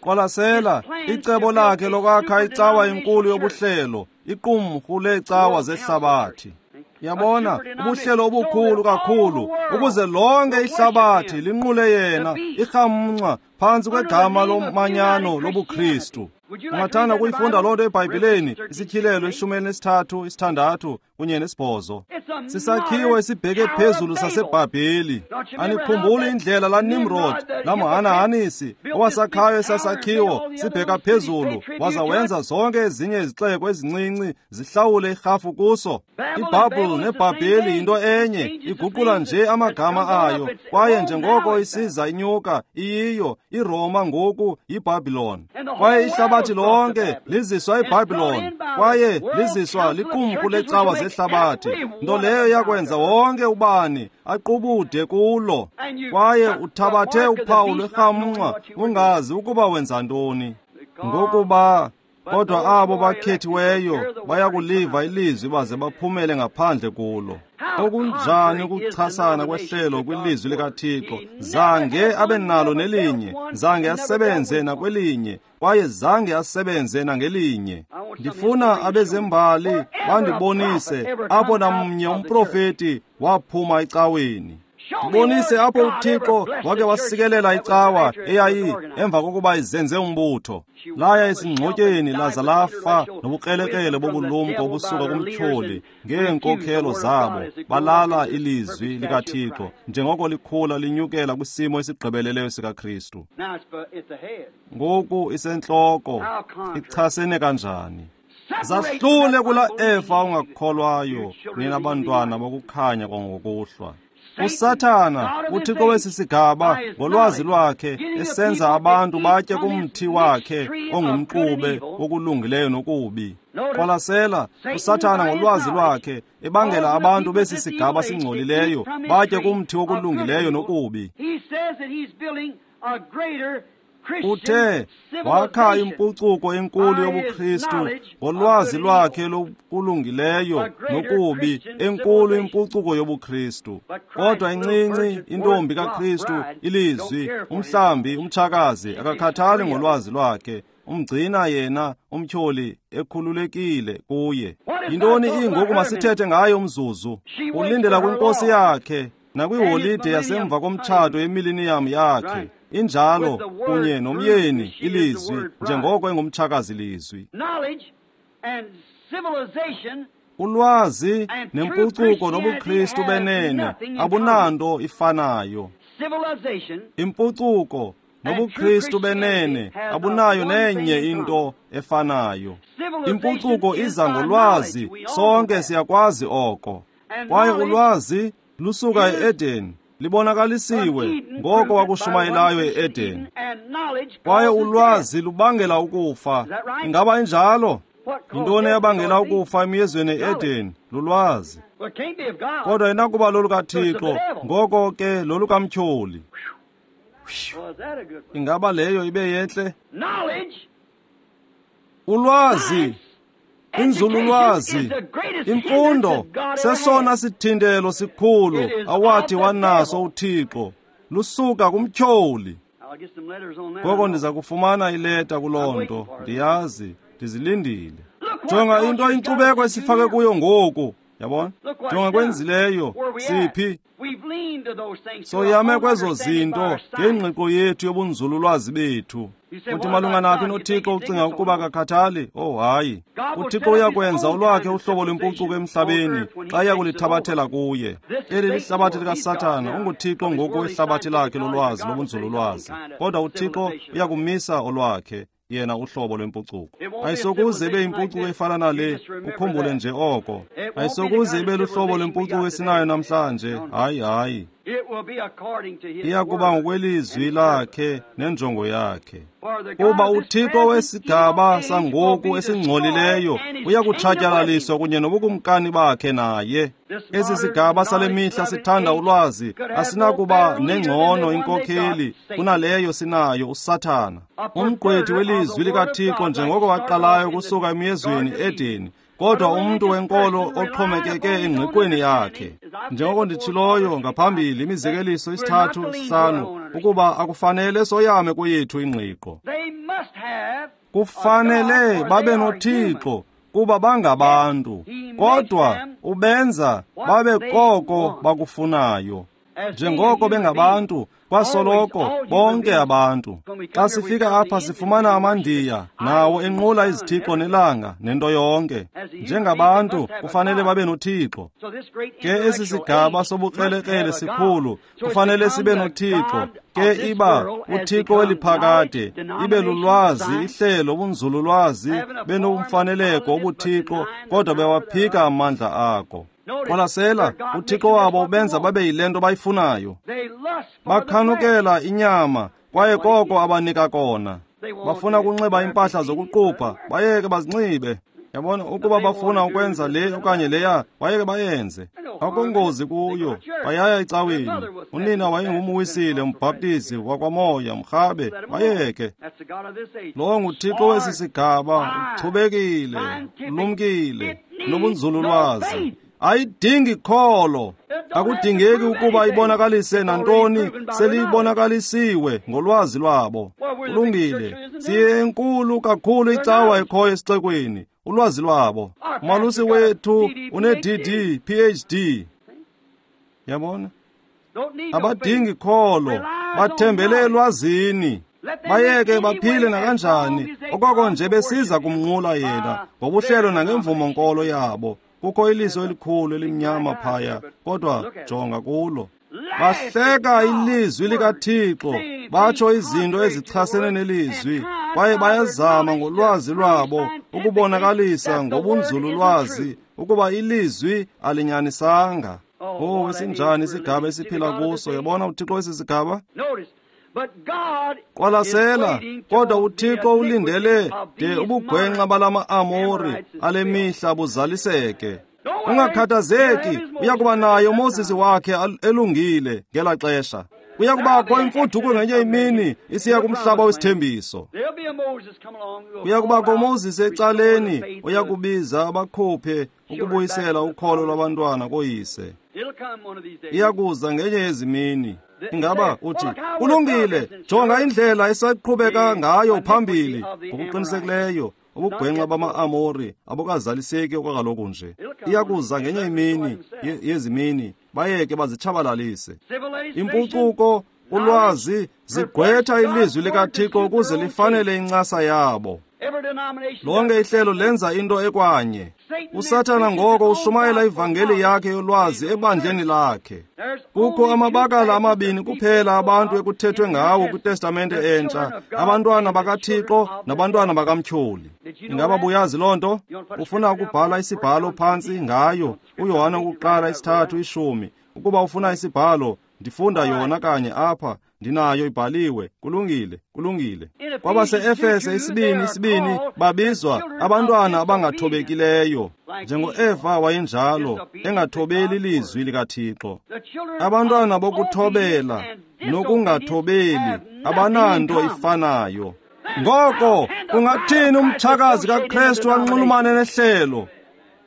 Qwalasela, icebo lakhe lokwakha icawa enkulu yobuhlelo, iqumrhu leecawa zehlabathi. Yabona, ubuhlelo obukhulu kakhulu, ukuze lonke ihlabathi linqule yena, irhamncwa phantsi kwegama lomanyano lobuKristu. Ungathanda ukuyifunda loo nto eBhayibhileni, isityhilelo ishumi elinesithathu, isithandathu kunye nesibhozo. Sisakhiwo esibheke phezulu saseBhabheli. Anikhumbuli indlela laa Nimrod, laa mhanahanisi, owasakhayo esasakhiwo sibheka phezulu, waza wenza zonke ezinye izixeko ezincinci zihlawule irhafu kuso. IBhabhel neBhabheli yinto enye, iguqula nje amagama ayo, kwaye njengoko isiza inyuka, iyiyo iRoma ngoku yiBhabhilon. Kwaye ihlabathi lonke liziswa eBhabhilon, kwaye liziswa liqumrhu lecawa zehlabathi, nto leyo yakwenza wonke ubani aqubude kulo. Kwaye uthabathe uphawu lwerhamncwa ungazi ukuba wenza ntoni. Ngokuba kodwa abo bakhethiweyo bayakuliva ilizwi baze baphumele ngaphandle kulo. Okunjani ukuchasana kwehlelo kwilizwi likaThixo! Zange abe nalo nelinye, zange asebenze nakwelinye, kwaye zange asebenze nangelinye. Ndifuna abezembali bandibonise apho namnye umprofeti waphuma ecaweni. Ndibonise apho uThixo wake wasikelela icawa eyayi emva kokuba izenze umbutho. Laya esingxotyeni laza lafa nobukrelekrele bobulumko obusuka kumtyholi ngeenkokhelo zabo. Balala ilizwi likaThixo njengoko likhula linyukela kwisimo esigqibeleleyo sikaKristu. Ngoku isentloko, ichasene kanjani? Zahlule kula Eva ungakholwayo, nina bantwana bokukhanya kwangokuhlwa. USathana, uThixo wesi sigaba, ngolwazi lwakhe esenza abantu batye kumthi wakhe ongumxube wokulungileyo nokubi. Qwalasela, uSathana ngolwazi lwakhe ebangela abantu besi sigaba singcolileyo batye kumthi wokulungileyo nokubi. Uthe wakha impucuko enkulu yobuKristu ngolwazi lwakhe lokulungileyo nokubi, enkulu impucuko yobuKristu. Kodwa incinci intombi kaKristu, ilizwi, umhlambi, umtshakazi, akakhathali ngolwazi lwakhe, umgcina yena umtyholi ekhululekile kuye. Yintoni ingoku masithethe ngayo umzuzu? Ulindela kwinkosi yakhe nakwiholide yasemva komtshato yemiliniyam yakhe. Injalo kunye nomyeni ilizwi njengoko engumtshakazi lizwi. Ulwazi nempucuko nobuKristu benene abunanto ifanayo. Impucuko nobuKristu benene abunayo nenye into efanayo. Impucuko iza ngolwazi, sonke siyakwazi oko. Kwaye ulwazi lusuka e-Eden, libonakalisiwe ngoko wakushumayelayo e-Eden. Kwaye ulwazi lubangela ukufa. Ingaba injalo? Yintoni eyabangela ukufa emyezweni e-Eden? Lulwazi. Kodwa inakuba lolukaThixo, ngoko ke lolukamtyholi. Ingaba leyo ibe yentle? Ulwazi, inzululwazi, imfundo sesona sithintelo sikhulu awathi wanaso uThixo, lusuka kumtyholi. Ngoko ndiza kufumana ileta kuloo nto, ndiyazi, ndizilindile. Jonga into inkcubeko esifake kuyo ngoku, yabona? Jonga kwenzileyo, siphi? Soyame kwezo zinto ngengqiqo yethu yobunzululwazi bethu. Uthi malunga naphi noThixo ucinga ukuba akakhathali? Oh hayi. UThixo uyakwenza olwakhe uhlobo lwempucuko emhlabeni xa iya kulithabathela kuye. Eli lihlabathi likaSathana, unguThixo ngoku wehlabathi lakhe lolwazi lobunzululwazi. Kodwa uThixo uyakumisa olwakhe yena uhlobo lwempucuko. Ayisokuze ibe impucuko efana nale, ukhumbule nje oko. Ayisokuze ibe luhlobo lwempucuko esinayo namhlanje. Hayi, hayi. Iya kuba ngokwelizwi lakhe nenjongo yakhe. Kuba uThixo wesigaba sangoku esingcolileyo uya kutshatyalaliswa kunye nobukumkani bakhe naye. Esi sigaba sale mihla sithanda ulwazi asinakuba nengcono inkokheli kunaleyo sinayo uSathana, umgqwethi welizwi likaThixo njengoko waqalayo kusuka emyezweni Edeni, kodwa umntu wenkolo oxhomekeke engqiqweni yakhe. Njengoko nditshiloyo ngaphambili imizekeliso isithathu sihlanu ukuba akufanele soyame kweyethu ingqiqo. Kufanele babe noThixo kuba bangabantu, kodwa ubenza babe koko bakufunayo. Njengoko bengabantu, kwasoloko bonke abantu. Xa sifika apha sifumana amaNdiya nawo enqula izithixo nelanga nento yonke. Njengabantu kufanele babe noThixo. Ke esi sigaba sobukrelekrele sikhulu kufanele sibe noThixo. Ke iba uThixo weliphakade, ibe lulwazi, ihlelo, ubunzululwazi, benomfaneleko obuThixo, kodwa bewaphika amandla ako. Qwalasela, uThixo wabo ubenza babe yile nto bayifunayo. Bakhanukela inyama, kwaye koko abanika kona. Bafuna ukunxiba iimpahla zokuqupha, bayeke bazinxibe. Yabona, ukuba bafuna ukwenza le okanye leya, bayeke bayenze. Akungozi kuyo, bayaya ecaweni. Unina wayengumwisile, umbhaptizi wakwamoya, mrhabe, bayeke. Lo nguThixo wesi sigaba, uchubekile, ulumkile, nobunzululwazi. Ayidingi kholo. Akudingeki ukuba ibonakalise nantoni, selibonakalisiwe ngolwazi lwabo. Kulungile, siyenkulu kakhulu icawa ekhoyo esixekweni, ulwazi lwabo. Umalusi wethu une-D D, P H D. Yabona? Abadingi kholo, bathembele elwazini. Bayeke baphile nakanjani, okoko nje besiza kumnqula yena ngobuhlelo nangemvumo nkolo yabo. Kukho iliso elikhulu elimnyama phaya, kodwa jonga kulo. Bahleka ilizwi likaThixo, batsho izinto ezichasene nelizwi, kwaye bayazama ngolwazi lwabo ukubonakalisa ngobunzululwazi ukuba ilizwi alinyanisanga. Oh, esinjani isigaba esiphila kuso? Yabona uThixo wesi sigaba? Qwalasela, kodwa uThixo ulindele de ubugwenxa balama-Amori ale mihla buzaliseke. Ungakhathazeki, uya kuba naye uMoses wakhe elungile ngela xesha. Kuya kubakho imfuduko ngenye imini isiya kumhlaba wesithembiso. Kuya kubakho uMoses ecaleni oya kubiza abakhuphe ukubuyisela ukholo lwabantwana koyise. Iya kuza ngenye yezimini. Ingaba uthi, kulungile, jonga indlela esaqhubeka ngayo phambili. Ngokuqinisekileyo, ubugwenxa bama-Amori abukazaliseki okwakaloku nje. Iya kuza ngenye imini yezimini, bayeke bazitshabalalise. Impucuko, ulwazi, zigqwetha ilizwi likaThixo ukuze lifanele incasa yabo. Lonke ihlelo lenza into ekwanye. USathana ngoko ushumayela ivangeli yakhe yolwazi ebandleni lakhe. Kukho amabakala amabini kuphela abantu ekuthethwe ngawo kwiTestamente Entsha, abantwana bakaThixo nabantwana bakaMtyholi. Ingaba buyazi loo nto? Ufuna ukubhala isibhalo phantsi ngayo, uYohane wokuqala isithathu ishumi. Ukuba ufuna isibhalo, ndifunda yona kanye apha. Ndinayo ibhaliwe. Kulungile, kulungile. Kwabase-Efese isibini isibini babizwa abantwana abangathobekileyo, njengo-Eva wayenjalo, engathobeli ilizwi likaThixo. Abantwana bokuthobela nokungathobeli abananto ifanayo. Ngoko kungathini umtshakazi kaKrestu anxulumane nehlelo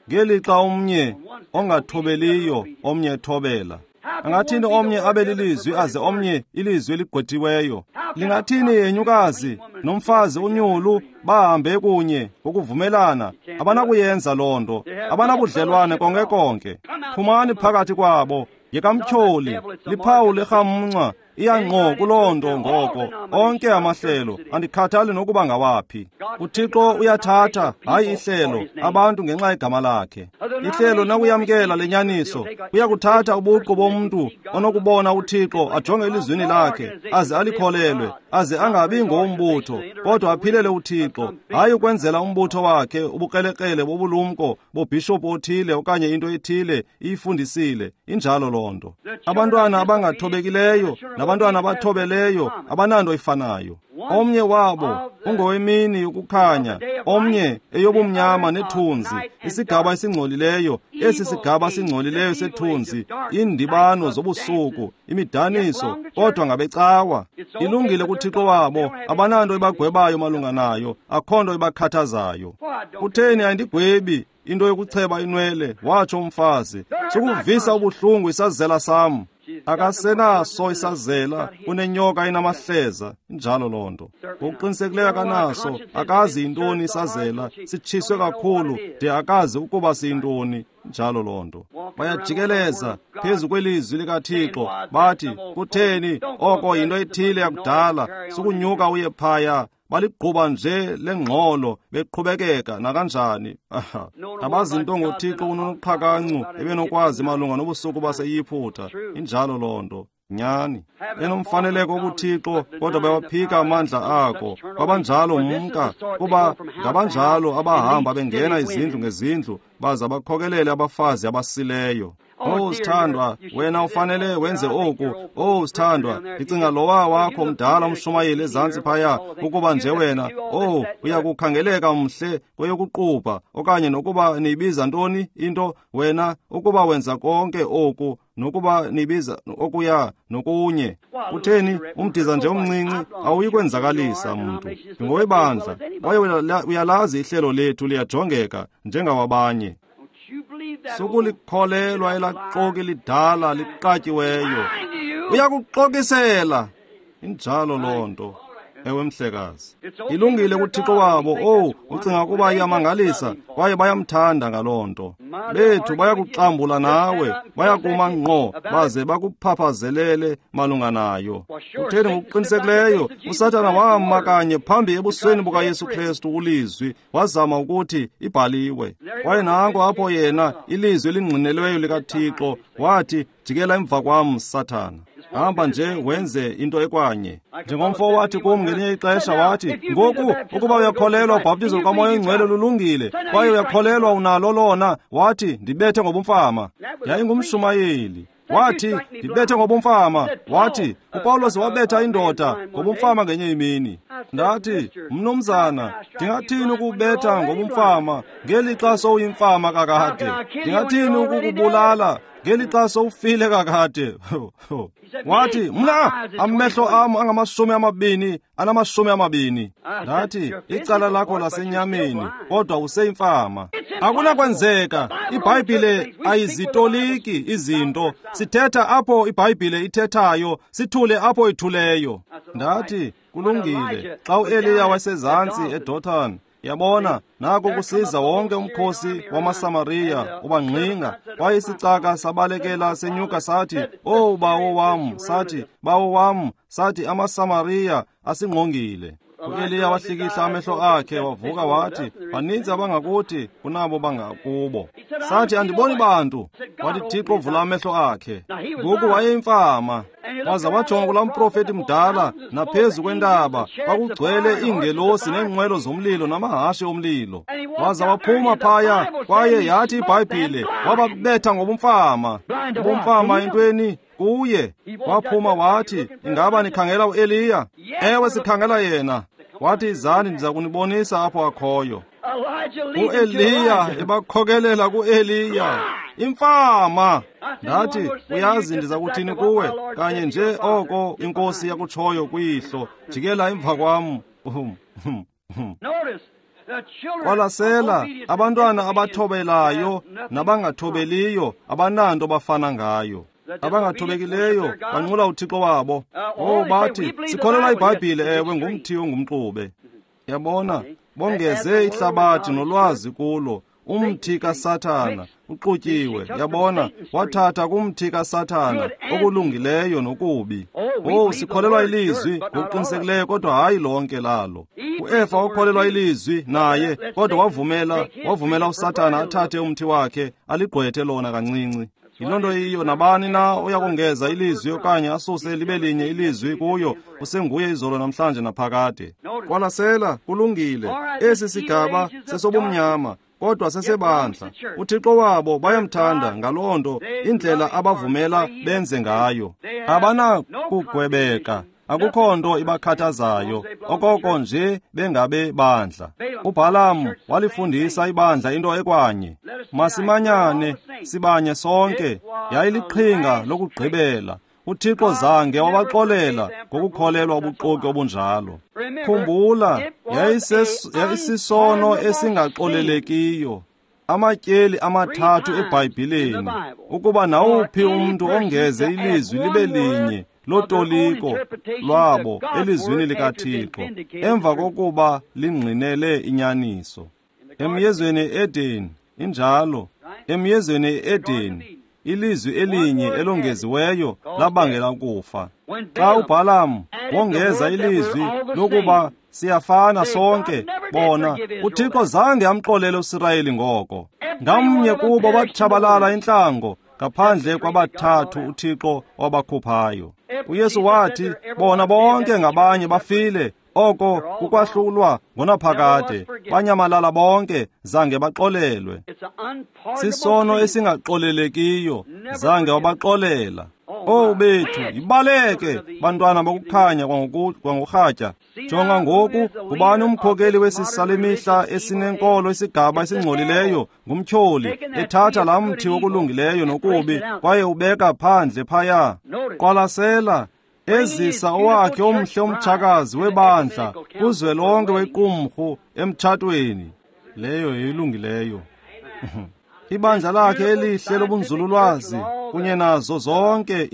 ngelixa omnye ongathobeliyo omnye ethobela? Angathini omnye abe lilizwi aze omnye ilizwi eligqwethiweyo? Lingathini yenyukazi nomfazi unyulu bahambe kunye ngokuvumelana? Abanakuyenza loo nto, abanabudlelwane konke konke. Phumani phakathi kwabo, yekamtyholi, liphawu lerhamncwa, Iya ngqo kuloo nto ngoko, onke amahlelo, andikhathali nokuba ngawaphi. UThixo uyathatha, hayi ihlelo, abantu ngenxa yegama lakhe. Ihlelo nakuyamkela le nyaniso, uyakuthatha ubuqu bomntu onokubona uThixo ajonge elizwini lakhe, aze alikholelwe, aze angabi ngowombutho, kodwa aphilele uThixo, hayi ukwenzela umbutho wakhe ubukrelekrele bobulumko bobhishophu othile okanye into ethile iyifundisile. Injalo loo nto. Abantwana abangathobekileyo nabantwana abathobeleyo abananto ifanayo. Omnye wabo ungowemini yokukhanya, omnye eyobumnyama nethunzi, isigaba esingcolileyo, esi sigaba singcolileyo sethunzi, iindibano zobusuku, imidaniso, kodwa ngabecawa. Ilungile kuThixo wabo, abananto ibagwebayo malunga nayo, akho nto ibakhathazayo. Kutheni ayindigwebi into yokucheba inwele, watsho umfazi, sukuvisa ubuhlungu isazela sam. Akasenaso isazela, unenyoka enamahleza. Injalo loo nto. Ngokuqinisekileyo akanaso, akazi yintoni isazela, sitshiswe kakhulu de akazi ukuba siyintoni. Njalo loo nto. Bayajikeleza phezu kwelizwi likaThixo, bathi, kutheni oko yinto ethile yakudala, sukunyuka uye phaya. Baligquba nje lengxolo beqhubekeka nakanjani. Aha. Abazinto ngoThixo unonoqhakancu ebenokwazi malunga nobusuku baseYiphutha. Injalo loo nto. Nyani. Enomfaneleko kuThixo, kodwa bayaphika amandla akho. Kwabanjalo mka, kuba ngabanjalo abahamba bengena izindlu ngezindlu, baza bakhokelele abafazi abasileyo. Oh sithandwa, wena ufanele wenze oku. Oh sithandwa, ndicinga lowa wakho mdala umshumayeli ezantsi phaya, ukuba nje wena, oh uyakukhangeleka mhle kweyokuqubha, okanye nokuba niyibiza ntoni into wena, ukuba wenza konke oku, nokuba nibiza okuya nokunye. Kutheni umdiza nje omncinci awuyikwenzakalisa mntu. Ndingowebandla, kwaye uyalazi ihlelo lethu liyajongeka njengawabanye. Sukulikholelwa elaxoki lidala liqatyiweyo. Uyakuxokisela. Injalo loo nto. Ewe mhlekazi. Ilungile kuThixo wabo. Oh, ucinga ukuba iyamangalisa, kwaye bayamthanda ngaloo nto. Bethu bayakuxambula nawe, bayakuma ngqo baze bakuphaphazelele malunga nayo. Kutheni ngokuqinisekileyo uSathana wama kanye phambi ebusweni bukaYesu Kristu ulizwi, wazama ukuthi ibhaliwe. Kwaye nanko apho yena ilizwi elingqinelweyo likaThixo wathi, jikela emva kwam Sathana. Hamba nje wenze into ekwanye. Njengomfo wathi kum ngelinye ixesha, wathi, ngoku ukuba uyakholelwa ubhaptizo lukaMoya oyiNgcwele lulungile, kwaye uyakholelwa unalo lona, wathi, ndibethe ngobumfama. Yayingumshumayeli. Wathi, ndibethe ngobumfama. Wathi, uPawulos wabetha indoda ngobumfama ngenye imini. Ndathi, mnumzana, ndingathini ukubetha ngobumfama ngelixa sowuyimfama kakade? Ndingathini ukukubulala ngelixa sowufile kakade? Wathi, mna amehlo am angamashumi amabini anamashumi amabini. Ndathi, icala lakho lasenyameni, kodwa useyimfama. Akunakwenzeka. iBhayibhile ayizitoliki izinto. Sithetha apho iBhayibhile ithethayo, sithule apho ithuleyo. Ndathi, kulungile. Xa uEliya wasezantsi eDothan, yabona, nako kusiza wonke umkhosi wamaSamariya ubangqinga. Kwaye isicaka sabalekela senyuka sathi, "Oh bawo wam," sathi, "bawo wam," sathi, amaSamariya asingqongile. uEliya wahlikihla amehlo akhe wavuka wathi, baninzi abangakuthi kunabo bangakubo. Sathi, andiboni bantu. Wathi Thixo vula amehlo akhe. Ngoku wayeyimfama. Waza wajonga kulaa mprofeti mdala, naphezu kwentaba kwakugcwele iingelosi neenqwelo zomlilo namahashe omlilo. Waza waphuma phaya, kwaye yathi iBhayibhile wababetha ngobumfama. Ubumfama entweni kuye. Waphuma wathi, ingaba nikhangela uEliya? Ewe, sikhangela yena. Wathi, izani ndiza kunibonisa apho akhoyo. uEliya ebakhokelela kuEliya. Imfama. Ndathi, uyazi ndiza kuthini kuwe? Kanye nje oko inkosi yakutshoyo kuyihlo. Jikela emva kwam. Qwalasela, abantwana abathobelayo nabangathobeliyo abananto bafana ngayo. Abangathobekileyo banqula uThixo wabo. Oh, bathi, sikholelwa iBhayibhile, ewe, ngumthi ongumxube. Yabona, bongeze ihlabathi nolwazi kulo, Umthi kaSathana uxutyiwe, yabona, wathatha kumthi kaSathana okulungileyo nokubi. Oh, sikholelwa ilizwi ngokuqinisekileyo, kodwa hayi lonke lalo. UEfa wakholelwa ilizwi naye, kodwa wavumela wavumela uSathana athathe umthi wakhe aligqwethe lona kancinci. Yiloo nto yiyo, nabani na uyakongeza ilizwi okanye asuse libe linye ilizwi kuyo, usenguye izolo namhlanje naphakade. Qwalasela, kulungile. Esi sigaba sesobumnyama, kodwa sesebandla. UThixo wabo bayamthanda ngaloo nto, indlela abavumela benze ngayo. Abanakugwebeka, akukho nto ibakhathazayo, okoko nje bengabe bandla. UBhalamu walifundisa ibandla into ekwanye. Masimanyane, sibanye sonke. Yayiliqhinga lokugqibela. UThixo zange wabaxolela ngokukholelwa ubuxoki obunjalo. Khumbula, yayisisono esingaxolelekiyo. Amatyeli amathathu eBhayibhileni, ukuba nawuphi umntu ongeze ilizwi libe linye lotoliko lwabo elizwini likaThixo emva kokuba lingqinele inyaniso. Emyezweni e-Edeni injalo, emyezweni e-Edeni ilizwi elinye elongeziweyo labangela ukufa. Xa uBhalamu wongeza ilizwi lokuba siyafana sonke, bona, uThixo zange amxolele uSirayeli ngoko. Ngamnye kubo batshabalala intlango, ngaphandle kwabathathu uThixo wabakhuphayo. UYesu wathi, bona bonke ngabanye bafile, oko kukwahlulwa ngonaphakade, banyamalala bonke, zange baxolelwe. Sisono esingaxolelekiyo, zange wabaxolela. Oh bethu, yibaleke bantwana bokukhanya kwangorhatya. Jonga ngoku, ngubani umkhokeli wesi sale mihla esinenkolo isigaba esingcolileyo? Ngumtyholi, ethatha laa mthi wokulungileyo nokubi kwaye ubeka phandle phaya. Qwalasela, ezisa owakhe omhle umtshakazi webandla kuzwelonke wequmrhu emtshatweni. Leyo yeyilungileyo. Ibandla lakhe elihle lobunzululwazi kunye nazo zonke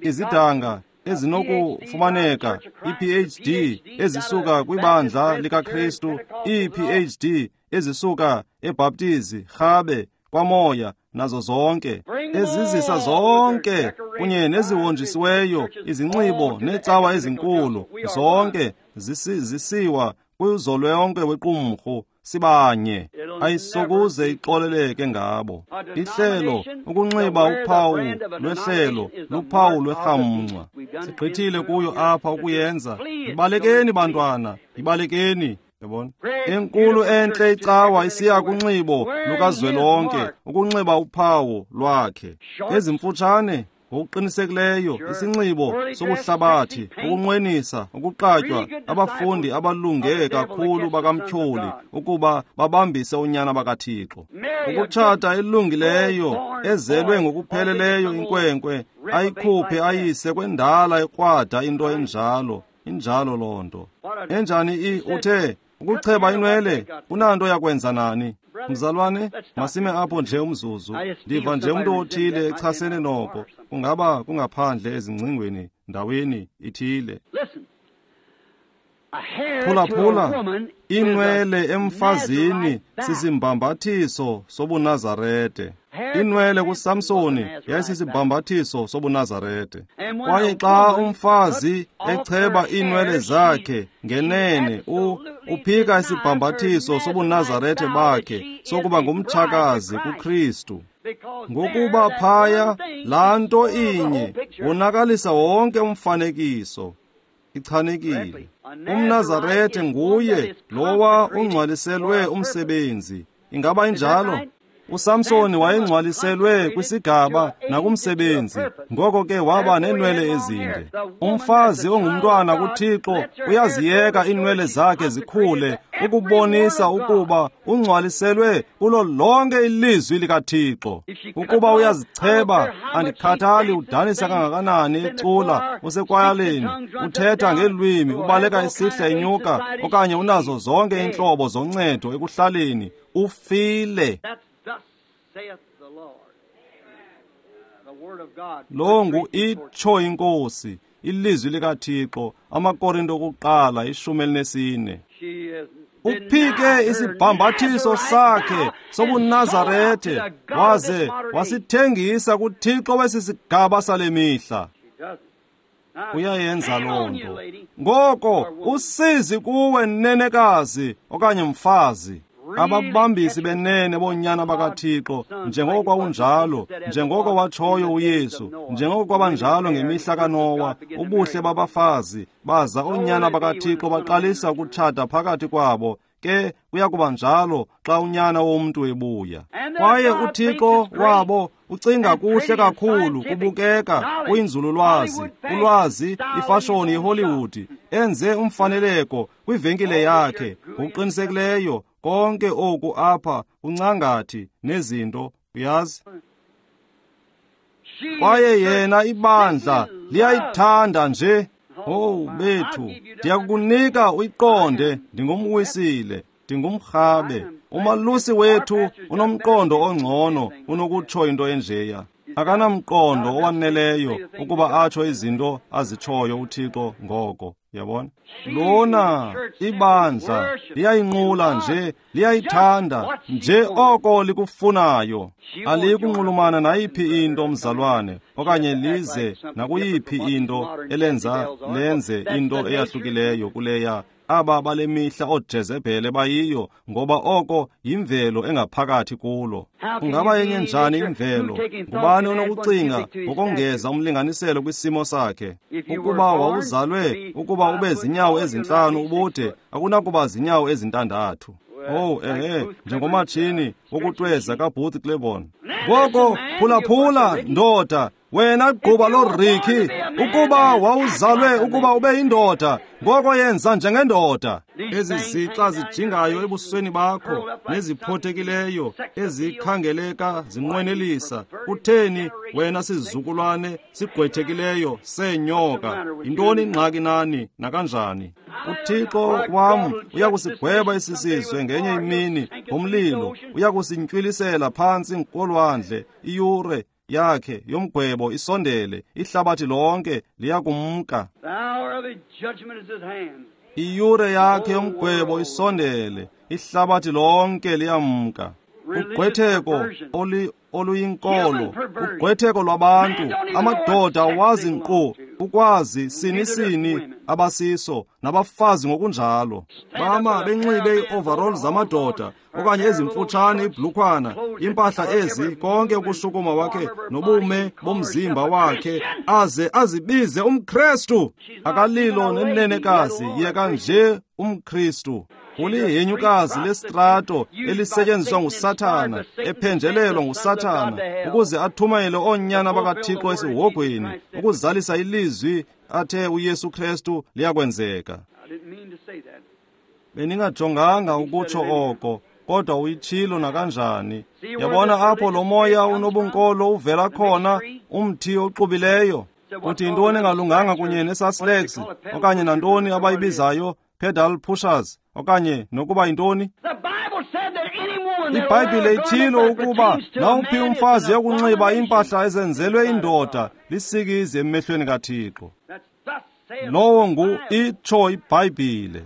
izidanga ezinokufumaneka, i-P H D ezisuka kwibandla likaKristu, i-P H D ezisuka eBhaptizi, Rhabe, kwaMoya, nazo zonke ezizisa zonke kunye nezihonjisiweyo izinxibo neecawa ezinkulu, zonke zisiwa kwizolonke wequmrhu. Sibanye, ayisokuze ixoleleke ngabo. Ihlelo, ukunxiba uphawu lwehlelo, luphawu lwerhamncwa. Sigqithile kuyo apha ukuyenza. Ibalekeni bantwana, ibalekeni. Yabona? Enkulu entle icawa isiya kunxibo lukazwelonke, ukunxiba uphawu lwakhe. Ezimfutshane ngokuqinisekileyo, isinxibo sobuhlabathi, ukunqwenisa, ukuqatywa, abafundi abalunge kakhulu bakamtyholi ukuba babambise unyana bakaThixo. Ukutshata elungileyo, ezelwe ngokupheleleyo inkwenkwe, ayikhuphe ayise kwendala ekrwada into enjalo. Injalo loo nto. Enjani i uthe ukucheba inwele kunanto yakwenza nani? Mzalwane, masime apho nje umzuzu. Ndiva nje umntu othile echasene noko. Kungaba kungaphandle ezingcingweni ndaweni ithile. Phulaphula, inwele emfazini sisimbambathiso sobuNazarete. Inwele kuSamsoni yayisisibambathiso sobuNazarete. Kwaye xa umfazi echeba iinwele zakhe ngenene uphika isibambathiso sobuNazarete bakhe sokuba ngumtshakazi kuKristu. Ngokuba phaya laa nto inye wonakalisa wonke umfanekiso. Ichanekile. UmNazarete nguye lowa ungcwaliselwe umsebenzi. Ingaba injalo? uSamsoni wayengcwaliselwe kwisigaba nakumsebenzi, ngoko ke waba neenwele ezinde. Umfazi ongumntwana kuThixo uyaziyeka iinwele zakhe zikhule ukubonisa ukuba ungcwaliselwe kulo lonke ilizwi likaThixo. Ukuba uyazicheba, andikhathali udanisa kangakanani ecula, usekwayaleni, uthetha ngeelwimi, ubaleka isihla inyuka, okanye unazo zonke iintlobo zoncedo ekuhlaleni, ufile. Lo ngu itsho iNkosi, ilizwi likaThixo, amaKorinto okuqala ishumi elinesine. Uphike isibhambathiso sakhe sobuNazarethe waze wasithengisa kuThixo wesi sigaba sale mihla. Uyayenza loo nto. Ngoko usizi kuwe nenekazi okanye mfazi. Ababambisi benene boonyana bakaThixo, njengoko kwakunjalo, njengoko watshoyo uYesu, njengoko kwabanjalo ngemihla kaNowa, ubuhle babafazi baza oonyana bakaThixo baqalisa ukutshata phakathi kwabo. Ke kuya kuba njalo xa unyana womntu ebuya. Kwaye uThixo wabo ucinga kuhle kakhulu, kubukeka kuyinzululwazi, ulwazi, ifashoni yeHollywood, enze umfaneleko kwivenkile yakhe ngokuqinisekileyo. Konke oku apha uncangathi nezinto, uyazi. Kwaye yena ibandla liyayithanda nje. Oh bethu, ndiyakukunika uyiqonde, ndingumwisile, ndingumrhabe. Umalusi wethu unomqondo ongcono unokutsho into enjeya. Akanamqondo owaneleyo ukuba atsho izinto azitshoyo uThixo ngoko, yabona? Lona ibandla liyayinqula nje, liyayithanda nje oko likufunayo. Aliyikunxulumana nayiphi into, mzalwane, okanye lize nakuyiphi into elenza lenze into eyahlukileyo kuleya aba bale mihla ooJezebhele bayiyo, ngoba oko yimvelo engaphakathi kulo. Ungaba yenye njani imvelo? Ngubani onokucinga ngokongeza umlinganiselo kwisimo sakhe? Ukuba wawuzalwe ukuba ube zinyawo ezintlanu ubude, akunakuba zinyawo ezintandathu. Oh, ehe, njengomatshini wokutweza kaBooth Claiborne. Ngoko phulaphula, ndoda, wena gquba loRicky, ukuba wawuzalwe ukuba ube yindoda, ngoko yenza njengendoda. Ezi zixa zijingayo ebusweni bakho neziphothekileyo ezikhangeleka zinqwenelisa, kutheni wena sizukulwane sigqwethekileyo seenyoka? Yintoni ingxaki nani nakanjani? UThixo wam uyakusigweba esi sizwe ngenye imini ngomlilo, uyakusintywilisela phantsi kolwandle. Iyure yakhe yomgwebo isondele, ihlabathi lonke liyakumka. Iyure yakhe yomgwebo isondele, ihlabathi lonke liyamka. Ugqwetheko oluyinkolo, ugqwetheko lwabantu, amadoda awazi nkqu ukwazi sini sini abasiso, nabafazi ngokunjalo. Bama benxibe ii-overall zamadoda okanye ezimfutshane ibhlukhwana, impahla ezi, konke ukushukuma wakhe nobume bomzimba wakhe, aze azibize umKrestu. Akalilo nenenekazi, yeka nje umKristu. Ulihenyukazi lesitrato elisetyenziswa nguSathana, ephenjelelwa nguSathana ukuze athumele oonyana bakaThixo esihogweni, ukuzalisa ilizwi athe uYesu Kristu liyakwenzeka. Beningajonganga ukutsho oko, kodwa uyitshilo nakanjani. Yabona apho lo moya unobunkolo uvela khona, umthi oxubileyo. Uthi yintoni engalunganga kunye nesaslex okanye nantoni abayibizayo pedal pushers okanye nokuba yintoni? IBhayibhile ithilo ukuba nawuphi umfazi yokunxiba iimpahla ezenzelwe indoda lisikizi emehlweni kaThixo. Lowo ngu itsho iBhayibhile.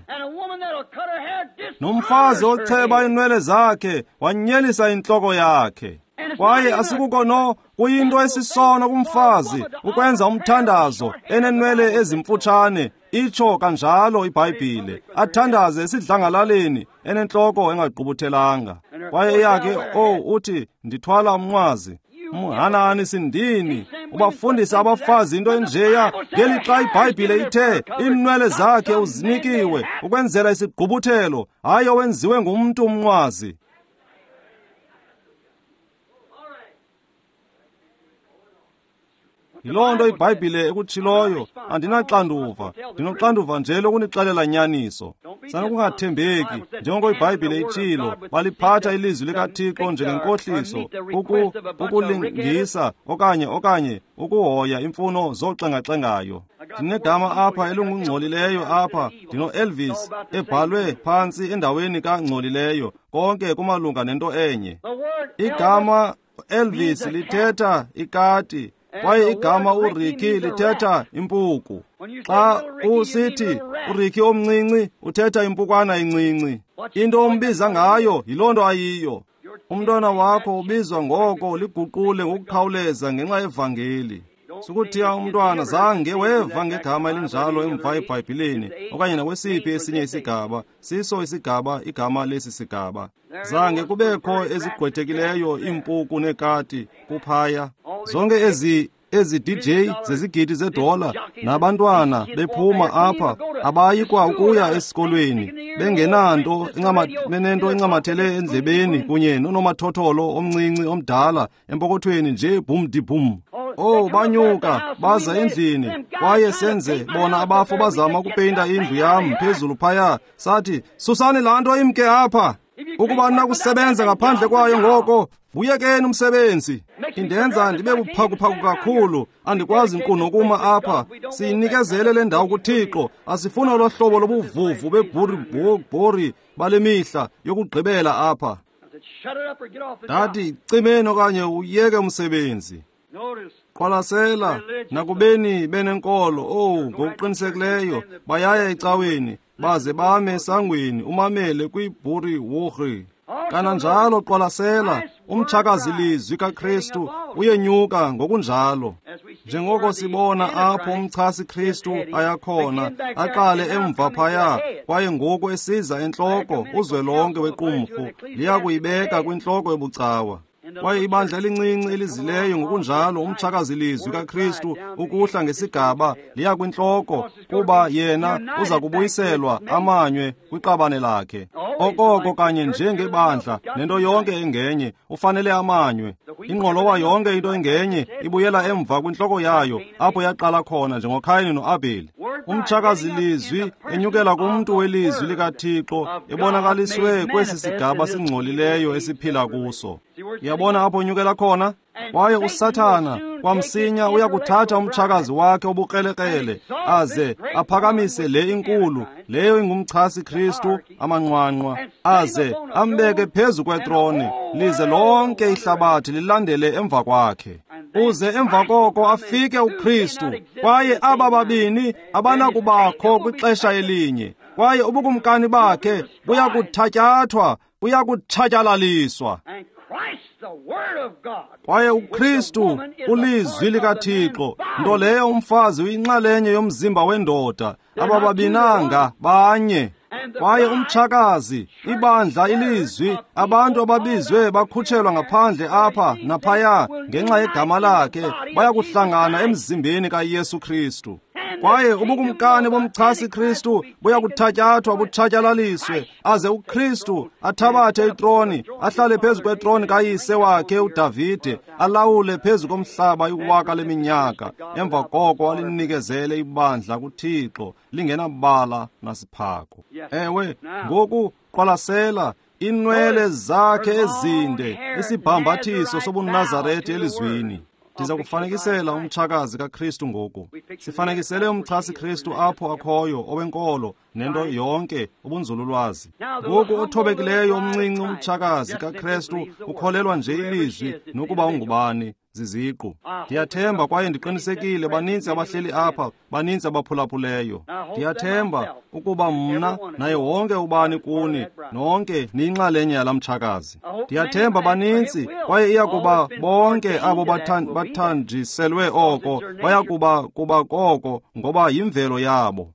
Nomfazi ocheba iinwele zakhe wanyelisa intloko yakhe. Kwaye asikuko no kuyinto esisono kumfazi ukwenza umthandazo enenwele ezimfutshane, itsho kanjalo iBhayibhile, athandaze esidlangalaleni enentloko engagqubuthelanga. Kwaye eyakhe, oh, uthi ndithwala umnqwazi. Mhanani sindini, ubafundisa abafazi into enjeya, ngelixa iBhayibhile ithe iinwele zakhe uzinikiwe ukwenzela isigqubuthelo, hayi owenziwe ngumntu umnqwazi. Yiloo nto iBhayibhile ekutshiloyo. Andinaxanduva, ndinoxanduva nje lokunixelela nyaniso. Sanokungathembeki, njengoko iBhayibhile itshilo, baliphatha ilizwi likaThixo njengenkohliso, uku, ukulingisa okanye okanye ukuhoya imfuno zoxengaxengayo. Ndinegama apha elingungcolileyo apha, ndino-Elvis ebhalwe phantsi endaweni kangcolileyo, konke kumalunga nento enye. Igama Elvis lithetha ikati, kwaye igama uRicky lithetha impuku. Xa usithi uRicky omncinci, uthetha impukwana encinci. Into ombiza ngayo yiloo nto ayiyo. Umntwana wakho ubizwa ngoko liguqule ngokukhawuleza ngenxa yevangeli. Sukuthiya umntwana zange weva ngegama elinjalo emva eBhayibhileni okanye nakwesiphi esinye isigaba, siso isigaba igama lesi sigaba. Zange kubekho ezigqwethekileyo iimpuku neekati kuphaya. Zonke ezi ezi D J zezigidi zedola nabantwana bephuma apha abayi kwa ukuya esikolweni bengenanto benento encamathele endlebeni kunye nonomathotholo omncinci omdala empokothweni nje bum di bum. Oh, banyuka baza endlini kwaye senze bona abafo bazama ukupeyinta indlu yam phezulu phaya. Sathi, susani laa nto imke apha. Ukuba nakusebenza ngaphandle kwayo ngoko buyekeni umsebenzi. Indenza ndibe buphakuphaku kakhulu, andikwazi nkqu nokuma apha. Siyinikezele le ndawo kuThixo. Asifuna olo hlobo lobuvuvu bebhuri bale mihla yokugqibela apha. Ndathi, cimeni okanye uyeke umsebenzi. Qwalasela, nakubeni benenkolo, owu, ngokuqinisekileyo bayaya ecaweni baze bame esangweni umamele kwibhuri wurhi. Kananjalo qwalasela, umtshakazi lizwi kaKristu uyenyuka ngokunjalo. Njengoko sibona apho umchasi Kristu ayakhona, aqale emva phaya, kwaye ngoku esiza entloko uzwelonke wequmrhu liyakuyibeka kwintloko yobucawa. Kwaye ibandla elincinci elizileyo ngokunjalo umtshakazi lizwi kaKristu ukuhla ngesigaba liya kwintloko, kuba yena uza kubuyiselwa amanywe kwiqabane lakhe. Okoko kanye njengebandla nento yonke engenye ufanele amanywe. Ingqolowa yonke into engenye ibuyela emva kwintloko yayo apho yaqala khona njengoKhayini noAbheli. Umtshakazi lizwi enyukela kumntu welizwi likaThixo ebonakaliswe kwesi sigaba singcolileyo esiphila kuso. Yabona apho unyukela khona? Kwaye uSathana kwamsinya uyakuthatha umtshakazi wakhe obukrelekrele aze aphakamise le inkulu, leyo ingumchasi Kristu amanqwanqwa, aze ambeke phezu kwetrone, lize lonke ihlabathi lilandele emva kwakhe. Uze emva koko afike uKristu, kwaye aba babini abanakubakho kwixesha elinye, kwaye ubukumkani bakhe buyakuthatyathwa, buyakutshatyalaliswa. Kwaye uKristu ulizwi likaThixo, nto leyo umfazi uyinxalenye yomzimba wendoda, abababinanga banye. Kwaye umtshakazi, ibandla, ilizwi, abantu ababizwe bakhutshelwa ngaphandle apha naphaya ngenxa yegama lakhe, bayakuhlangana emzimbeni kaYesu Kristu. Kwaye ubukumkani bomchasi Kristu buyakuthatyathwa butshatyalaliswe, aze uKristu athabathe itroni, ahlale phezu kwetroni kayise wakhe uDavide, alawule phezu komhlaba iwaka leminyaka. Emva koko alinikezele ibandla kuThixo lingenabala nasiphako. Ewe, ngoku qwalasela inwele zakhe ezinde, isibhambathiso sobuNazaretha elizwini. Ndiza kufanekisela umtshakazi kaKristu ngoku. Sifanekisele umchasi Kristu apho akhoyo owenkolo nento yonke ubunzululwazi. Ngoku othobekileyo omncinci umtshakazi kaKristu ukholelwa nje ilizwi nokuba ungubani ziziqu. Ndiyathemba kwaye ndiqinisekile baninzi abahleli apha, baninzi abaphulaphuleyo. Ndiyathemba ukuba mna naye wonke ubani kuni nonke niyinxalenye yala mtshakazi. Ndiyathemba baninzi kwaye iyakuba bonke abo bathanjiselwe oko bayakuba kuba koko ngoba yimvelo yabo.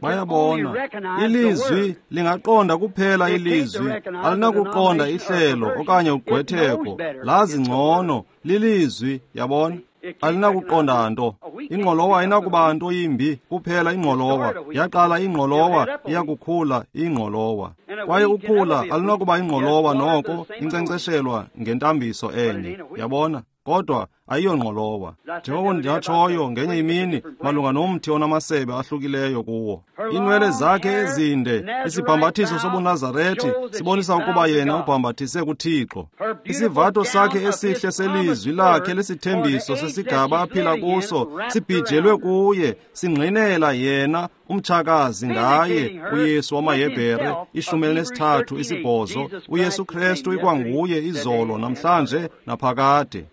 Bayabona, ilizwi lingaqonda kuphela ilizwi, alinakuqonda ihlelo okanye ugqwetheko, lazi ngcono lilizwi, yabona? Alinakuqonda nto. Ingqolowa ayinakuba nto yimbi, kuphela ingqolowa. Yaqala ingqolowa, iyakukhula ingqolowa. Kwaye ukhula alunakuba ingqolowa noko inkcenkceshelwa ngentambiso enye, yabona? Kodwa ayiyongqolowa. Njengoko ndatshoyo ngenye imini malunga nomthi onamasebe ahlukileyo kuwo. Inwele zakhe ezinde, isibhambathiso sobuNazarethi sibonisa ukuba yena ubhambathise kuThixo. Isivato sakhe esihle selizwi lakhe lesithembiso sesigaba aphila kuso sibhijelwe kuye, singqinela yena umtshakazi ngaye uYesu wamaHebhere ishumi elinesithathu isibhozo. uYesu Kristu ikwanguye izolo, namhlanje naphakade.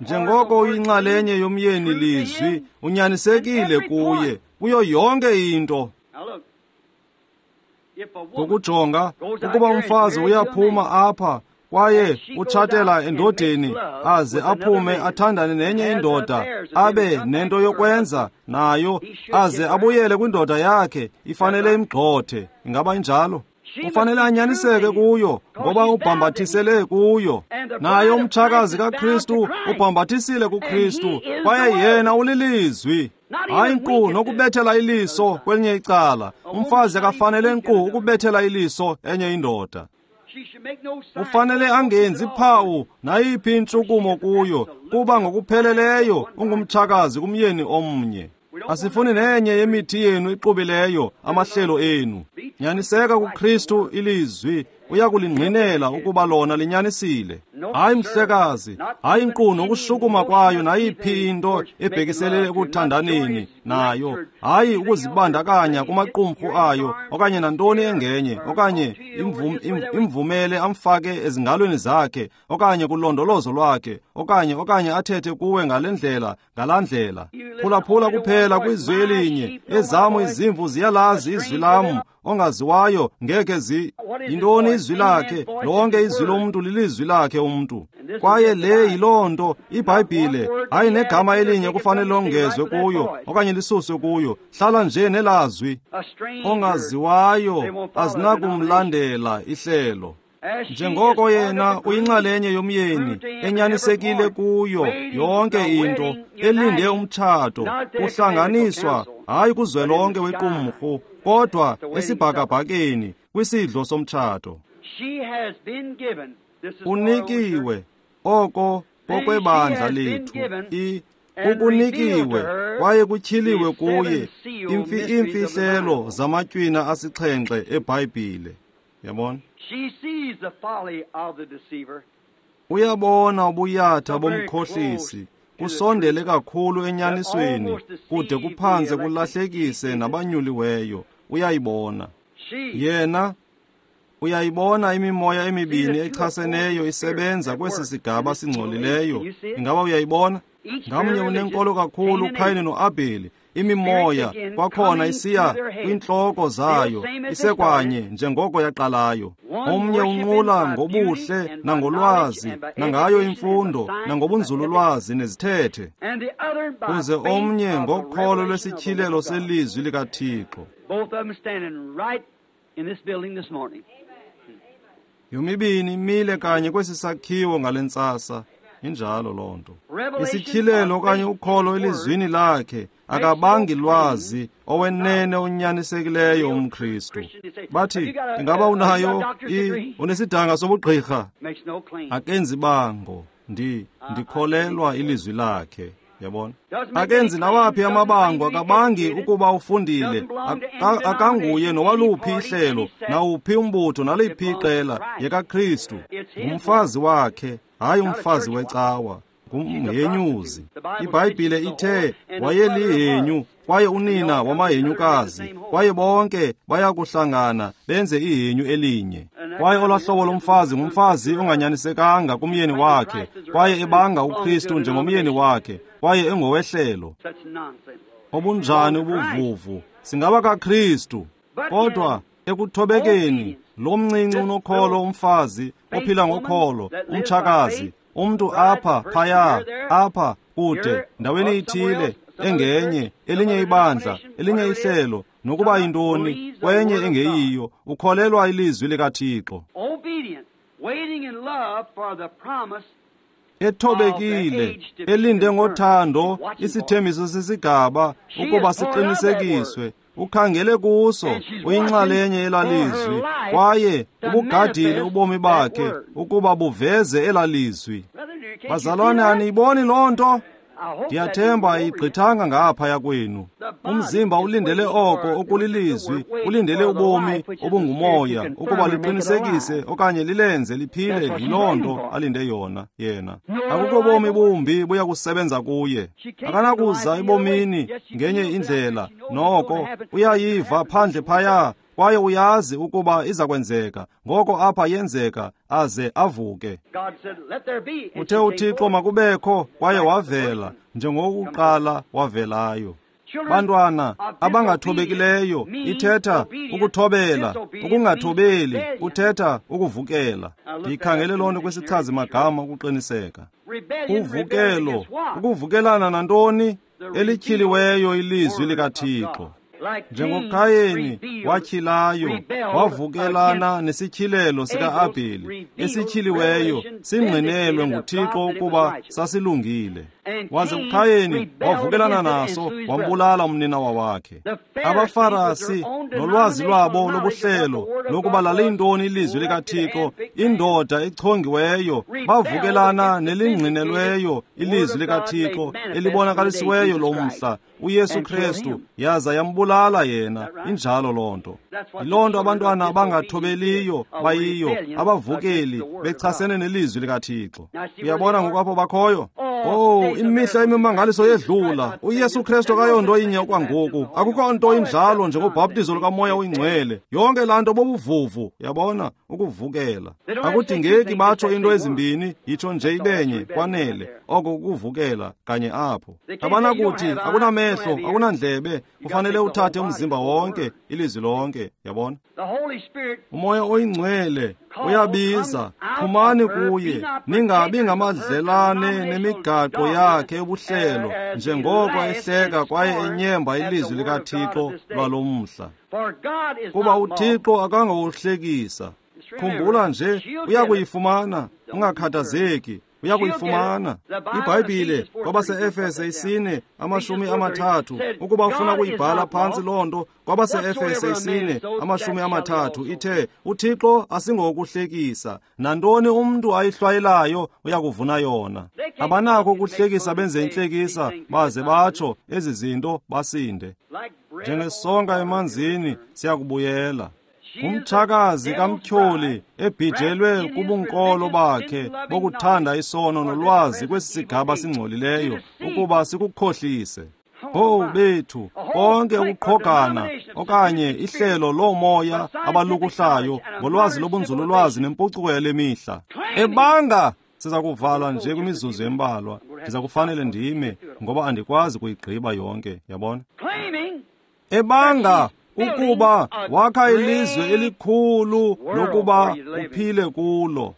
Njengoko uyinxalenye yomyeni lizwi, unyanisekile kuye kuyo yonke into. Ngokujonga ukuba umfazi uyaphuma apha kwaye utshatela endodeni aze aphume athandane nenye indoda abe nento yokwenza nayo aze abuyele kwindoda yakhe, ifanele imgxothe. Ingaba injalo? Ufanele anyaniseke kuyo ngoba ubhambathisele kuyo. Naye umtshakazi kaKristu ubhambathisile kuKristu kwaye yena ulilizwi. Hayi nkqu nokubethela iliso kwelinye icala. Umfazi akafanele nkqu ukubethela iliso enye indoda. Ufanele angenzi phawu nayiphi intshukumo kuyo, kuba ngokupheleleyo ungumtshakazi kumyeni omnye. Asifuni nenye yemithi yenu ixubileyo, amahlelo enu. Nyaniseka kuKristu ilizwi, uyakulingqinela ukuba lona linyanisile. Hayi mhlekazi, hayi nkqu nokushukuma kwayo nayiphi into ebhekiselele ekuthandaneni nayo, hayi ukuzibandakanya kumaqumrhu ayo okanye nantoni engenye, okanye imvum, imvumele amfake ezingalweni zakhe okanye kulondolozo lwakhe okanye okanye athethe kuwe ngale ndlela ngalaa ndlela. Phulaphula kuphela kwizwi elinye, ezam izimvu ziyalazi izwi lam, ongaziwayo ngeke zi. Yintoni izwi lakhe? Lonke izwi lomntu lilizwi lakhe umntu. Kwaye le yiloo nto iBhayibhile, hayi negama elinye kufanele longezwe kuyo okanye lisuswe kuyo. Hlala nje nelazwi. Ongaziwayo azinakumlandela ihlelo. Njengoko yena uyinxalenye yomyeni, enyanisekile kuyo yonke into, elinde umtshato, uhlanganiswa hayi kuzwelonke wequmrhu, kodwa esibhakabhakeni kwisidlo somtshato. Unikiwe oko kokwebandla lethu, i ukunikiwe kwaye kutyhiliwe kuye iimfihlelo zamatywina asixhenxe eBhayibhile. Yabona? Uyabona ubuyatha bomkhohlisi kusondele kakhulu enyanisweni, kude kuphantse kulahlekise nabanyuliweyo. Uyayibona yena, uyayibona imimoya emibini echaseneyo isebenza kwesi sigaba singcolileyo. Ingaba uyayibona? Ngamnye unenkolo kakhulu, uKhayini noAbheli. Imimoya kwakhona isiya kwintloko zayo, isekwanye njengoko yaqalayo. Omnye unqula ngobuhle nangolwazi, nangayo imfundo, nangobunzululwazi nezithethe, kuze omnye ngokholo lwesityhilelo selizwi likaThixo. Yomibini imile kanye kwesi sakhiwo ngale ntsasa. Injalo loo nto. Isityhilelo okanye ukholo elizwini lakhe akabangi lwazi owenene onyanisekileyo umKristu. Bathi, ingaba unayo i unesidanga sobugqirha? Akenzi bango, ndi ndikholelwa ilizwi lakhe. Yabona? Akenzi nawaphi amabango, akabangi ukuba ufundile, akanguye nowaluphi ihlelo, nawuphi umbutho, naliphi iqela, yekaKristu. Ngumfazi wakhe, hayi umfazi wecawa, ngumhenyuzi. IBhayibhile ithe wayelihenyu kwaye unina wamahenyukazi, kwaye bonke bayakuhlangana benze ihenyu elinye. Kwaye olwahlobo lomfazi ngumfazi onganyanisekanga kumyeni wakhe, kwaye ebanga uKristu njengomyeni wakhe, kwaye engowehlelo. Obunjani ubuvuvu! Singaba kaKristu, kodwa ekuthobekeni lo mncinci unokholo, umfazi ophila ngokholo, umtshakazi, umntu apha phaya, apha kude, ndaweni ithile engenye, elinye ibandla, elinye ihlelo, nokuba yintoni, kwenye engeyiyo, ukholelwa ilizwi likaThixo. Ethobekile, elinde ngothando isithembiso sesigaba ukuba siqinisekiswe, ukhangele kuso, uyinxalenye elalizwi, kwaye ubugadile ubomi bakhe ukuba buveze elalizwi. Bazalwane, aniyiboni loo nto? Ndiyathemba ayigqithanga ngaphaya kwenu. Umzimba ulindele oko okulilizwi, ulindele ubomi obungumoya ukuba liqinisekise okanye lilenze liphile. Yiloo nto alinde yona yena. Akukho bomi bumbi buya kusebenza kuye. Akanakuza ebomini ngenye indlela, noko uyayiva phandle phaya, kwaye uyazi ukuba iza kwenzeka. Ngoko apha yenzeka, aze avuke. Uthe uThixo makubekho, kwaye wavela, njengokuqala wavelayo. Bantwana abangathobekileyo ithetha ukuthobela, ukungathobeli kuthetha ukuvukela. Ndiyikhangele loo nto kwisichazi magama ukuqiniseka. Uvukelo, ukuvukelana nantoni? Elityhiliweyo ilizwi likaThixo. NjengoKayeni watyhilayo, wavukelana nesityhilelo sika-Abheli esityhiliweyo singqinelwe nguThixo ukuba sasilungile. Waze uKayeni wavukelana naso, wambulala umninawa wakhe. AbaFarasi nolwazi lwabo lobuhlelo lokuba laliyintoni ilizwi likaThixo, indoda echongiweyo, bavukelana nelingqinelweyo ilizwi likaThixo elibonakalisiweyo lomhla, uYesu Kristu, yaza yambulala yena. Injalo loo nto. Yiloo nto abantwana abangathobeliyo bayiyo, abavukeli, bechasene nelizwi likaThixo. Uyabona ngokwapho bakhoyo? Oh, imihla imimangaliso yedlula. UYesu Kristu akayonto inye okwangoku. Akukho nto injalo njengobhaptizo lukaMoya oyiNgcwele. Yonke laa nto bobuvuvu, yabona, ukuvukela. Akudingeki batsho into ezimbini, yitsho nje ibenye, kwanele. Oko kukuvukela kanye apho. Abanakuthi akunamehlo, akunandlebe, kufanele uthathe umzimba wonke, ilizwi lonke, yabona. UMoya oyiNgcwele uyabiza, phumani kuye, ningabi ngamadlelane nemigaqo yakhe yobuhlelo, njengoko ehleka kwaye enyemba ilizwi likaThixo lwalo mhla. Kuba uThixo akangowohlekisa. Khumbula nje, uyakuyifumana, ungakhathazeki. Uyakuyifumana. IBhayibhile kwabase-Efese isine amashumi amathathu, ukuba ufuna kuyibhala phantsi loo nto, kwabase-Efese isine amashumi amathathu ithe, uThixo asingowokuhlekisa, nantoni umntu ayihlwayelayo uyakuvuna yona. Abanakho ukuhlekisa benze intlekisa, baze batsho ezi zinto basinde. Njengesonka emanzini siyakubuyela. Ngumtshakazi kamtyholi ebhijelwe kubunkolo bakhe bokuthanda isono nolwazi kwesi sigaba singcolileyo ukuba sikukhohlise. Oh bethu, konke ukuqhogana okanye ihlelo loomoya abalukuhlayo ngolwazi lobunzululwazi nempucuko yale mihla. Ebanga siza kuvalwa nje kwimizuzu embalwa. Ndiza kufanele ndime ngoba andikwazi kuyigqiba yonke, yabona? Ebanga ukuba wakha ilizwe elikhulu lokuba uphile kulo.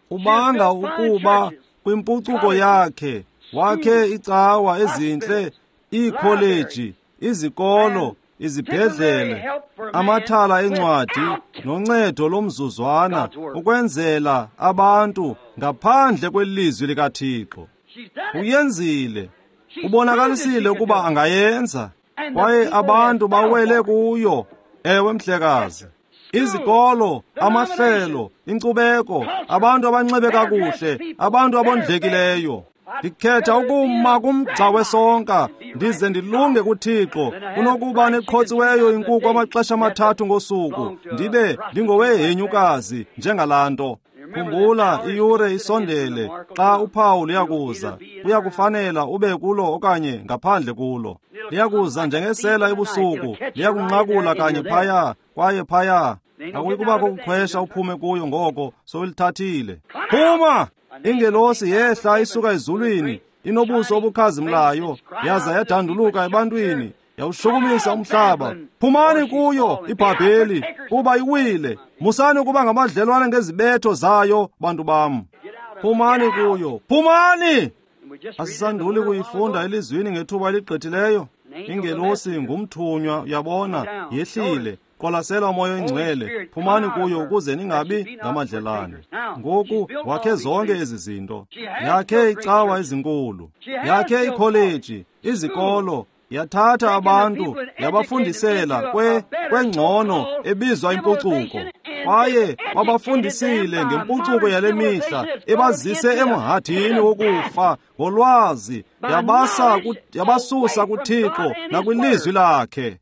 Ubanga ukuba kwimpucuko yakhe wakhe icawa ezintle, iikholeji, izikolo, izibhedlele, amathala encwadi noncedo lomzuzwana ukwenzela abantu ngaphandle kwelizwi likaThixo. Uyenzile, ubonakalisile ukuba angayenza, kwaye abantu bawele kuyo. Ewe mhlekazi. Izikolo, amahlelo, inkcubeko, abantu abanxibe kakuhle, abantu abondlekileyo. Ndikhetha ukuma kumgca wesonka ndize ndilunge kuThixo kunokuba neqhotsiweyo inkuku amaxesha amathathu ngosuku ndibe ndingowehenyukazi njengalaa nto. Khumbula, iyure isondele xa uphawu luyakuza. Kuyakufanela ube kulo okanye ngaphandle kulo. Liyakuza njengesela ebusuku, liyakunqakula kanye phaya kwaye phaya. Akuyi kubakho kuqhwesha uphume kuyo ngoko sowulithathile. Phuma! Ingelosi yehla isuka ezulwini, inobuso obukhazimlayo, yaza yadanduluka ebantwini, yawushukumisa umhlaba. Phumani kuyo iBhabheli, kuba iwile. Musani ukuba ngamadlelwane ngezibetho zayo, bantu bam. Phumani kuyo, phumani! Asisanduli kuyifunda elizwini ngethuba eligqithileyo. Ingelosi ngumthunywa, uyabona, yehlile. Qwalasela uMoya oyiNgcwele, phumani kuyo ukuze ningabi ngamadlelane. Ngoku wakhe zonke ezi zinto. Yakhe icawa ezinkulu, yakhe ikholeji, izikolo, yathatha abantu yabafundisela kwe kwengcono ebizwa impucuko. Kwaye babafundisile ngempucuko yale mihla ebazise emhadini wokufa ngolwazi, yabasa yabasusa kuThixo nakwilizwi lakhe.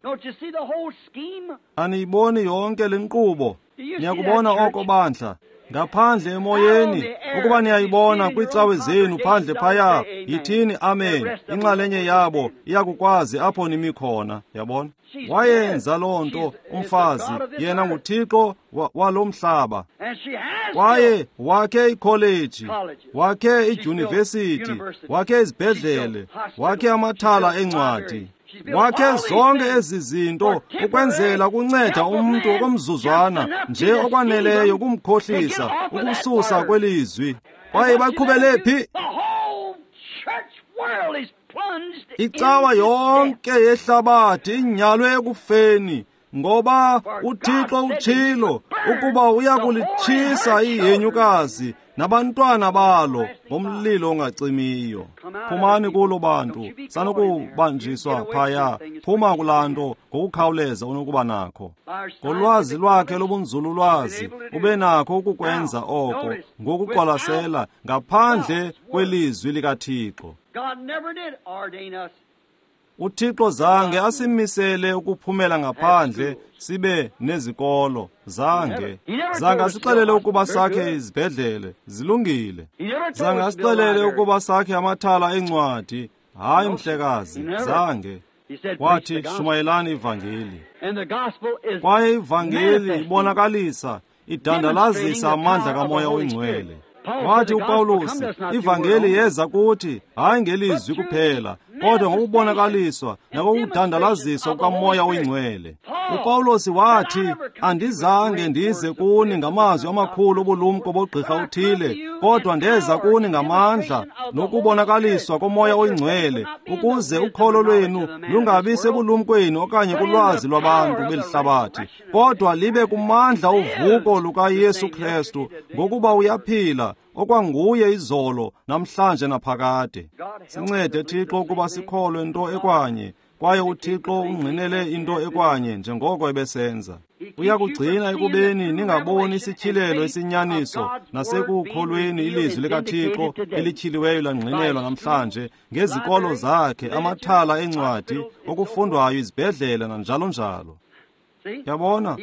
Aniyiboni yonke le nkqubo? Niyakubona oko bandla. Ngaphandle emoyeni, ukuba niyayibona kwiicawe zenu phandle phaya, yithini amen. Inxalenye yabo iyakukwazi apho nimi khona, yabona. Wayenza loo nto umfazi, yena nguThixo walo mhlaba. Kwaye wakhe ikholeji, wakhe idyunivesithi, wakhe izibhedlele, wakhe amathala eencwadi, wakhe zonke ezi zinto ukwenzela ukunceda umntu okomzuzwana nje okwaneleyo ukumkhohlisa, ukususa kwelizwi. Kwaye baqhubele phi? Icawa yonke yehlabathi inyalwe ekufeni, ngoba uThixo utshilo ukuba uyakulitshisa ihenyukazi nabantwana balo ngomlilo ongacimiyo. Phumani kulo bantu, sanokubanjiswa phaya. Phuma kulaa nto ngokukhawuleza unokuba nakho. Ngolwazi lwakhe lobunzululwazi ube nakho ukukwenza oko ngokuqwalasela ngaphandle kwelizwi likaThixo. UThixo zange asimisele ukuphumela ngaphandle sibe nezikolo, zange. Zange asixelele ukuba sakhe izibhedlele, zilungile. Zange asixelele ukuba sakhe amathala eencwadi, hayi mhlekazi, zange. Wathi shumayelani ivangeli. Kwaye ivangeli ibonakalisa, idandalazisa amandla kaMoya oyiNgcwele. Wathi uPawulos, ivangeli yeza kuthi hayi ngelizwi kuphela, kodwa ngokubonakaliswa nangokudandalaziswa kukaMoya oyiNgcwele. uPawulos wathi, andizange ndize kuni ngamazwi amakhulu obulumko bogqirha uthile, kodwa ndeza kuni ngamandla nokubonakaliswa koMoya oyiNgcwele, ukuze ukholo lwenu lungabi sebulumkweni okanye kulwazi lwabantu belihlabathi, kodwa libe kumandla ovuko lukaYesu Kristu, ngokuba uyaphila okwanguye izolo, namhlanje naphakade. Sincede Thixo ukuba sikholwe nto ekwanye, kwaye uThixo ungqinele into ekwanye njengoko ebesenza. Uyakugcina ekubeni ningaboni isityhilelo esinyaniso nasekukholweni ilizwi likaThixo elityhiliweyo langqinelwa namhlanje ngezikolo zakhe, amathala eencwadi, okufundwayo, izibhedlele nanjalo njalo. Yabona,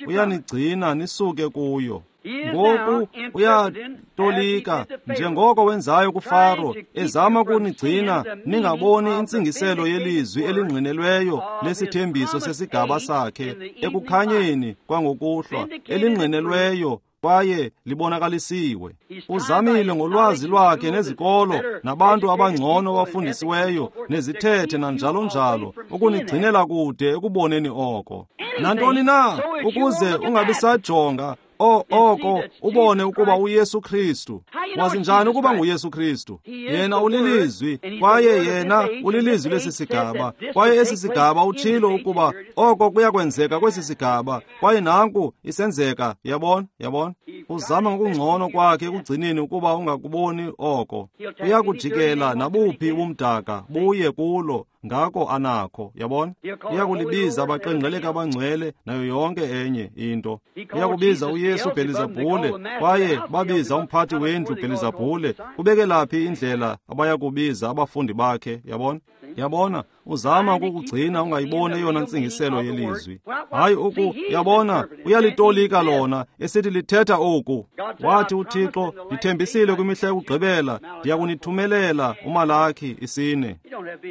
uyanigcina nisuke kuyo. Ngoku uyatolika njengoko wenzayo kuFaro, ezama kunigcina ningaboni intsingiselo yelizwi elingqinelweyo lesithembiso sesigaba sakhe ekukhanyeni kwangokuhlwa, elingqinelweyo kwaye libonakalisiwe. Uzamile ngolwazi lwakhe nezikolo nabantu abangcono abafundisiweyo nezithethe nanjalo njalo ukunigcinela kude ekuboneni oko. Nantoni na ukuze ungabisajonga O oko ubone ukuba uYesu Kristu. Wazi njani ukuba nguYesu Kristu? Yena ulilizwi, kwaye yena ulilizwi lesi sigaba, kwaye esi sigaba utshilo ukuba oko kuyakwenzeka kwesi sigaba, kwaye nanku isenzeka. Yabona, yabona. Uzama ngokungcono kwakhe ekugcineni ukuba ungakuboni oko. Uyakujikela nabuphi ubumdaka buye kulo, ngako anakho, yabona. Uyakulibiza abaqengqeleka abangcwele nayo yonke enye into. Uyakubiza uYesu Bhelizabhule, kwaye babiza umphathi wendlu Bhelizabhule. Kubekelaphi indlela abayakubiza abafundi bakhe, yabona. Yabona, uzama ukukugcina ungayiboni eyona ntsingiselo yelizwi. Hayi uku, yabona, uyalitolika lona, esithi lithetha oku. Wathi uThixo, ndithembisile kwimihla yokugqibela, ndiyakunithumelela uMalaki isine.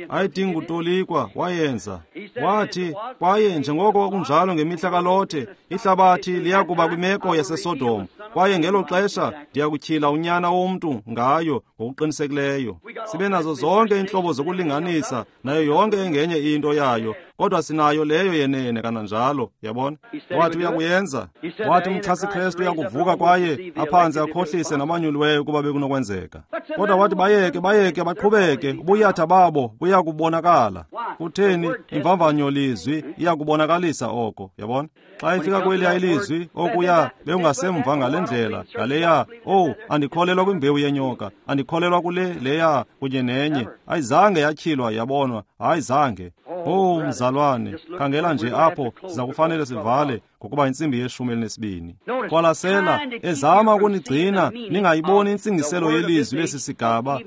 Ayidingi kutolikwa, wayenza. Wathi, kwaye njengoko kwakunjalo ngemihla kaLothe, ihlabathi liyakuba kwimeko yaseSodom, kwaye ngelo xesha ndiyakutyhila unyana womntu ngayo ngokuqinisekileyo. Sibe nazo zonke iintlobo zokulinganisa nayo yonke engenye into yayo, kodwa sinayo leyo yenene kananjalo, yabona. Wathi uyakuyenza. Wathi umchasi Kristu uyakuvuka kwaye aphantse akhohlise namanyuliweyo ukuba bekunokwenzeka. Kodwa wathi bayeke, bayeke, baqhubeke, ubuyatha babo buyakubonakala. Kutheni? Imvamvanyo lizwi iyakubonakalisa oko, yabona. Xa ifika kweliya ilizwi, okuya bekungasemva ngale ndlela, ngaleya, oh, andikholelwa kwimbewu yenyoka, andikholelwa kule leya kunye nenye. Ayizange yatyhilwa, yabonwa, hayi zange. Oh, mzalwane, khangela nje apho, siza kufanele sivale ngokuba intsimbi yeshumi elinesibini. Qwalasela, ezama ukunigcina ningayiboni intsingiselo yelizwi lesi sigaba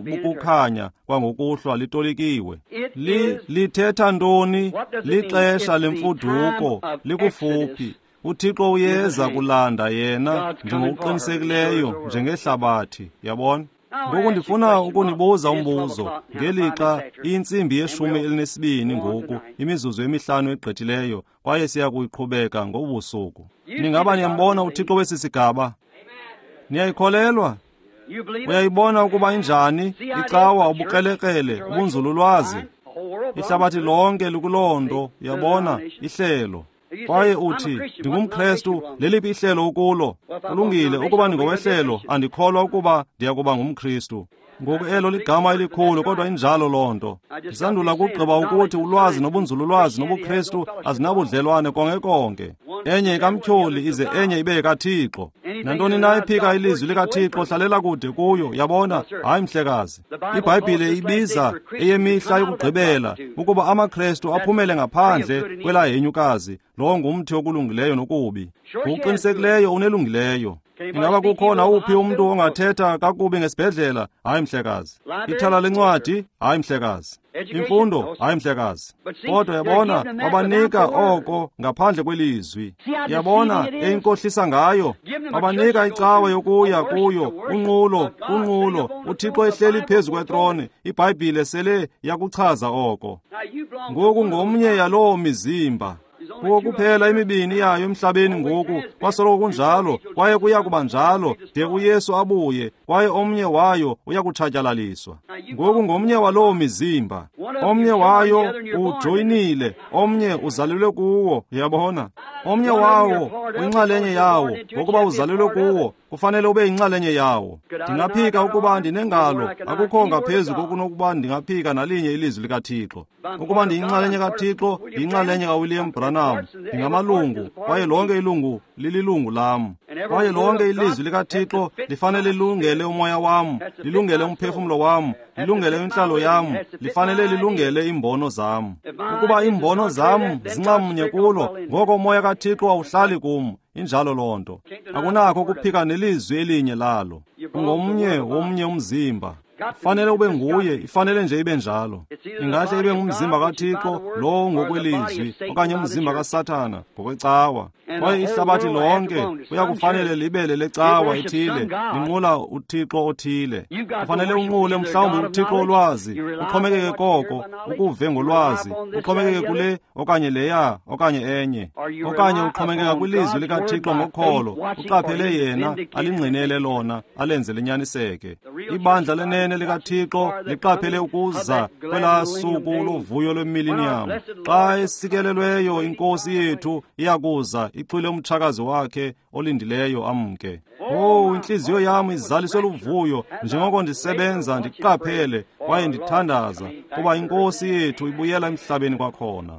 lokukhanya kwangokuhlwa litolikiwe. Li lithetha ntoni? Lixesha lemfuduko likufuphi. UThixo uyeza kulanda yena njengokuqinisekileyo njengehlabathi, yabona. Ngoku ndifuna ukunibuza umbuzo ngelixa iyintsimbi yeshumi elinesibini ngoku, imizuzu emihlanu egqithileyo, kwaye siya kuyiqhubeka ngobusuku. Ningaba niyambona uThixo wesi sigaba? Niyayikholelwa? Uyayibona ukuba injani icawa, ubukrelekrele, ubunzululwazi? Ihlabathi lonke likuloo nto, yabona, ihlelo. Kwaye uthi, ndingumKrestu, leliphi ihlelo ukulo? Kulungile, ukuba ndingowehlelo, andikholwa ukuba ndiyakuba ngumKristu. Ngoku elo ligama elikhulu, kodwa injalo loo nto. Ndisandula kugqiba ukuthi ulwazi nobunzululwazi nobuKristu azinabudlelwane konke konke. Enye ikamtyholi ize enye ibe yekaThixo. Nantoni na ephika ilizwi likaThixo, hlalela kude kuyo, yabona? Hayi, mhlekazi. IBhayibhile ibiza eyemihla yokugqibela ukuba amaKrestu aphumele ngaphandle kwelaa henyukazi. Lowo ngumthi okulungileyo nokubi. Ngokuqinisekileyo unelungileyo. Ingaba kukho nawuphi umntu ongathetha kakubi ngesibhedlela? Hayi, mhlekazi. Ithala lencwadi? Hayi, mhlekazi. Imfundo? Hayi, mhlekazi. Kodwa yabona, babanika oko ngaphandle kwelizwi. Yabona eyinkohlisa ngayo? Babanika icawa yokuya kuyo, unqulo, unqulo, uThixo ehleli phezu kwetrone. IBhayibhile sele yakuchaza oko. Ngoku ngomnye yaloo mizimba. Kuwo kuphela imibini yayo emhlabeni ngoku, kwasoloko kunjalo, kwaye kuya kuba njalo de uYesu abuye, kwaye omnye wayo uyakutshatyalaliswa. Ngoku ngomnye waloo mizimba, omnye wayo ujoyinile, omnye uzalelwe kuwo, yabona. Omnye wawo uyinxalenye yawo, ngokuba uzalelwe kuwo, kufanele ube yinxalenye yawo. Ndingaphika ukuba ndinengalo, akukho ngaphezu kokunokuba ndingaphika nalinye ilizwi likaThixo. Ukuba ndiyinxalenye kaThixo, ndiyinxalenye kaWilliam Branham, ndingamalungu, kwaye lonke ilungu lililungu lam. Kwaye lonke ilizwi likaThixo lifanele lilungele umoya wam, lilungele umphefumlo wam, lilungele intlalo yam, lifanele lilungele iimbono zam. Ukuba iimbono zam zinxamnye kulo, ngoko umoya kaThixo awuhlali kum. Injalo loo nto. Akunakho ukuphika nelizwi elinye lalo. Ungomnye womnye umzimba. Ifanele ube nguye, ifanele nje ibe njalo. Ingahle ibe ngumzimba kaThixo lowo ngokwelizwi, okanye umzimba kaSathana ngokwecawa. Kwaye ihlabathi lonke kuyakufanele libele lecawa ethile, linqula uThixo othile. Kufanele unqule mhlawumbi uThixo olwazi, uxhomekeke koko, ukuve ngolwazi, uxhomekeke kule okanye leya okanye enye. Okanye uxhomekeka kwilizwi likaThixo ngokholo, uqaphele yena, alingqinele lona, alenze linyaniseke. Ibandla lenene likaThixo liqaphele ukuza kwelaa suku lovuyo lwemillennium. Xa esikelelweyo iNkosi yethu iyakuza ixhwile umtshakazi wakhe olindileyo amke. Oh, intliziyo yam izaliswe luvuyo njengoko ndisebenza ndiqaphele kwaye ndithandaza kuba iNkosi yethu ibuyela emhlabeni kwakhona.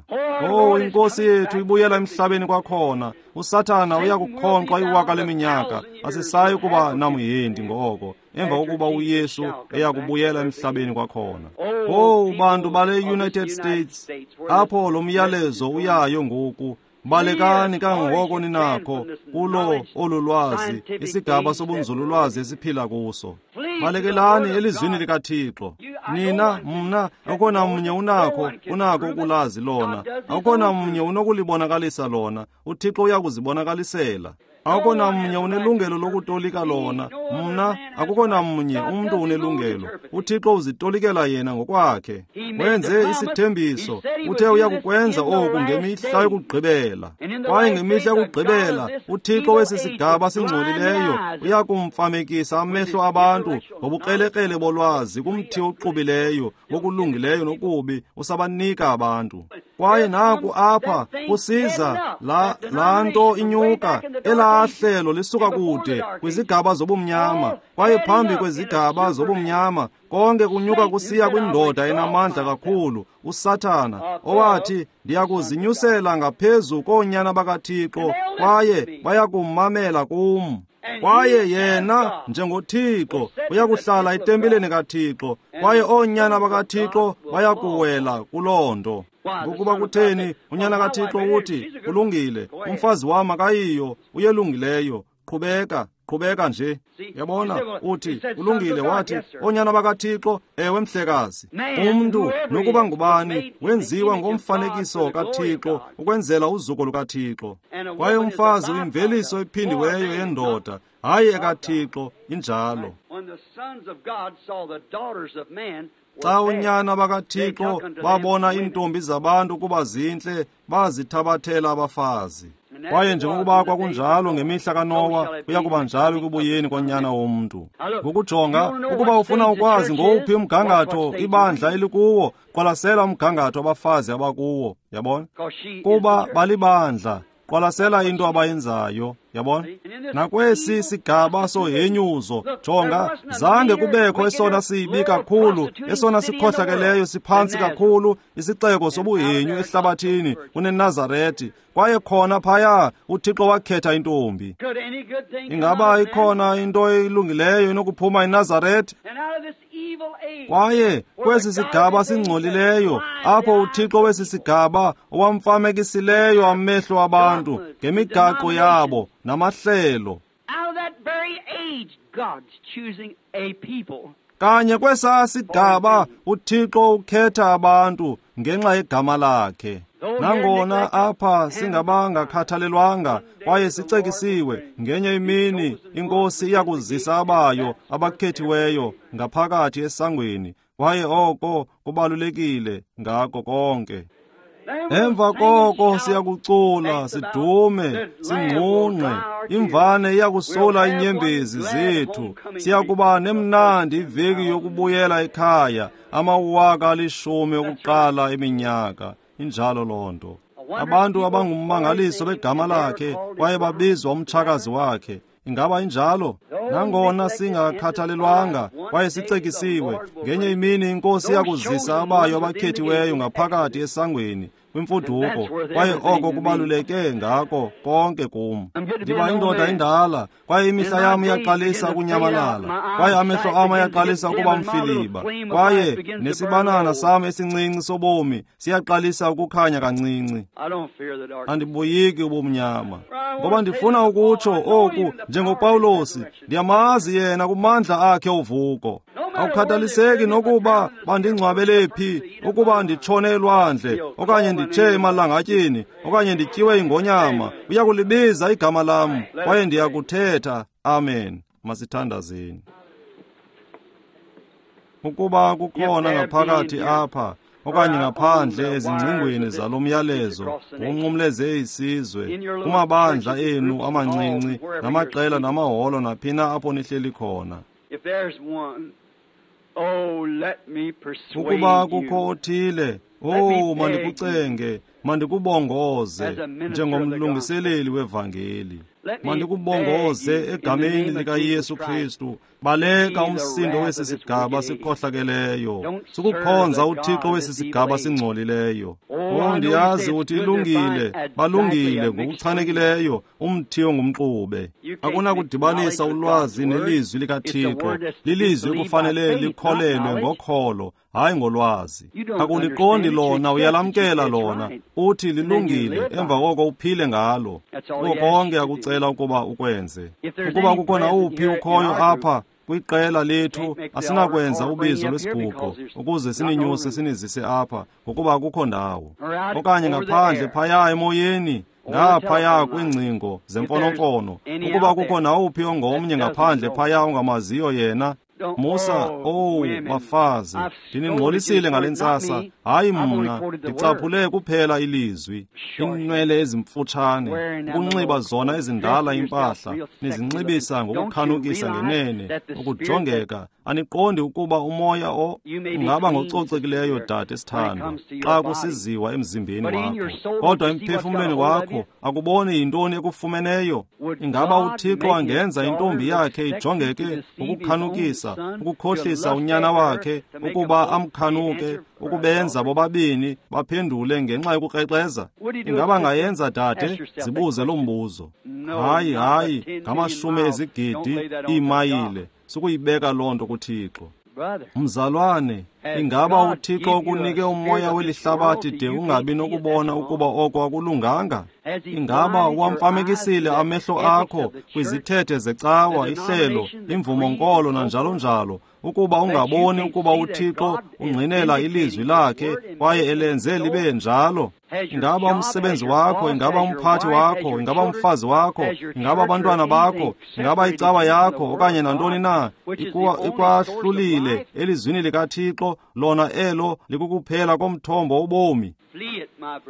Oh, iNkosi yethu ibuyela emhlabeni kwakhona. uSathana uyakukhonkxwa iwaka leminyaka, asisayi kuba namhendi ngoko, emva kokuba uYesu eyakubuyela emhlabeni kwakhona. Oh, bantu bale United States, apho lo myalezo uyayo ngoku, balekani kangangoko ninakho kulo olu lwazi, isigaba sobunzululwazi esiphila kuso. Balekelani elizwini likaThixo. Nina, mna, akukho namnye unakho, unakho ukulazi lona. Akukho namnye unokulibonakalisa lona. UThixo uyakuzibonakalisela. Akukho namnye unelungelo lokutolika lona. Mna, akukho namnye umntu unelungelo. UThixo uzitolikela yena ngokwakhe. Wenze isithembiso. Uthe uyakukwenza oku ngemihla yokugqibela. Kwaye ngemihla yokugqibela, uThixo wesi sigaba singcolileyo uyakumfamekisa amehlo abantu ngobukrelekrele bolwazi kumthi oxubileyo, wokulungileyo nokubi usabanika abantu. Kwaye naku apha kusiza la, laa nto inyuka, elaa hlelo lisuka kude kwizigaba zobumnyama, kwaye phambi kwezigaba zobumnyama konke kunyuka kusiya kwindoda enamandla kakhulu, uSathana, owathi ndiyakuzinyusela ngaphezu koonyana bakaThixo, kwaye bayakumamela kum. Kwaye yena njengoThixo uyakuhlala etempileni kaThixo, kwaye oonyana bakaThixo bayakuwela kuloo nto. Ngokuba kutheni unyana kaThixo uthi, kulungile, umfazi wam akayiyo, uyelungileyo, Qhubeka, qhubeka nje. Yabona, uthi, ulungile, wathi, oonyana bakaThixo, ewe mhlekazi. Umntu, nokuba ngubani, wenziwa ngomfanekiso kaThixo, ukwenzela uzuko lukaThixo. Kwaye umfazi uyimveliso ephindiweyo yendoda, hayi ekaThixo, injalo. Xa unyana bakaThixo babona iintombi zabantu ukuba zintle, bazithabathela abafazi. Kwaye njengokuba kwakunjalo ngemihla kaNowa, kuya kuba njalo ekubuyeni koNyana womntu. Ngokujonga, ukuba ufuna ukwazi ngowuphi umgangatho ibandla elikuwo, qwalasela umgangatho abafazi abakuwo, yabona? Kuba balibandla, qwalasela into abayenzayo, yabona? Nakwesi sigaba sohenyuzo, jonga, zange kubekho esona sibi kakhulu, esona sikhohlakeleyo siphantsi kakhulu, isixeko sobuhenyu ehlabathini kuneNazarethi. Kwaye khona phaya uThixo wakhetha intombi. Ingaba ikhona into elungileyo enokuphuma eNazarethi? Kwaye kwesi sigaba singcolileyo, apho uThixo wesi sigaba owamfamekisileyo amehlo abantu ngemigaqo yabo namahlelo. Kanye kwesaa sigaba uThixo ukhetha abantu ngenxa yegama lakhe. Nangona apha singabangakhathalelwanga kwaye sicekisiwe, ngenye imini iNkosi iyakuzisa abayo abakhethiweyo ngaphakathi esangweni, kwaye oko kubalulekile ngako konke. Emva koko siyakucula, sidume, singqungqe, imvane iyakusula inyembezi zethu. Siyakuba nemnandi iveki yokubuyela ekhaya, amawaka alishumi okuqala eminyaka. Injalo loo nto. Abantu abangummangaliso begama lakhe kwaye babizwa umtshakazi wakhe. Ingaba injalo? Nangona singakhathalelwanga kwaye sicekisiwe, ngenye imini iNkosi iyakuzisa abayo abakhethiweyo ngaphakathi esangweni kwimfuduko, kwaye oko kubaluleke ngako konke kum. Ndiba indoda endala, kwaye imihla yam iyaqalisa ukunyamalala, kwaye amehlo am ayaqalisa ukuba mfiliba, kwaye nesibanana sam esincinci sobomi siyaqalisa ukukhanya kancinci. Andibuyiki ubumnyama, ngoba ndifuna ukutsho oku njengoPawulosi, ndiyamazi yena kumandla akhe ovuko. Akukhathaliseki nokuba bandingcwabele phi, ukuba nditshone elwandle, okanye nditshe emalangatyeni, okanye ndityiwe ingonyama, uyakulibiza igama lam, kwaye ndiyakuthetha. Amen. Masithandazeni. Ukuba kukhona ngaphakathi apha okanye ngaphandle ezingcingweni zalo myalezo ngonqumleze isizwe, kumabandla enu amancinci namaqela namaholo naphina apho nihleli khona, ukuba kukho othile, oh, mandikucenge, mandikubongoze njengomlungiseleli wevangeli, mandikubongoze egameni likaYesu Kristu, baleka umsindo wesi sigaba sikhohlakeleyo, sukukhonza uThixo wesi sigaba singcolileyo. Oh, ndiyazi uthi ilungile, balungile ngokuchanekileyo, umthi ongumxube. Akunakudibanisa ulwazi nelizwi likaThixo. Lilizwi ekufanele likholelwe ngokholo, hayi ngolwazi. Akuliqondi lona, uyalamkela lona, uthi lilungile, emva koko uphile ngalo. Kuko konke akucela ukuba ukwenze. Ukuba kukho nawuphi ukhoyo apha kwiqela lethu, asinakwenza ubizo lwesiguqo ukuze sininyuse sinizise apha, ngokuba akukho ndawo. Okanye ngaphandle phaya emoyeni, ngaphaya kwiingcingo zemfonomfono, ukuba kukho nawuphi ongomnye ngaphandle phaya ongamaziyo yena, Musa, oh, bafazi, ndiningxolisile ngale ntsasa, hayi mna, ndicaphule kuphela ilizwi. Iinwele ezimfutshane, ukunxiba zona ezindala impahla, nizinxibisa ngokukhanukisa ngenene, ukujongeka. Aniqondi ukuba umoya o ungaba ngococekileyo, dade sithandwa, xa kusiziwa emzimbeni wakho, kodwa emphefumlweni wakho akuboni yintoni ekufumeneyo. Ingaba uThixo angenza intombi yakhe ijongeke ngokukhanukisa, ukukhohlisa unyana wakhe ukuba amkhanuke, ukubenza bobabini baphendule ngenxa yokukrexeza? Ingaba angayenza, dade? Zibuze lo mbuzo. Hayi, hayi, ngamashumi ezigidi iimayile, sukuyibeka loo nto kuThixo. Mzalwane, Ingaba uThixo ukunike umoya weli hlabathi de ungabi nokubona ukuba oko akulunganga? Ingaba wamfamekisile amehlo akho kwizithethe zecawa, ihlelo, imvumo-nkolo nanjalo njalo, ukuba ungaboni ukuba uThixo ungqinela ilizwi lakhe kwaye elenze libe njalo? Ingaba umsebenzi wakho, ingaba umphathi wakho, ingaba umfazi wakho, ingaba abantwana bakho, ingaba icawa yakho okanye nantoni na ikwahlulile elizwini likaThixo, lona elo likukuphela komthombo wobomi?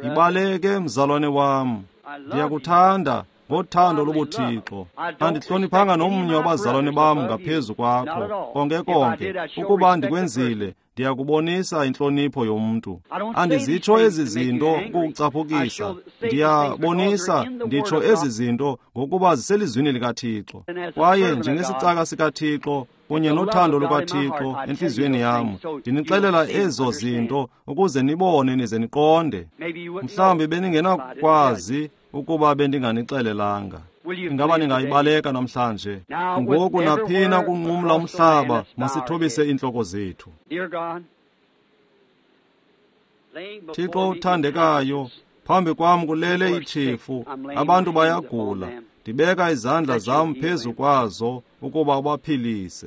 Ibaleke, mzalwane wam. Ndiyakuthanda ngothando lobuThixo. Andihloniphanga nomnye wabazalwane bam ngaphezu kwakho, konke konke. Ukuba ndikwenzile, ndiyakubonisa intlonipho yomntu. Andizitsho ezi zinto ukukucaphukisa, ndiyabonisa nditsho ezi zinto ngokuba ziselizwini likaThixo. Kwaye njengesicaka sikaThixo kunye nothando lukaThixo entliziyweni yam, ndinixelela ezo zinto ukuze nibone nize niqonde. Mhlawumbi beningenakwazi ukuba bendinganixelelanga. Ingaba ningayibaleka namhlanje? Ngoku naphina kunqumla umhlaba, masithobise iintloko zethu. Thixo uthandekayo, phambi kwam kulele itshefu, abantu bayagula. Ndibeka izandla zam phezu kwazo ukuba ubaphilise.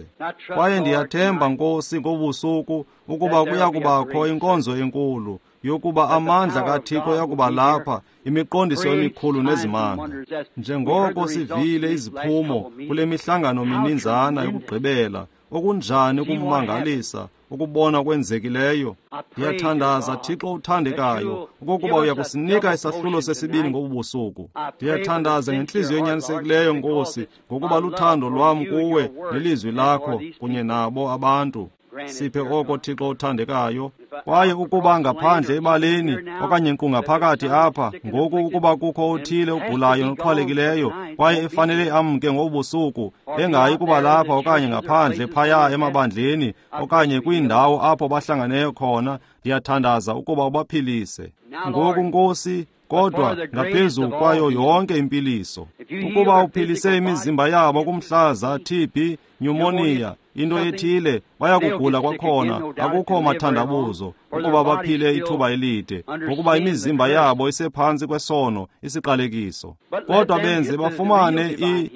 Kwaye ndiyathemba, Nkosi, ngobusuku ukuba kuya kubakho inkonzo enkulu yokuba amandla kaThixo yakuba lapha, imiqondiso emikhulu nezimanga. Njengoko sivile iziphumo kule mihlangano mininzana yokugqibela, okunjani ukumangalisa ukubona kwenzekileyo. Ndiyathandaza, Thixo uthandekayo, okokuba uyakusinika isahlulo sesibini ngobu busuku. Ndiyathandaza ngentliziyo enyanisekileyo, Nkosi, ngokuba luthando lwam kuwe nelizwi lakho kunye nabo abantu. Siphe oko, Thixo uthandekayo. Kwaye ukuba ngaphandle ebaleni okanye nkqu ngaphakathi apha ngoku, ukuba kukho othile ogulayo noxhwalekileyo kwaye efanele amke ngobusuku, engayi kuba lapha okanye ngaphandle phaya emabandleni okanye kwiindawo apho bahlanganeyo khona, ndiyathandaza ukuba ubaphilise ngoku, Nkosi. Kodwa ngaphezu kwayo yonke impiliso, ukuba uphilise imizimba yabo kumhlaza, T B, pneumonia, into ethile, bayakugula kwakhona, akukho mathandabuzo, ukuba baphile ithuba elide, ngokuba imizimba yabo isephantsi kwesono, isiqalekiso. Kodwa benze bafumane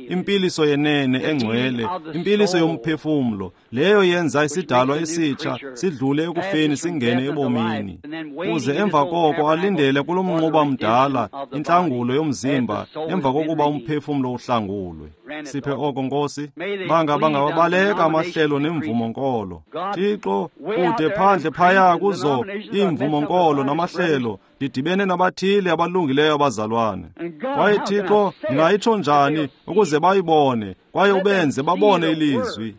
impiliso yenene engcwele, impiliso yomphefumlo, leyo yenza isidalwa esitsha, sidlule ekufeni singene ebomini, kuze emva koko alindele kulo mnquba mdala intlangulo yomzimba emva kokuba umphefumlo uhlangulwe. Siphe oko, Nkosi. Banga bangawabaleka amahlelo nemvumo-nkolo. Thixo, kude phandle phaya kuzo iimvumo-nkolo namahlelo, ndidibene nabathile abalungileyo abazalwane. Kwaye Thixo, ndingayitsho njani ukuze bayibone kwaye ubenze babone ilizwi?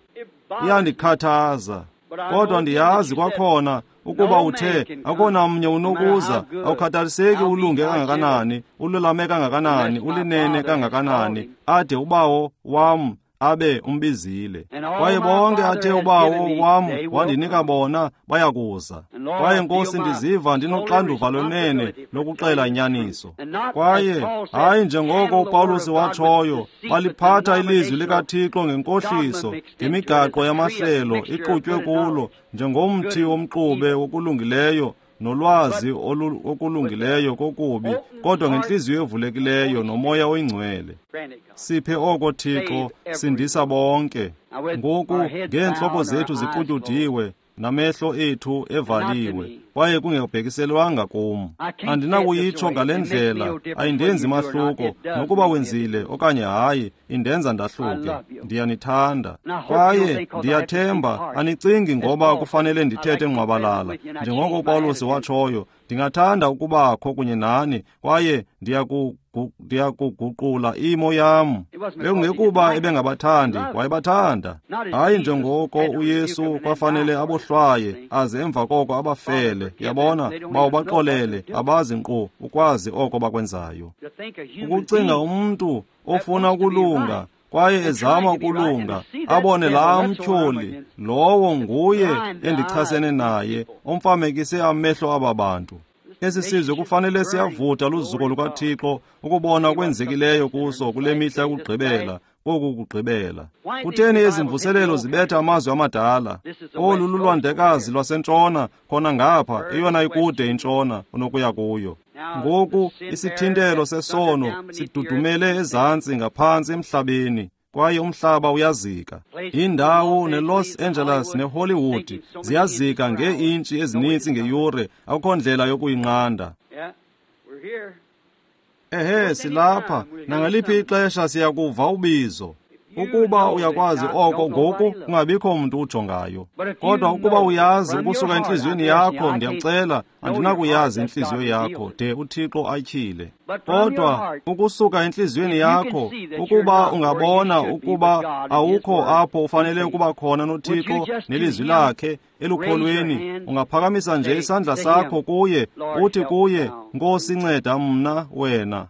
Iyandikhathaza, kodwa ndiyazi kwakhona ukuba uthe akona mnye unokuza, awukhathaliseki ulunge kangakanani, ululame kangakanani, ulinene kangakanani, ade uBawo wam abe umbizile. Kwaye bonke athe uBawo wam wandinika bona bayakuza. Kwaye Nkosi, ndiziva ndinoxanduva lwenene lokuxela inyaniso. Kwaye hayi njengoko uPawulos watshoyo, baliphatha ilizwi likaThixo ngenkohliso, ngemigaqo yamahlelo ixutywe kulo, njengomthi womxube wokulungileyo nolwazi okulungileyo kokubi, kodwa ngentliziyo evulekileyo nomoya oyingcwele. Siphe oko, Thixo. Sindisa bonke. Ngoku ngeentloko zethu ziqutyudiwe namehlo ethu evaliwe, kwaye kungekubhekiselwanga kum, andinakuyitsho ngale ndlela, ayindenzi mahluko nokuba wenzile okanye hayi, indenza ndahluke. Ndiyanithanda, kwaye ndiyathemba anicingi ngoba kufanele ndithethe ngqwabalala. Njengoko uPawulos watshoyo, ndingathanda ukubakho kunye nani kwaye ndiyakuguqula imo yam. Bekungekuba ebengabathandi, wayebathanda. Hayi njengoko uYesu kwafanele abohlwaye aze emva koko abafele. Yabona, bawubaxolele, abazi nkqu ukwazi oko bakwenzayo. Ukucinga umntu ofuna ukulunga kwaye ezama ukulunga, abone laa mtyholi, lowo nguye endichasene naye, omfamekise amehlo aba bantu. Esi sizwe kufanele siyavutha luzuko lukaThixo ukubona okwenzekileyo kuso kule mihla yokugqibela, koku kugqibela. Kutheni ezi mvuselelo zibetha amazwi amadala? Olu lulwandlekazi lwasentshona, khona ngapha, eyona ikude intshona onokuya kuyo. Ngoku isithintelo sesono sidudumele ezantsi ngaphantsi emhlabeni, kwaye umhlaba uyazika. Indawo neLos Angeles neHollywood ziyazika ngee-intshi ezininzi ngeyure, akukho ndlela yokuyinqanda. Ehe, silapha, nangaliphi ixesha siyakuva ubizo. Ukuba uyakwazi oko ngoku, kungabikho mntu ujongayo. Kodwa ukuba uyazi ukusuka entliziyweni yakho, ndiyakucela, andinakuyazi intliziyo yakho de uThixo atyhile. Kodwa ukusuka entliziyweni yakho, ukuba ungabona ukuba awukho apho ufanele ukuba khona noThixo nelizwi lakhe elukholweni, ungaphakamisa nje isandla sakho kuye, uthi kuye, Nkosi, nceda mna wena.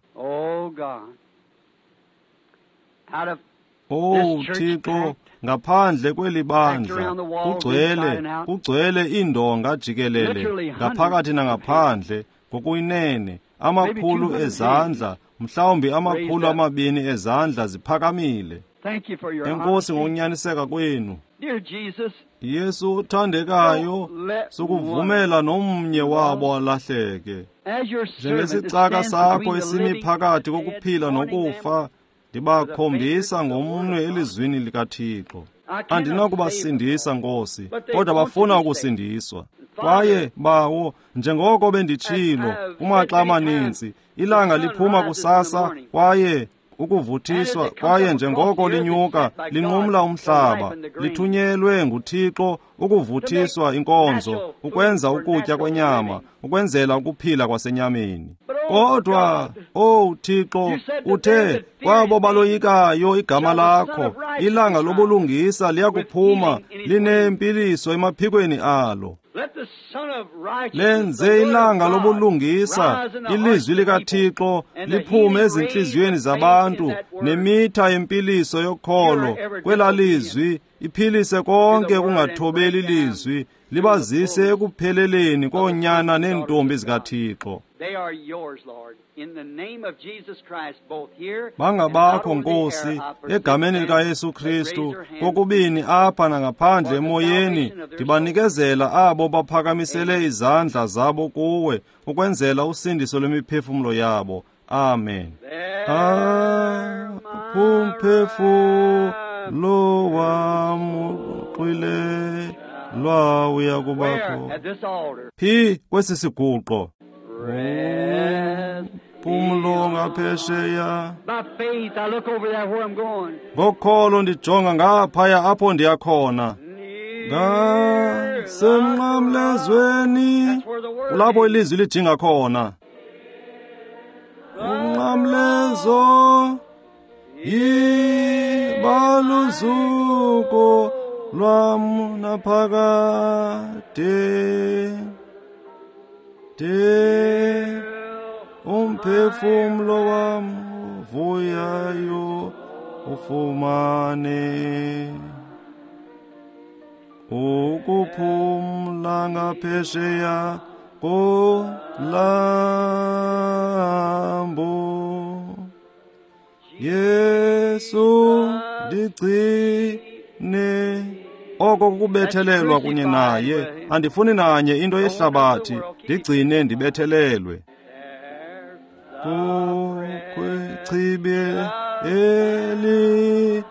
Oh Thixo, ngaphandle kweli bandla kugcwele kugcwele iindonga jikelele, ngaphakathi nangaphandle, ngokuyinene amakhulu ezandla, mhlawumbi amakhulu amabini ezandla ziphakamile. Enkosi ngokunyaniseka kwenu. Yesu uthandekayo, sukuvumela nomnye wabo alahleke. Njengesicaka sakho esimi phakathi kokuphila nokufa, ndibakhombisa ngomnwe elizwini likaThixo. Andinakubasindisa, Nkosi, kodwa bafuna ukusindiswa. Kwaye, Bawo, njengoko benditshilo kumaxa amaninzi, ilanga liphuma kusasa kwaye ukuvuthiswa, kwaye njengoko linyuka linqumla umhlaba, lithunyelwe nguThixo ukuvuthiswa inkonzo, ukwenza ukutya kwenyama, ukwenzela ukuphila kwasenyameni. Kodwa, oh Thixo, uthe kwabo baloyikayo igama lakho, ilanga lobulungisa liyakuphuma linempiliso emaphikweni alo. Lenze ilanga lobulungisa, ilizwi likaThixo, liphume ezintliziyweni zabantu, nemitha yempiliso yokholo kwela lizwi, iphilise konke kungathobeli lizwi, libazise ekupheleleni koonyana neentombi zikaThixo. Bangabakho, Nkosi, egameni likaYesu Kristu, kokubini apha nangaphandle emoyeni, ndibanikezela abo baphakamisele izandla zabo kuwe, ukwenzela usindiso lwemiphefumlo yabo. Amen. Apho umphefumlo wam uxwilelwa uya kubakho. Phi kwesi siguqo? Phumlo ngaphesheya. Ngokholo ndijonga ngaphaya apho ndiya khona. Ngasemnqamlezweni, kulapho ilizwi lijinga khona. Umnqamlezo yibaluzuko lwam naphakade. De umphefumlo wam uvuyayo ufumane ukuphumla ngaphesheya kolambo. Yesu ndigcine. Oko kukubethelelwa kunye naye, andifuni nanye into yehlabathi, ndigcine ndibethelelwe. Kukwichibi elihle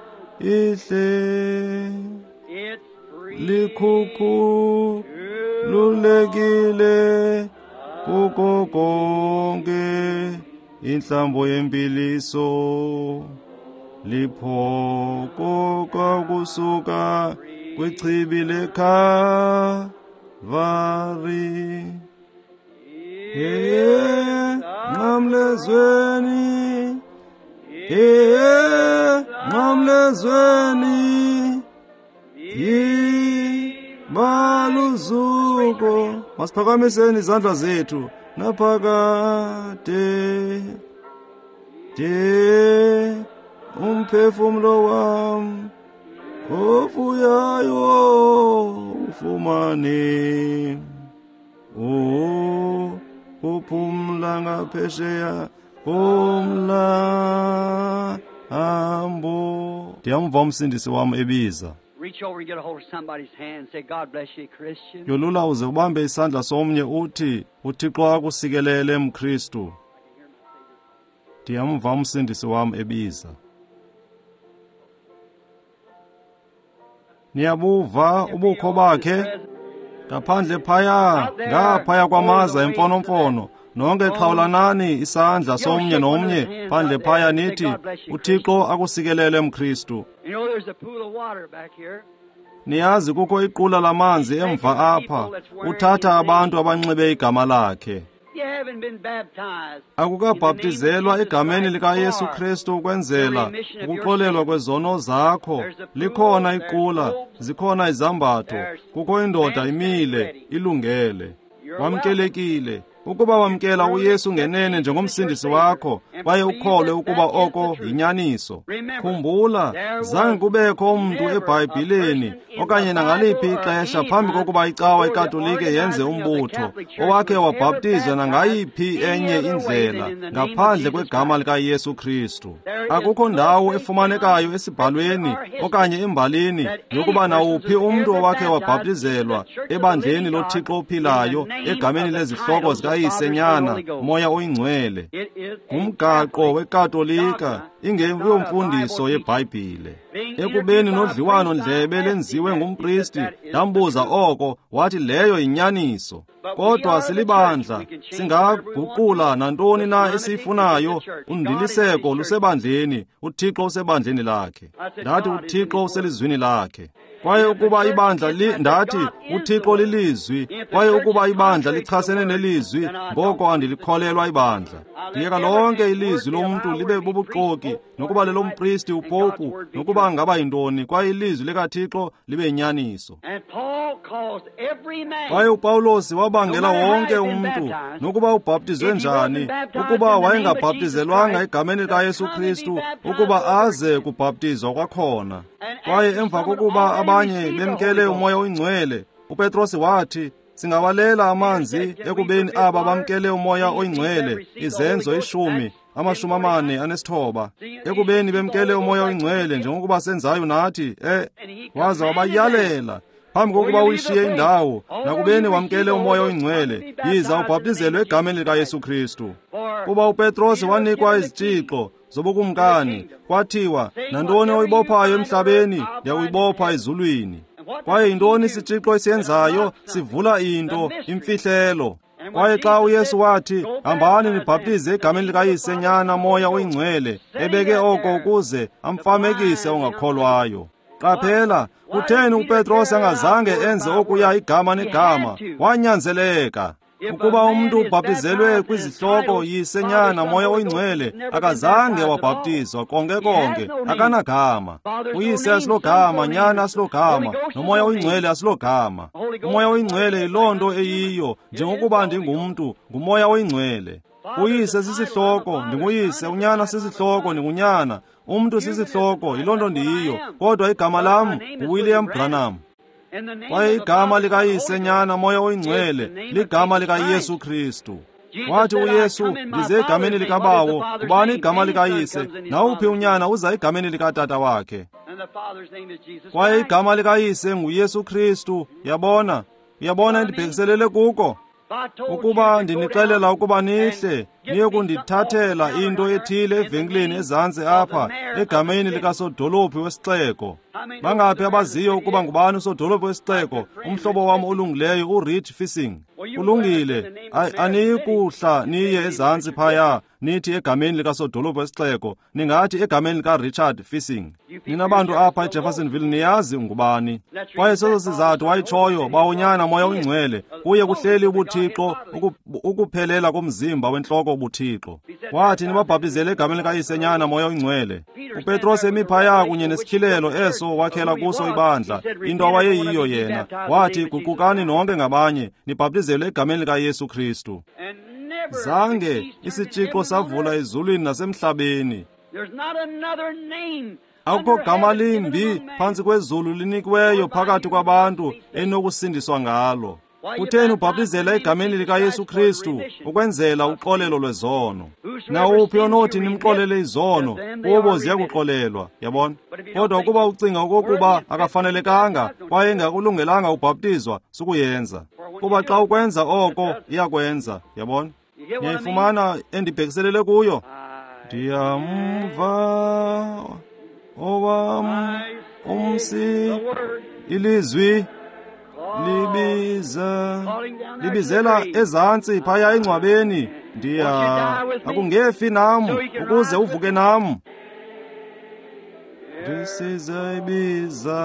likhukhululekile kuko konke intlambo yempiliso, liphokoka kusuka kwichibi leKalvari. Nqamlezweni, nqamlezweni, yibaluzuko. Masiphakamiseni izandla zethu naphakade. De umphefumlo wam ovuyayo ufumane ukuphumla Ndiyakuphumla ngaphesheya komlambo. Ndiyamva umsindisi wam ebiza. Reach over and get a hold of somebody's hand and say, God bless you, Christian. Yolula uze ubambe isandla somnye uthi, uThixo akusikelele mKristu. Ndiyamva umsindisi wam ebiza. Niyabuva ubukho bakhe ngaphandle phaya, ngaphaya kwamaza emfonomfono. Nonke xhawulanani isandla somnye nomnye phandle phaya nithi, uThixo akusikelele mKristu. You know, there's a pool of water back here. Niyazi kukho iqula lamanzi emva apha, uthatha abantu abanxibe igama lakhe. You haven't been baptized. Akukabhaptizelwa egameni likaYesu Kristu ukwenzela ukuxolelwa kwezono zakho. Likhona iqula, zikhona izambatho, kukho indoda imile, ilungele. Wamkelekile. Ukuba wamkela uYesu ngenene njengomsindisi wakho, kwaye ukholwe ukuba oko yinyaniso. Khumbula, zange kubekho umntu eBhayibhileni okanye nangaliphi ixesha phambi kokuba icawa iKatolike yenze umbutho owakhe wabhaptizwa nangayiphi enye indlela ngaphandle kwegama likaYesu Kristu. Akukho ndawo efumanekayo esibhalweni okanye embalini yokuba nawuphi umntu owakhe wabhaptizelwa ebandleni loThixo ophilayo egameni lezihloko zika Yise, Nyana, Moya oyiNgcwele. Ngumgaqo weKatolika, ingeyomfundiso yeBhayibhile. Ekubeni nodliwano ndlebe lenziwe ngumpristi, ndambuza oko, wathi leyo yinyaniso. Kodwa silibandla, singaguqula nantoni na esiyifunayo. Undiliseko lusebandleni, uThixo usebandleni lakhe. Ndathi uThixo uselizwini lakhe. Kwaye ukuba ibandla li, ndathi uThixo lilizwi, kwaye ukuba ibandla lichasene nelizwi, ngoko andilikholelwa ibandla. Ndiyeka lonke ilizwi lomntu libe bubuxoki, nokuba lelompristi upopu, nokuba ngaba yintoni, kwaye ilizwi likaThixo libe yinyaniso. And Paul caused every man, Kwaye uPawulos wabangela wonke umntu, nokuba ubhaptizwe njani, ukuba wayengabhaptizelwanga egameni likaYesu Kristu, ukuba aze kubhaptizwa kwakhona. Kwaye emva kokuba abanye bemkele uMoya oyiNgcwele, uPetros wathi, singawalela amanzi ekubeni aba bamkele uMoya oyiNgcwele, Izenzo ishumi, amashumi amane anesithoba, ekubeni bemkele uMoya oyiNgcwele njengokuba senzayo nathi, eh, waza wabayalela phambi kokuba uyishiye indawo, nakubeni wamkele uMoya oyiNgcwele, yiza ubhaptizelwe egameni likaYesu Kristu. Kuba uPetros wanikwa izitshixo zobukumkani, kwathiwa, nantoni oyibophayo emhlabeni, ndiyakuyibopha ezulwini. Kwaye yintoni isitshixo esiyenzayo? Sivula into, imfihlelo. Kwaye xa uYesu wathi, hambani nibhaptize egameni likaYise, Nyana, Moya oyiNgcwele, ebeke oko ukuze amfamekise ongakholwayo. Qaphela, kutheni uPetros angazange enze okuya igama negama? Wanyanzeleka. Ukuba umntu ubhaptizelwe kwizihloko Yise, Nyana, Moya oyiNgcwele, akazange wabhaptizwa konke konke, akanagama. UYise asilogama, Nyana asilogama, noMoya oyiNgcwele asilogama. UMoya oyiNgcwele yiloo nto eyiyo, njengokuba ndingumntu, nguMoya oyiNgcwele. UYise sisihloko, ndinguyise, uNyana sisihloko, ndingunyana. Umntu sisihloko, yiloo nto ndiyiyo, kodwa igama lam nguWilliam Branham. in the name Kwaye of the igama Father, likaYise, Son, Nyana, Moya oyiNgcwele ligama likaYesu Kristu. Wathi uYesu, ndize egameni likaBawo. Ngubani igama likaYise? Nawuphi unyana uza egameni likatata wakhe. And the Father's name is Jesus Kwaye Christ. igama likaYise nguYesu Kristu. Yabona? Uyabona endibhekiselele kuko? If I told you Ukuba to go ndinixelela down ukuba nihle, and get niye me kundithathela something into off the ethile counter in the evenkileni name ezantsi of apha the mayor of the egameni city. likasodolophi wesixeko. How many Bangaphi knows the abaziyo mayor of the ukuba city? ngubani usodolophi wesixeko? Umhlobo wam olungileyo uRich Fissing. Kulungile, aniyikuhla niye ezantsi phaya nithi egameni likasodolophi wesixeko, ningathi egameni likaRichard Fissing. Nina bantu apha eJeffersonville niyazi ngubani. Kwaye seso sizathu wayitshoyo, Bawunyana, Moya oyiNgcwele, kuye kuhleli ubuThixo, uku- ukuphelela komzimba wentloko ubuThixo. Wathi nibabhaptizele egameni likaYise, Nyana, Moya oyiNgcwele. uPetros emi phaya kunye nesityhilelo eso wakhela kuso ibandla, into awayeyiyo yena. Wathi, guqukani nonke ngabanye, nibhaptizelwe egameni likaYesu Kristu. And never Zange the keys turned in isitshixo heaven on savula earth. ezulwini nasemhlabeni. There's not another name Akukho under gama heaven given limbi among men phantsi kwezulu linikiweyo phakathi kwabantu enokusindiswa ngalo. Kutheni ubhaptizela egameni likaYesu Kristu? Ukwenzela uxolelo lwezono. Nawuphi onothi nimxolele izono, kubo ziyakuxolelwa, yabona. Kodwa ukuba ucinga okokuba akafanelekanga kwaye engakulungelanga ubhaptizwa, sukuyenza. Kuba xa ukwenza oko, iyakwenza, yabona. Niyayifumana endibhekiselele kuyo? Ndiyamva owam umsi ilizwi libiza libizela ezantsi phaya engcwabeni. Ndiya akungefi nam ukuze uvuke nam. Ndisiza ibiza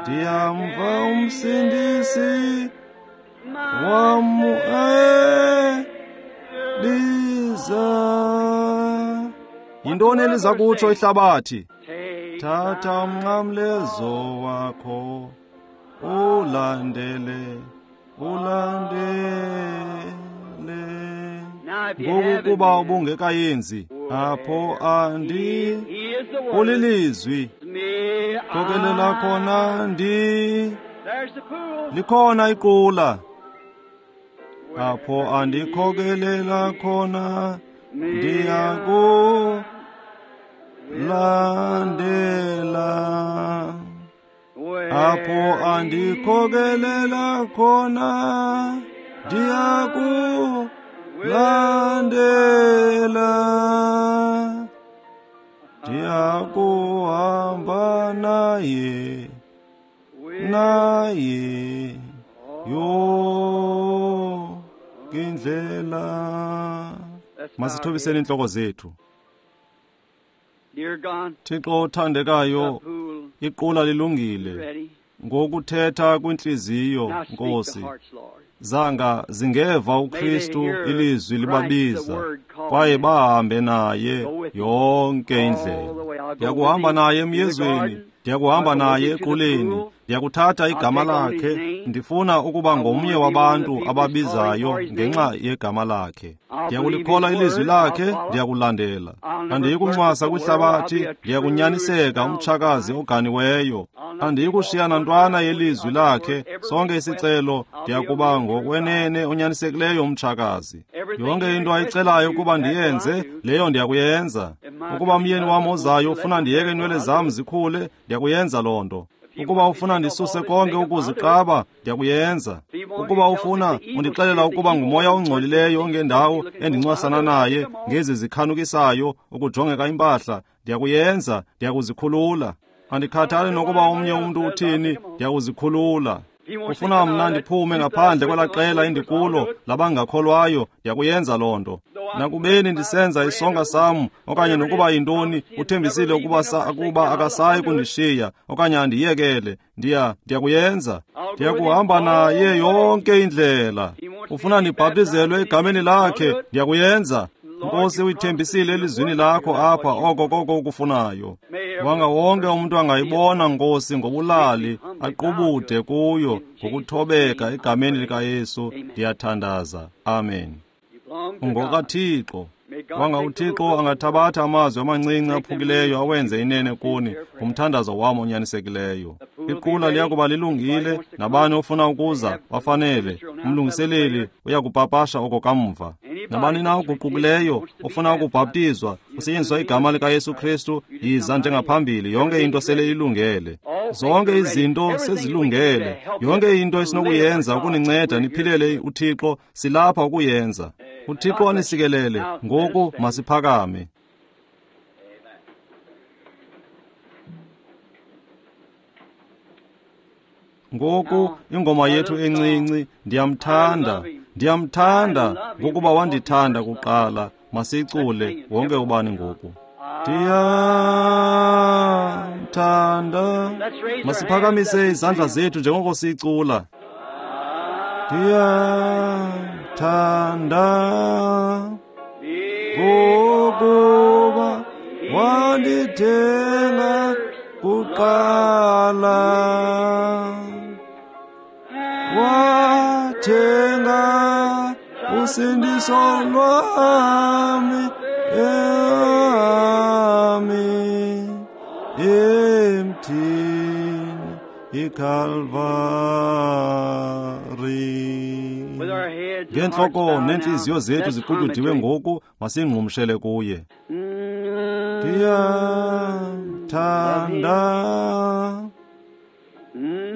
ndiyamva umsindisi wam eliza. Yintoni eliza kutsho ihlabathi? Thatha umnqamlezo wakho ulandele, ulandele. Ngoku kuba ubungekayenzi apho andi ulilizwi khokelela khona ndi likhona iqula apho andikhokelela khona ndiyaku landela apho andikhokelela khona ndiyaku landela ndiyakuhamba naye naye yonke indlela. Masithobiseni intloko zethu. Thixo othandekayo, iqula lilungile ngokuthetha kwintliziyo, Nkosi. Zanga zingeva uKristu ilizwi libabiza kwaye bahambe naye yonke indlela. Ndiyakuhamba naye emyezweni, ndiyakuhamba naye equleni, ndiyakuthatha igama lakhe. Ndifuna ukuba ngomnye wabantu ababizayo ngenxa yegama lakhe. Ndiyakulikholwa ilizwi lakhe, ndiyakulandela. Andiyikuncwasa kwihlabathi, ndiyakunyaniseka umtshakazi oganiweyo. Andiyikushiya nantwana yelizwi lakhe. Sonke isicelo ndiyakuba ngokwenene onyanisekileyo umtshakazi. Yonke into ayicelayo ukuba ndiyenze, leyo ndiyakuyenza. Ukuba umyeni wam ozayo ufuna ndiyeke inwele zam zikhule, ndiyakuyenza loo nto. Ukuba ufuna ndisuse konke ukuziqaba, ndiyakuyenza. Ukuba ufuna undixelela ukuba ngumoya ongcolileyo ongendawo endincwasana naye ngezi zikhanukisayo ukujongeka impahla, ndiyakuyenza, ndiyakuzikhulula. Andikhathali nokuba omnye umntu uthini, ndiyakuzikhulula. Ufuna mna ndiphume ngaphandle kwelaa qela endikulo labangakholwayo, ndiyakuyenza loo nto. Nakubeni ndisenza isonka sam okanye nokuba yintoni, uthembisile ukuba akuba akasayi kundishiya okanye andiyekele, ndiya ndiyakuyenza. Ndiyakuhamba naye yonke indlela. Ufuna ndibhaptizelwe egameni lakhe, ndiyakuyenza. Nkosi, uyithembisile elizwini lakho apha oko koko ukufunayo. Wanga wonke umuntu angayibona, Nkosi, ngobulali aqubude kuyo ngokuthobeka egameni likaYesu. Ndiyathandaza, amen. UngokaThixo. Wanga uThixo angathabatha amazwi amancinci aphukileyo awenze inene kuni ngumthandazo wam onyanisekileyo. Iqula liyakuba lilungile, nabani ofuna ukuza bafanele. Umlungiseleli uyakupapasha oko kamva. Nabani na oguqukileyo ofuna ukubhaptizwa kusetyenziswa igama likaYesu Kristu, yiza njengaphambili. Yonke into sele ilungele, zonke izinto sezilungele. Yonke into esinokuyenza ukuninceda niphilele uThixo, silapha ukuyenza. uThixo anisikelele. Ngoku masiphakame. Ngoku ingoma yethu encinci, ndiyamthanda, ndiyamthanda ngokuba wandithanda kuqala. Masicule wonke ubani ngoku. Ndiyamthanda. Masiphakamise izandla zethu njengoko sicula. Ndiyamthanda ngokuba wandithenga kuqala, wathenga usindiso lwami emi emthini iKalvari. With our heads and hearts Ngeentloko bowed neentliziyo now, zethu let's hum it to ziqutyudiwe him. ngoku, masingqumshele kuye. Mm, Ndiyamthanda. mm.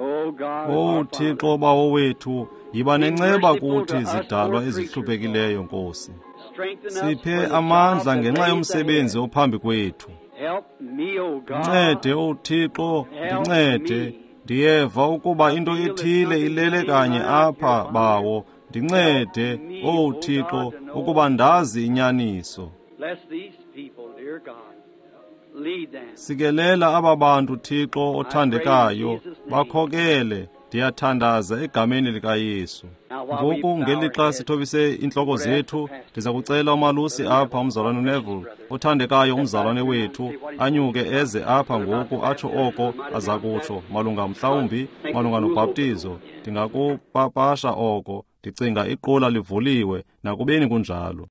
Oh God, O our Father, Thixo Bawo wethu, yiba be nenceba merciful to kuthi us zidalwa poor creatures, Lord. ezihluphekileyo, Nkosi. Strengthen us Siphe for the job amandla that ngenxa lays ahead. yomsebenzi ophambi kwethu. Help me, O God. Ndincede, O Thixo, Help ndincede. me. Ndiyeva ukuba I into feel that ethile something ilele laying kanye right here apha, upon me. Bawo. Help Ndincede, me, O O Thixo, God, to know ukuba ndazi inyaniso. Bless these people, dear God. Lead them. Sikelela aba bantu, Thixo I pray in othandekayo, Jesus' name. bakhokele. Ndiyathandaza egameni likaYesu. Now, while we Ngoku bow our ngelixa heads, sithobise iintloko we're ask the zethu, pastor ndiza here, kucela umalusi Brother apha, Neville, our umzalwane precious uNeville, brother, othandekayo step back umzalwane here now and wethu, say what he's going anyuke to say. eze apha Brother, about ngoku the atsho baptism, oko I might aza announce that. kutsho malunga God, mhlawumbi make the malunga school open. nobhaptizo. Ndingakupapasha oko. Ndicinga iqula livuliwe nakubeni kunjalo.